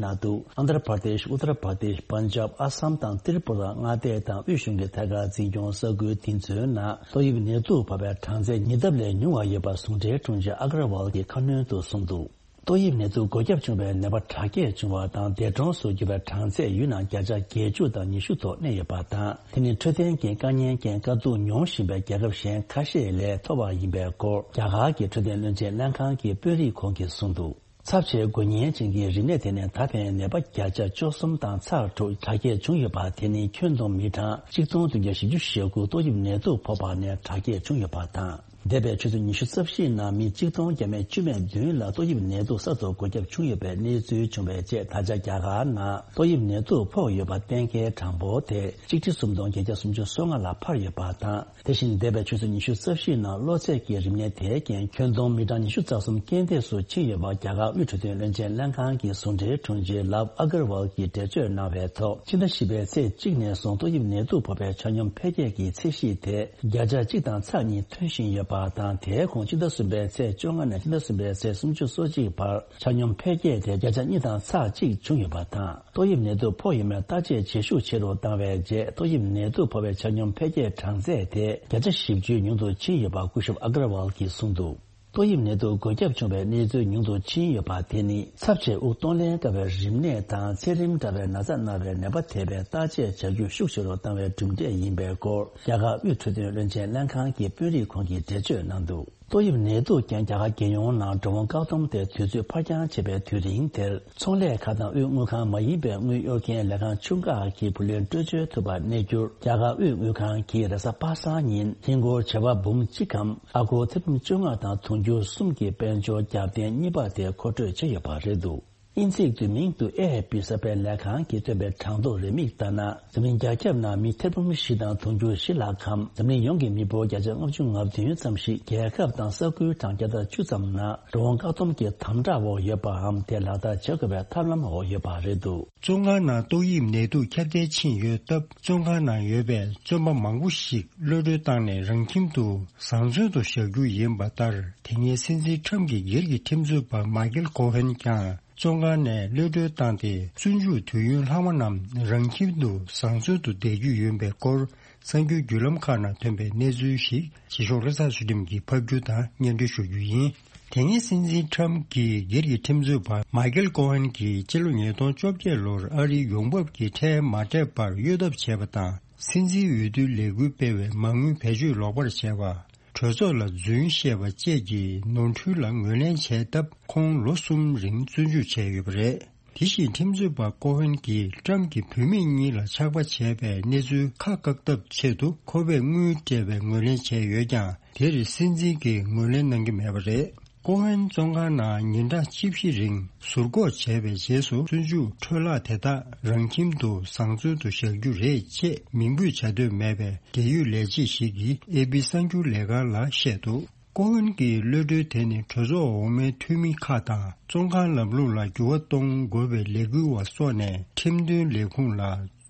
ནཱ་ཏུ། ཨན་དྷྲ་པར་དེཤ། ཨུ་ཏ་ར་པར་དེཤ། པན་ཇབ། ཨ་སམ་དང་ཏྲི་པུ་ར། མངའ་སྡེ་དང་དབུས་གཞུང་གི་ཐད་ཀར་འཛིན་སྐྱོང་ས་ཁུལ་དེ་ཚོའི་ནང་ཏོག་དབྱིབས་ནད་དུག་ཕོག་པའི་གྲངས་ཚད་ཉིས་ལྡབ་ལས་ཉུང་བ་ཡོད་པ་ཟུང་འབྲེལ་དྲུང་ཆེ་ཨ་གར་ཝལ་གྱིས་ཁ་སྣོན་དུ་གསུངས་འདུག་ཏོག་དབྱིབས་ནད་དུག་འགོས་ཁྱབ་བྱུང་བའི་ནད་པ་དྲག་སྐྱེད་བྱུང་བ་དང་འདས་གྲོངས་སུ་གྱུར་པའི་གྲངས་ཚད་ཡུལ་ནང་བརྒྱ་ཆ་བརྒྱད་ཅུ་དང་ཉི་ཤུ་ཐོག་གནས་ཡོད་པ་དང་། དེ་ནི་འཕྲོད་བསྟེན་གྱི་དཀའ་ངལ་རྐྱེན་དཀའ་སྡུག་མྱོང་བཞིན་པའི་རྒྱལ་ཁབ་གཞན་ཁ་ཤས་ལས་མཐོ་བ་ཡིན་པའི་སྐོར། རྒྱ་གར་གྱི་འཕྲོད་བསྟེན་བློན་ཆེན་ལྷན་ཁང་གི་དཔོན་རིགས་ཁོང་གིས་གསུངས་འདུག་ཚབས་ཆེའི་འགོས་ཉེན་ཅན་གྱི་རིམས་ནད་དེ་ནི་ད་ཕན་ནད་པ་བརྒྱ་ཆ་བཅུ་གསུམ་དང་ཚེག་དྲུག་དྲག་སྐྱེད་བྱུང་ཡོད་པ། དེ་ནི་ཁྱོན་བསྡོམས་མི་གྲངས་གཅིག་སྟོང་བདུན་བརྒྱ་བཞི་བཅུ་ཞེ་དགུ་ཏོག་དབྱིབས་ནད་དུག་ཕོག་པ་ནས་དྲག་སྐྱེད་བྱུང་ཡོད་པ་དང་། འདས་པའི་ཆུ་ཚོད་ཉི་ཤུ་རྩ་བཞིའི་ནང་མི་གཅིག་སྟོང་བརྒྱ་མེད་བཅུ་མེད་བདུན་ལ་ཏོག་དབྱིབས་ནད་དུག་གསར་དུ་འགོས་ཁྱབ་བྱུང་ཡོད་པའི་གནས་ཚུལ་བྱུང་བའི་རྗེས། ད་ཆ་རྒྱ་གར་ནང་ཏོག་དབྱིབས་ནད་དུག་ཕོག་ཡོད་པ་གཏན་འཁེལ་གྲངས་འབོར་དེ་གཅིག་ཁྲི་སུམ་སྟོང་བརྒྱད་བརྒྱ་སུམ་ཅུ་སོ་ལྔ་ལ་འཕར་ཡོད་པ་དང་། དེ་བཞིན་འདས་པའི་ཆུ་ཚོད་ཉི་ཤུ་རྩ་བཞིའི་ནང་གློ་ཚད་ཀྱི་རིམས་ནད་དེའི་རྐྱེན་ཁྱོན་བསྡོམས་མི་གྲངས་ཉི་ཤུ་རྩ་གསུམ་རྐྱེན་འདས་སུ་ཕྱིན་ཡོད་པ། རྒྱ་གར་དབུས་འཕྲོད་བསྟེན་བློན་ཆེན་ལྷན་ཁང་གི་ཟུང་འབྲེལ་དྲུང་ཆེ་ལབ་ཨ་གར་ཝལ་གྱིས་འགྲེལ་བརྗོད་གནང་བའི་ཐོག་ཕྱི་ཟླ་བཞི་པའི་ཚེས་གཅིག་ནས་བཟུང་ཏོག་དབྱིབས་ནད་དུག་ཕོག་པའི་ཆ་སྙོམས་འཕེལ་རྒྱས་ཀྱི་ཚད་གཞི་དེ་བརྒྱ་ཆ་གཅིག་དང་ཚེག་གཉིས་ཐོན་བཞིན་ཡོད་པ་དང་། དེའི་ཁོངས་ཕྱི་ཟླ་གསུམ་པའི་ཚེས་བཅོ་ལྔ་ནས་ཕྱི་ཟླ་གསུམ་པའི་ཚེས་སུམ་ཅུ་སོ་གཅིག་བར་ཆ་སྙོམས་འཕེལ་རྒྱས་དེ་བརྒྱ་ཆ་གཉིས་དང་ཚེག་གཅིག་བྱུང་ཡོད་པ་དང་། ཏོག་དབྱིབས་ནད་དུག་ཕོག་ཡོད་མེད་བརྟག་དཔྱད་བྱེད་ཤུགས་ཆེ་རུ་བཏང་བའི་རྗེས། ཏོག་དབྱིབས་ནད་དུག་ཕོག་པའི་ཆ་སྙོམས་འཕེལ་རྒྱས་གྲངས་ཚད་དེ་བརྒྱ་ཆ་བཞི་བཅུའི་ཉུང་དུ་ཕྱིན་ཡོད་པ་སྐུ་ཞབས་ཨ་གར་ཝལ་གྱིས་གསུངས་འདུག་ཏོག་དབྱིབས་ནད་དུག་འགོས་ཁྱབ་བྱུང་བའི་གནས་ཚུལ་ཉུང་དུ་ཕྱིན་ཡོད་པ་དེ་ནི་ཚབས་ཆེ་དབུགས་གཏོང་ལེན་དཀའ་བའི་རིམས་ནད་དང་ཚད་རིམས་འདྲ་བའི་ན་ཚ་ན་བའི་ནད་པ་ཐེ་བའི་བརྟག་དཔྱད་བྱ་རྒྱུ་ཤུགས་ཆེ་རུ་བཏང་བའི་གྲུབ་འབྲས་ཡིན་པའི་སྐོར། རྒྱ་གར་དབུས་འཕྲོད་བསྟེན་བློན་ཆེན་ལྷན་ཁང་གི་དཔོན་རིགས་ཁོང་གིས་འགྲེལ་བརྗོད་གནང་འདུག་ཏོག་དབྱིབས་ནད་དུག་རྐྱེན་རྒྱ་གར་རྒྱལ་ཡོངས་ནང་འགྲོ་འོང་བཀག་སྡོམ་དེ་དུས་ཚོད་ཕར་འགྱངས་བྱས་པའི་དུས་རིང་དེར། ཚོང་ལས་ཁང་དང་དབུས་དངུལ་ཁང་མ་ཡིན་པའི་དངུལ་གཡོར་མཁན་ལས་ཁང་ཆུང་ཁག་གིས་བུ་ལོན་སྤྲོད་འབྱོར་ཐུབ་པ་གནས་རྒྱུར། རྒྱ་གར་དབུས་དངུལ་ཁང་གིས་རེས་གཟའ་པ་སངས་ཉིན་ཧིན་སྒོར་བྱེ་བ་འབུམ་གཅིག་གམ་ཨ་སྒོར་ཐེར་འབུམ་བཅོ་ལྔ་དང་དུང་ཕྱུར་གསུམ་གྱི་དཔལ་འབྱོར་རྒྱབ་རྟེན་གཉིས་པ་དེ་མཁོ་སྤྲོད་བྱས་ཡོད་པ་རེད་འདུག་དབྱིན་ཚིག་བསྡུས་མིང་དུ་ཨེ་ཨེཕ་པི་གསར་སྤེལ་ལས་ཁང་གིས་བཏོན་པའི་གྲངས་ཐོ་རེའུ་མིག་ལྟར་ན། འཛམ་གླིང་རྒྱ་ཁྱབ་ནང་མི་ཐེར་འབུམ་བཞི་དང་དུང་ཕྱུར་བཞི་ལྷག་གམ། འཛམ་གླིང་ཡོངས་ཀྱི་མི་འབོར་བརྒྱ་ཆ་ལྔ་བཅུ་ང་བདུན་ཙམ་ཞིག་རྒྱལ་ཁབ་དང་ས་ཁུལ་གྲངས་བརྒྱ་དང་བཅུ་ཙམ་ནང་འགྲོ་འོང་བཀག་སྡོམ་གྱི་དམ་དྲག་འོག་ཡོད་པའམ་དེ་ལག་བསྟར་བྱ་དགོས་པའི་ཐབས་ལམ་འོག་ཡོད་པ་རེད་འདུག་བཙོན་ཁང་ནང་ཏོག་དབྱིབས་ནད་དུག་ཁྱབ་གདལ་ཕྱིན་ཡོད་སྟབས། བཙོན་ཁང་ནང་ཡོད་པའི་བཙོན་པ་མང་པོ་ཞིག་གློད་གྲོལ་བཏང་ནས་རང་ཁྱིམ་དུ་བཟང་བཙོན་དུ་བཞག་རྒྱུ་ཡིན་པ་ལྟར། དེ་སྔའི་སྲིད་འཛིན་ཁྲམ་གྱི་སྒེར་གྱི་ཁྲིམས་རྩོད་པ་མཱ་ཀེལ་ཀོ་ཧན་ཀྱང་བཙོན་ཁང་ནས་གློད་གྲོལ་བཏང་སྟེ། བཙོན་འཇུག་དུས་ཡུན་ལྷག་མ་རྣམས་རང་ཁྱིམ་དུ་བཟང་བཙོན་དུ་བསྡད་རྒྱུ་ཡིན་པའི་སྐོར། གསར་འགྱུར་བརྒྱུད་ལམ་ཁག་ནང་ཐོན་པའི་གནས་ཚུལ་ཞིག་རྗེས་ཕྱོགས་ལྷ་ས་ཚུལ་ཁྲིམས་ཀྱིས་ཕབ་སྒྱུར་དང་སྙན་སྒྲོན་ཞུ་རྒྱུ་ཡིན། དེ་སྔའི་སྲིད་འཛིན་ཁྲམ་གྱི་སྒེར་གྱི་ཁྲིམས་རྩོད་པ་མཱ་ཀེལ་ཀོ་ཧན་གྱིས་ཕྱི་ལོ་ཉིས་སྟོང་བཅོ་བརྒྱད་ལོར་ཨ་རིའི་ཡོང་འབབ་ཀྱི་ཁྲལ་མ་སྤྲད་པར་གཡོལ་ཐབས་བྱས་པ་དང་། སྲིད་འཛིན་འོས་བསྡུའི་ལས་འགུལ་སྤེལ་བའི་མ་དངུལ་བེད་སྤྱོད་ལོག་པར་བྱས་པ། གྲོས་ཚོགས་ལ་རྫུན་བཤད་པ་བཅས་ཀྱི་ནོར་འཁྲུལ་ལ་ངོས་ལེན་བྱས་སྟབས། ཁོང་ལོ་གསུམ་རིང་བཙོན་འཇུག་བྱས་ཡོད་པ་རེད། དེ་བཞིན་ཁྲིམས་རྩོད་པ་ཀོ་ཧན་གྱིས་ཀྲམ་གྱི་བུད་མེད་གཉིས་ལ་ཆགས་པ་བྱས་པའི་གནས་ཚུལ་ཁ་བཀག་ཐབས་ཆེད་དུ་ཁོ་པས་དངུལ་སྤྲད་པའི་ངོས་ལེན་བྱས་ཡོད་ཀྱང་། དེར་སྲིད་འཛིན་གྱིས་ངོས་ལེན་གནང་གི་མེད་པ་རེད། ཀོ་ཧན་བཙོན་ཁང་ནང་ཉིན་གྲངས་བཅུ་བཞི་རིང་ཟུར་འགོག་བྱས་པའི་རྗེས་སུ། བཙོན་འཇུག་འཕྲོ་བརླག་དེ་དག་རང་ཁྱིམ་དུ་བཟང་བཙོན་དུ་བཞག་རྒྱུ་རེད་ཅེས་མིང་འབོད་བྱ་འདོད་མེད་པའི་འབྲེལ་ཡོད་ལས་བྱེད་ཞིག་གིས་ཨེ་པི་གསར་འགྱུར་ལས་ཁང་ལ་བཤད་འདུག་ཀོ་ཧན་གྱི་གློད་གྲོལ་དེ་ནི་གྲོས་ཚོགས་འོག་མའི་འཐུས་མི་ཁག་དང་བཙོན་ཁང་ལམ་ལུགས་ལ་འགྱུར་བ་གཏོང་དགོས་པའི་ལས་འགུལ་བ་སོགས་ནས་ཁྲིམས་དོན་ལས་ཁུངས་ལ་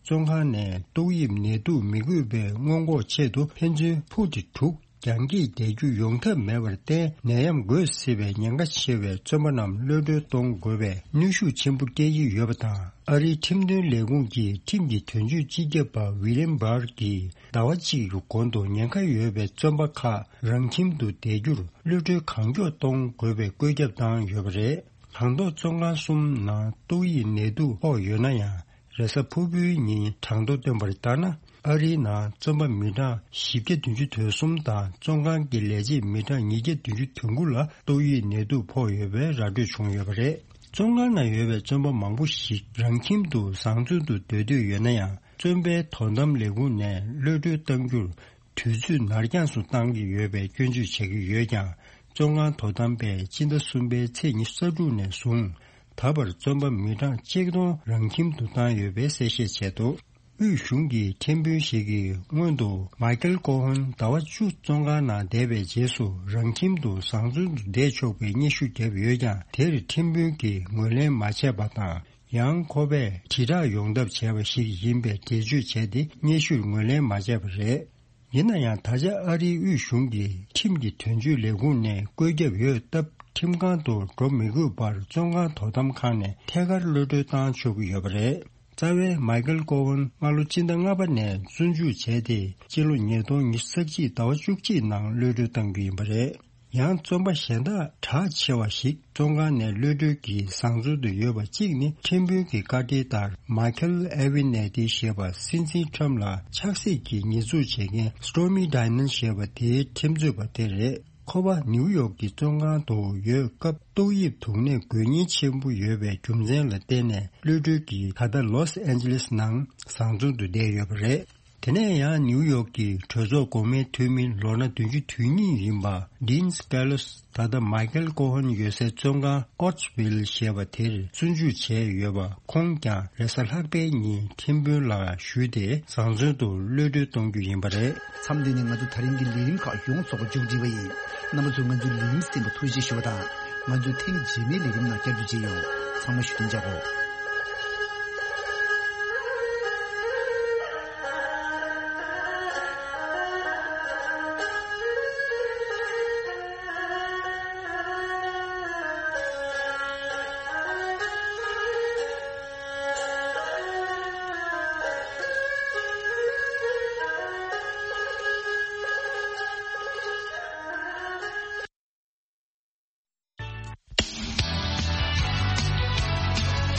བཙོན་ཁང་ནས་ཏོག་དབྱིབས་ནད་དུག་མི་འགོས་པའི་སྔོན་འགོག་ཆེད་དུ་ཕན་ཚུན་ཕུག་དེ་དྲུག་རྒྱང་སྐྱེད་བསྡད་རྒྱུ་ཡོང་ཐབས་མེད་པར་བརྟེན། ནད་ཡམས་འགོས་སྲིད་པའི་ཉེན་ཁ་ཆེ་བའི་བཙོན་པ་རྣམས་གློད་གྲོལ་གཏོང་དགོས་པའི་གནོན་ཤུགས་ཆེན་པོ་སྐྱེལ་གྱི་ཡོད་པ་དང་། ཨ་རིའི་ཁྲིམས་དོན་ལས་ཁུངས་ཀྱི་ཁྲིམས་ཀྱི་དོན་གཅོད་སྤྱི་ཁྱབ་པ་ཝི་ལིམ་བྷར་གྱིས་ཟླ་བ་གཅིག་གི་གོང་དུ་ཉེན་ཁ་ཡོད་པའི་བཙོན་པ་ཁག་རང་ཁྱིམ་དུ་བསྡད་རྒྱུར་གློད་གྲོལ་གང་མགྱོགས་གཏོང་དགོས་པའི་བཀོད་ཁྱབ་བཏང་ཡོད་པ་རེད། གྲངས་ཐོ་བཙོན་ཁང་གསུམ་ནང་ཏོག་དབྱིབས་ནད་དུག་ཕོག་ཡོད་ན་ཡང་། རེས་གཟའ་ཕུར་བུའི་ཉིན་གྲངས་ཐོ་བཏོན་པར་ལྟར་ན། ཨ་རིའི་ནང་བཙོན་པ་མི་གྲངས་བཞི་བརྒྱ་བདུན་ཅུ་དོན་གསུམ་དང་བཙོན་ཁང་གི་ལས་བྱེད་མི་གྲངས་ཉིས་བརྒྱ་བདུན་ཅུ་དོན་དགུ་ལ་ཏོག་དབྱིབས་ནད་དུག་ཕོག་ཡོད་པའི་ར་སྤྲོད་བྱུང་ཡོད་པ་རེད། བཙོན་ཁང་ནང་ཡོད་པའི་བཙོན་པ་མང་པོ་ཞིག་རང་ཁྱིམ་དུ་བཟང་བཙོན་དུ་སྡོད་འདོད་ཡོད་ན་ཡང་། བཙོན་པའི་དོ་དམ་ལས་ཁུངས་ནས་གློད་གྲོལ་གཏང་རྒྱུར་དུས་ཚོད་ནར་འགྱངས་སུ་གཏང་གི་ཡོད་པའི་སྐྱོན་བརྗོད་བྱེད་ཀྱི་ཡོད་ཀྱང་། བཙོན་ཁང་དོ་དམ་པས་སྤྱི་ཟླ་གསུམ་པའི་ཚེས་ཉི་ཤུ་རྩ་དྲུག་ནས་བཟུང་ད་བར་བཙོན་པ་མི་གྲངས་ཆིག་སྟོང་རང་ཁྱིམ་དུ་བཏང་ཡོད་པའི་གསལ་བཤད་བྱས་འདུག་དབུས་གཞུང་གི་ཁྲིམས་དཔོན་ཞིག་གིས་སྔོན་དུ་མཱ་ཀེལ་ཀོ་ཧན་ཟླ་བ་བཅུ་བཙོན་ཁང་ནང་བསྡད་པའི་རྗེས་སུ་རང་ཁྱིམ་དུ་བཟང་བཙོན་དུ་བསྡད་ཆོག་པའི་སྙན་ཞུ་བརྒྱབ་ཡོད་ཀྱང་། དེར་ཁྲིམས་དཔོན་གྱིས་ངོས་ལེན་མ་བྱས་པ་དང་། ཡང་ཁོ་པས་དྲིལ་བསྒྲགས་ཡོང་ཐབས་བྱས་པ་ཞིག་ཡིན་པའི་འགྲེལ་བརྗོད་བྱས་ཏེ། སྙན་ཞུར་ངོས་ལེན་མ་བྱས་པ་རེད། ཡིན་ན་ཡང་ད་ཆ་ཨ་རིའི་དབུས་གཞུང་གིས་ཁྲིམས་ཀྱི་དོན་གཅོད་ལས་ཁུངས་ནས་བཀོད་ཁྱབ་ཡོད་སྟབས། ཁྲིམས་ཁང་དུ་འགྲོ་མི་དགོས་པར་བཙོན་ཁང་དོ་དམ་ཁང་ནས་ཐད་ཀར་གློད་གྲོལ་བཏང་ཆོག་གི་ཡོད་པ་རེད། རྩ་བའི་མའི་ཀལ་ཀོ་ཧན་སྔ་ལོ་སྤྱི་ཟླ་ལྔ་པ་ནས་བཙོན་འཇུག་བྱས་ཏེ། སྤྱི་ལོ་ཉིས་སྟོང་ཉི་ཤུ་རྩ་གཅིག་ཟླ་བ་བཅུ་གཅིག་ནང་གློད་གྲོལ་བཏང་རྒྱུ་ཡིན་པ་རེད། ཡང་བཙོན་པ་གཞན་དག་གྲགས་ཆེ་བ་ཞིག་བཙོན་ཁང་ནས་གློད་གྲོལ་གྱིས་བཟང་བཙོན་དུ་ཡོད་པ་གཅིག་ནི། ཁྲིམས་དཔོན་གྱི་བཀའ་འཁྲོལ་ལྟར། མའི་ཁལ་ཨེ་ཝི་ནེ་ཏི་ཞེས་པ་སྲིད་འཛིན་ཁྲམ་ལ་ཆགས་སྲེད་ཀྱིས་ཉེས་འཛུགས་བྱེད་མཁན་སི་ཏོར་མི་ཌའི་མོན་ཌི་ཞེས་པ་དེའི་ཁྲིམས་རྩོད་པ་དེ་རེད། ཁོ་པ་ནིའུ་ཡོག་གི་བཙོན་ཁང་དུ་ཡོད་སྐབས། ཏོག་དབྱིབས་དུག་ནད་འགོས་ཉེན་ཆེན་པོ་ཡོད་པའི་རྒྱུ་མཚན་ལ་བརྟེན་ནས། གློད་གྲོལ་གྱིས་ད་ལྟ་ལོས་ཨན་ཇི་ལེས་ནང་བཟང་བཙོན་དུ་བསྡད་ཡོད་པ་རེད། དེ་ནས་ཡང་ནིའུ་ཡོག་གི་གྲོས་ཚོགས་འགོ་དམངས་འཐུས་མི་ལོ་ན་བདུན་ཅུ་དོན་གཉིས་ཡིན་པ་ཌིན་སྐེ་ལོས། ད་ལྟ་མའི་ཀལ་ཀོ་ཧན་ཡོད་སའི་བཙོན་ཁང་ཨོ་ཆི་ཝིལ་ཞེས་པ་དེར་བཙོན་འཇུག་བྱས་ཡོད་པ། ཁོང་ཀྱང་རེས་གཟའ་ལྷག་པའི་ཉིན་ཁྲིམས་དཔོན་ལ་ཞུས་ཏེ། བཟང་བཙོན་དུ་གློད་གྲོལ་གཏོང་རྒྱུ་ཡིན་པ་རེད། མཚམས་འདི་ནས་ང་ཚོ་ད་རིང་གི་ལས་རིམ་ཁག་ཡོངས་རྫོགས་པ་མཇུག་སྒྲིལ་བ་ཡིན། རྣམ་པ་ཚོས་ང་ཚོའི་ལས་རིམ་གསན་པར་ཐུགས་རྗེ་ཞུ་བ་དང་། ང་ཚོའི་ཐེངས་རྗེས་མའི་ལས་རིམ་ནང་བསྐྱར་དུ་མཇལ་ཡོང་། ཚང་མ་བཞུགས་གདན་འཇགས་དགོས།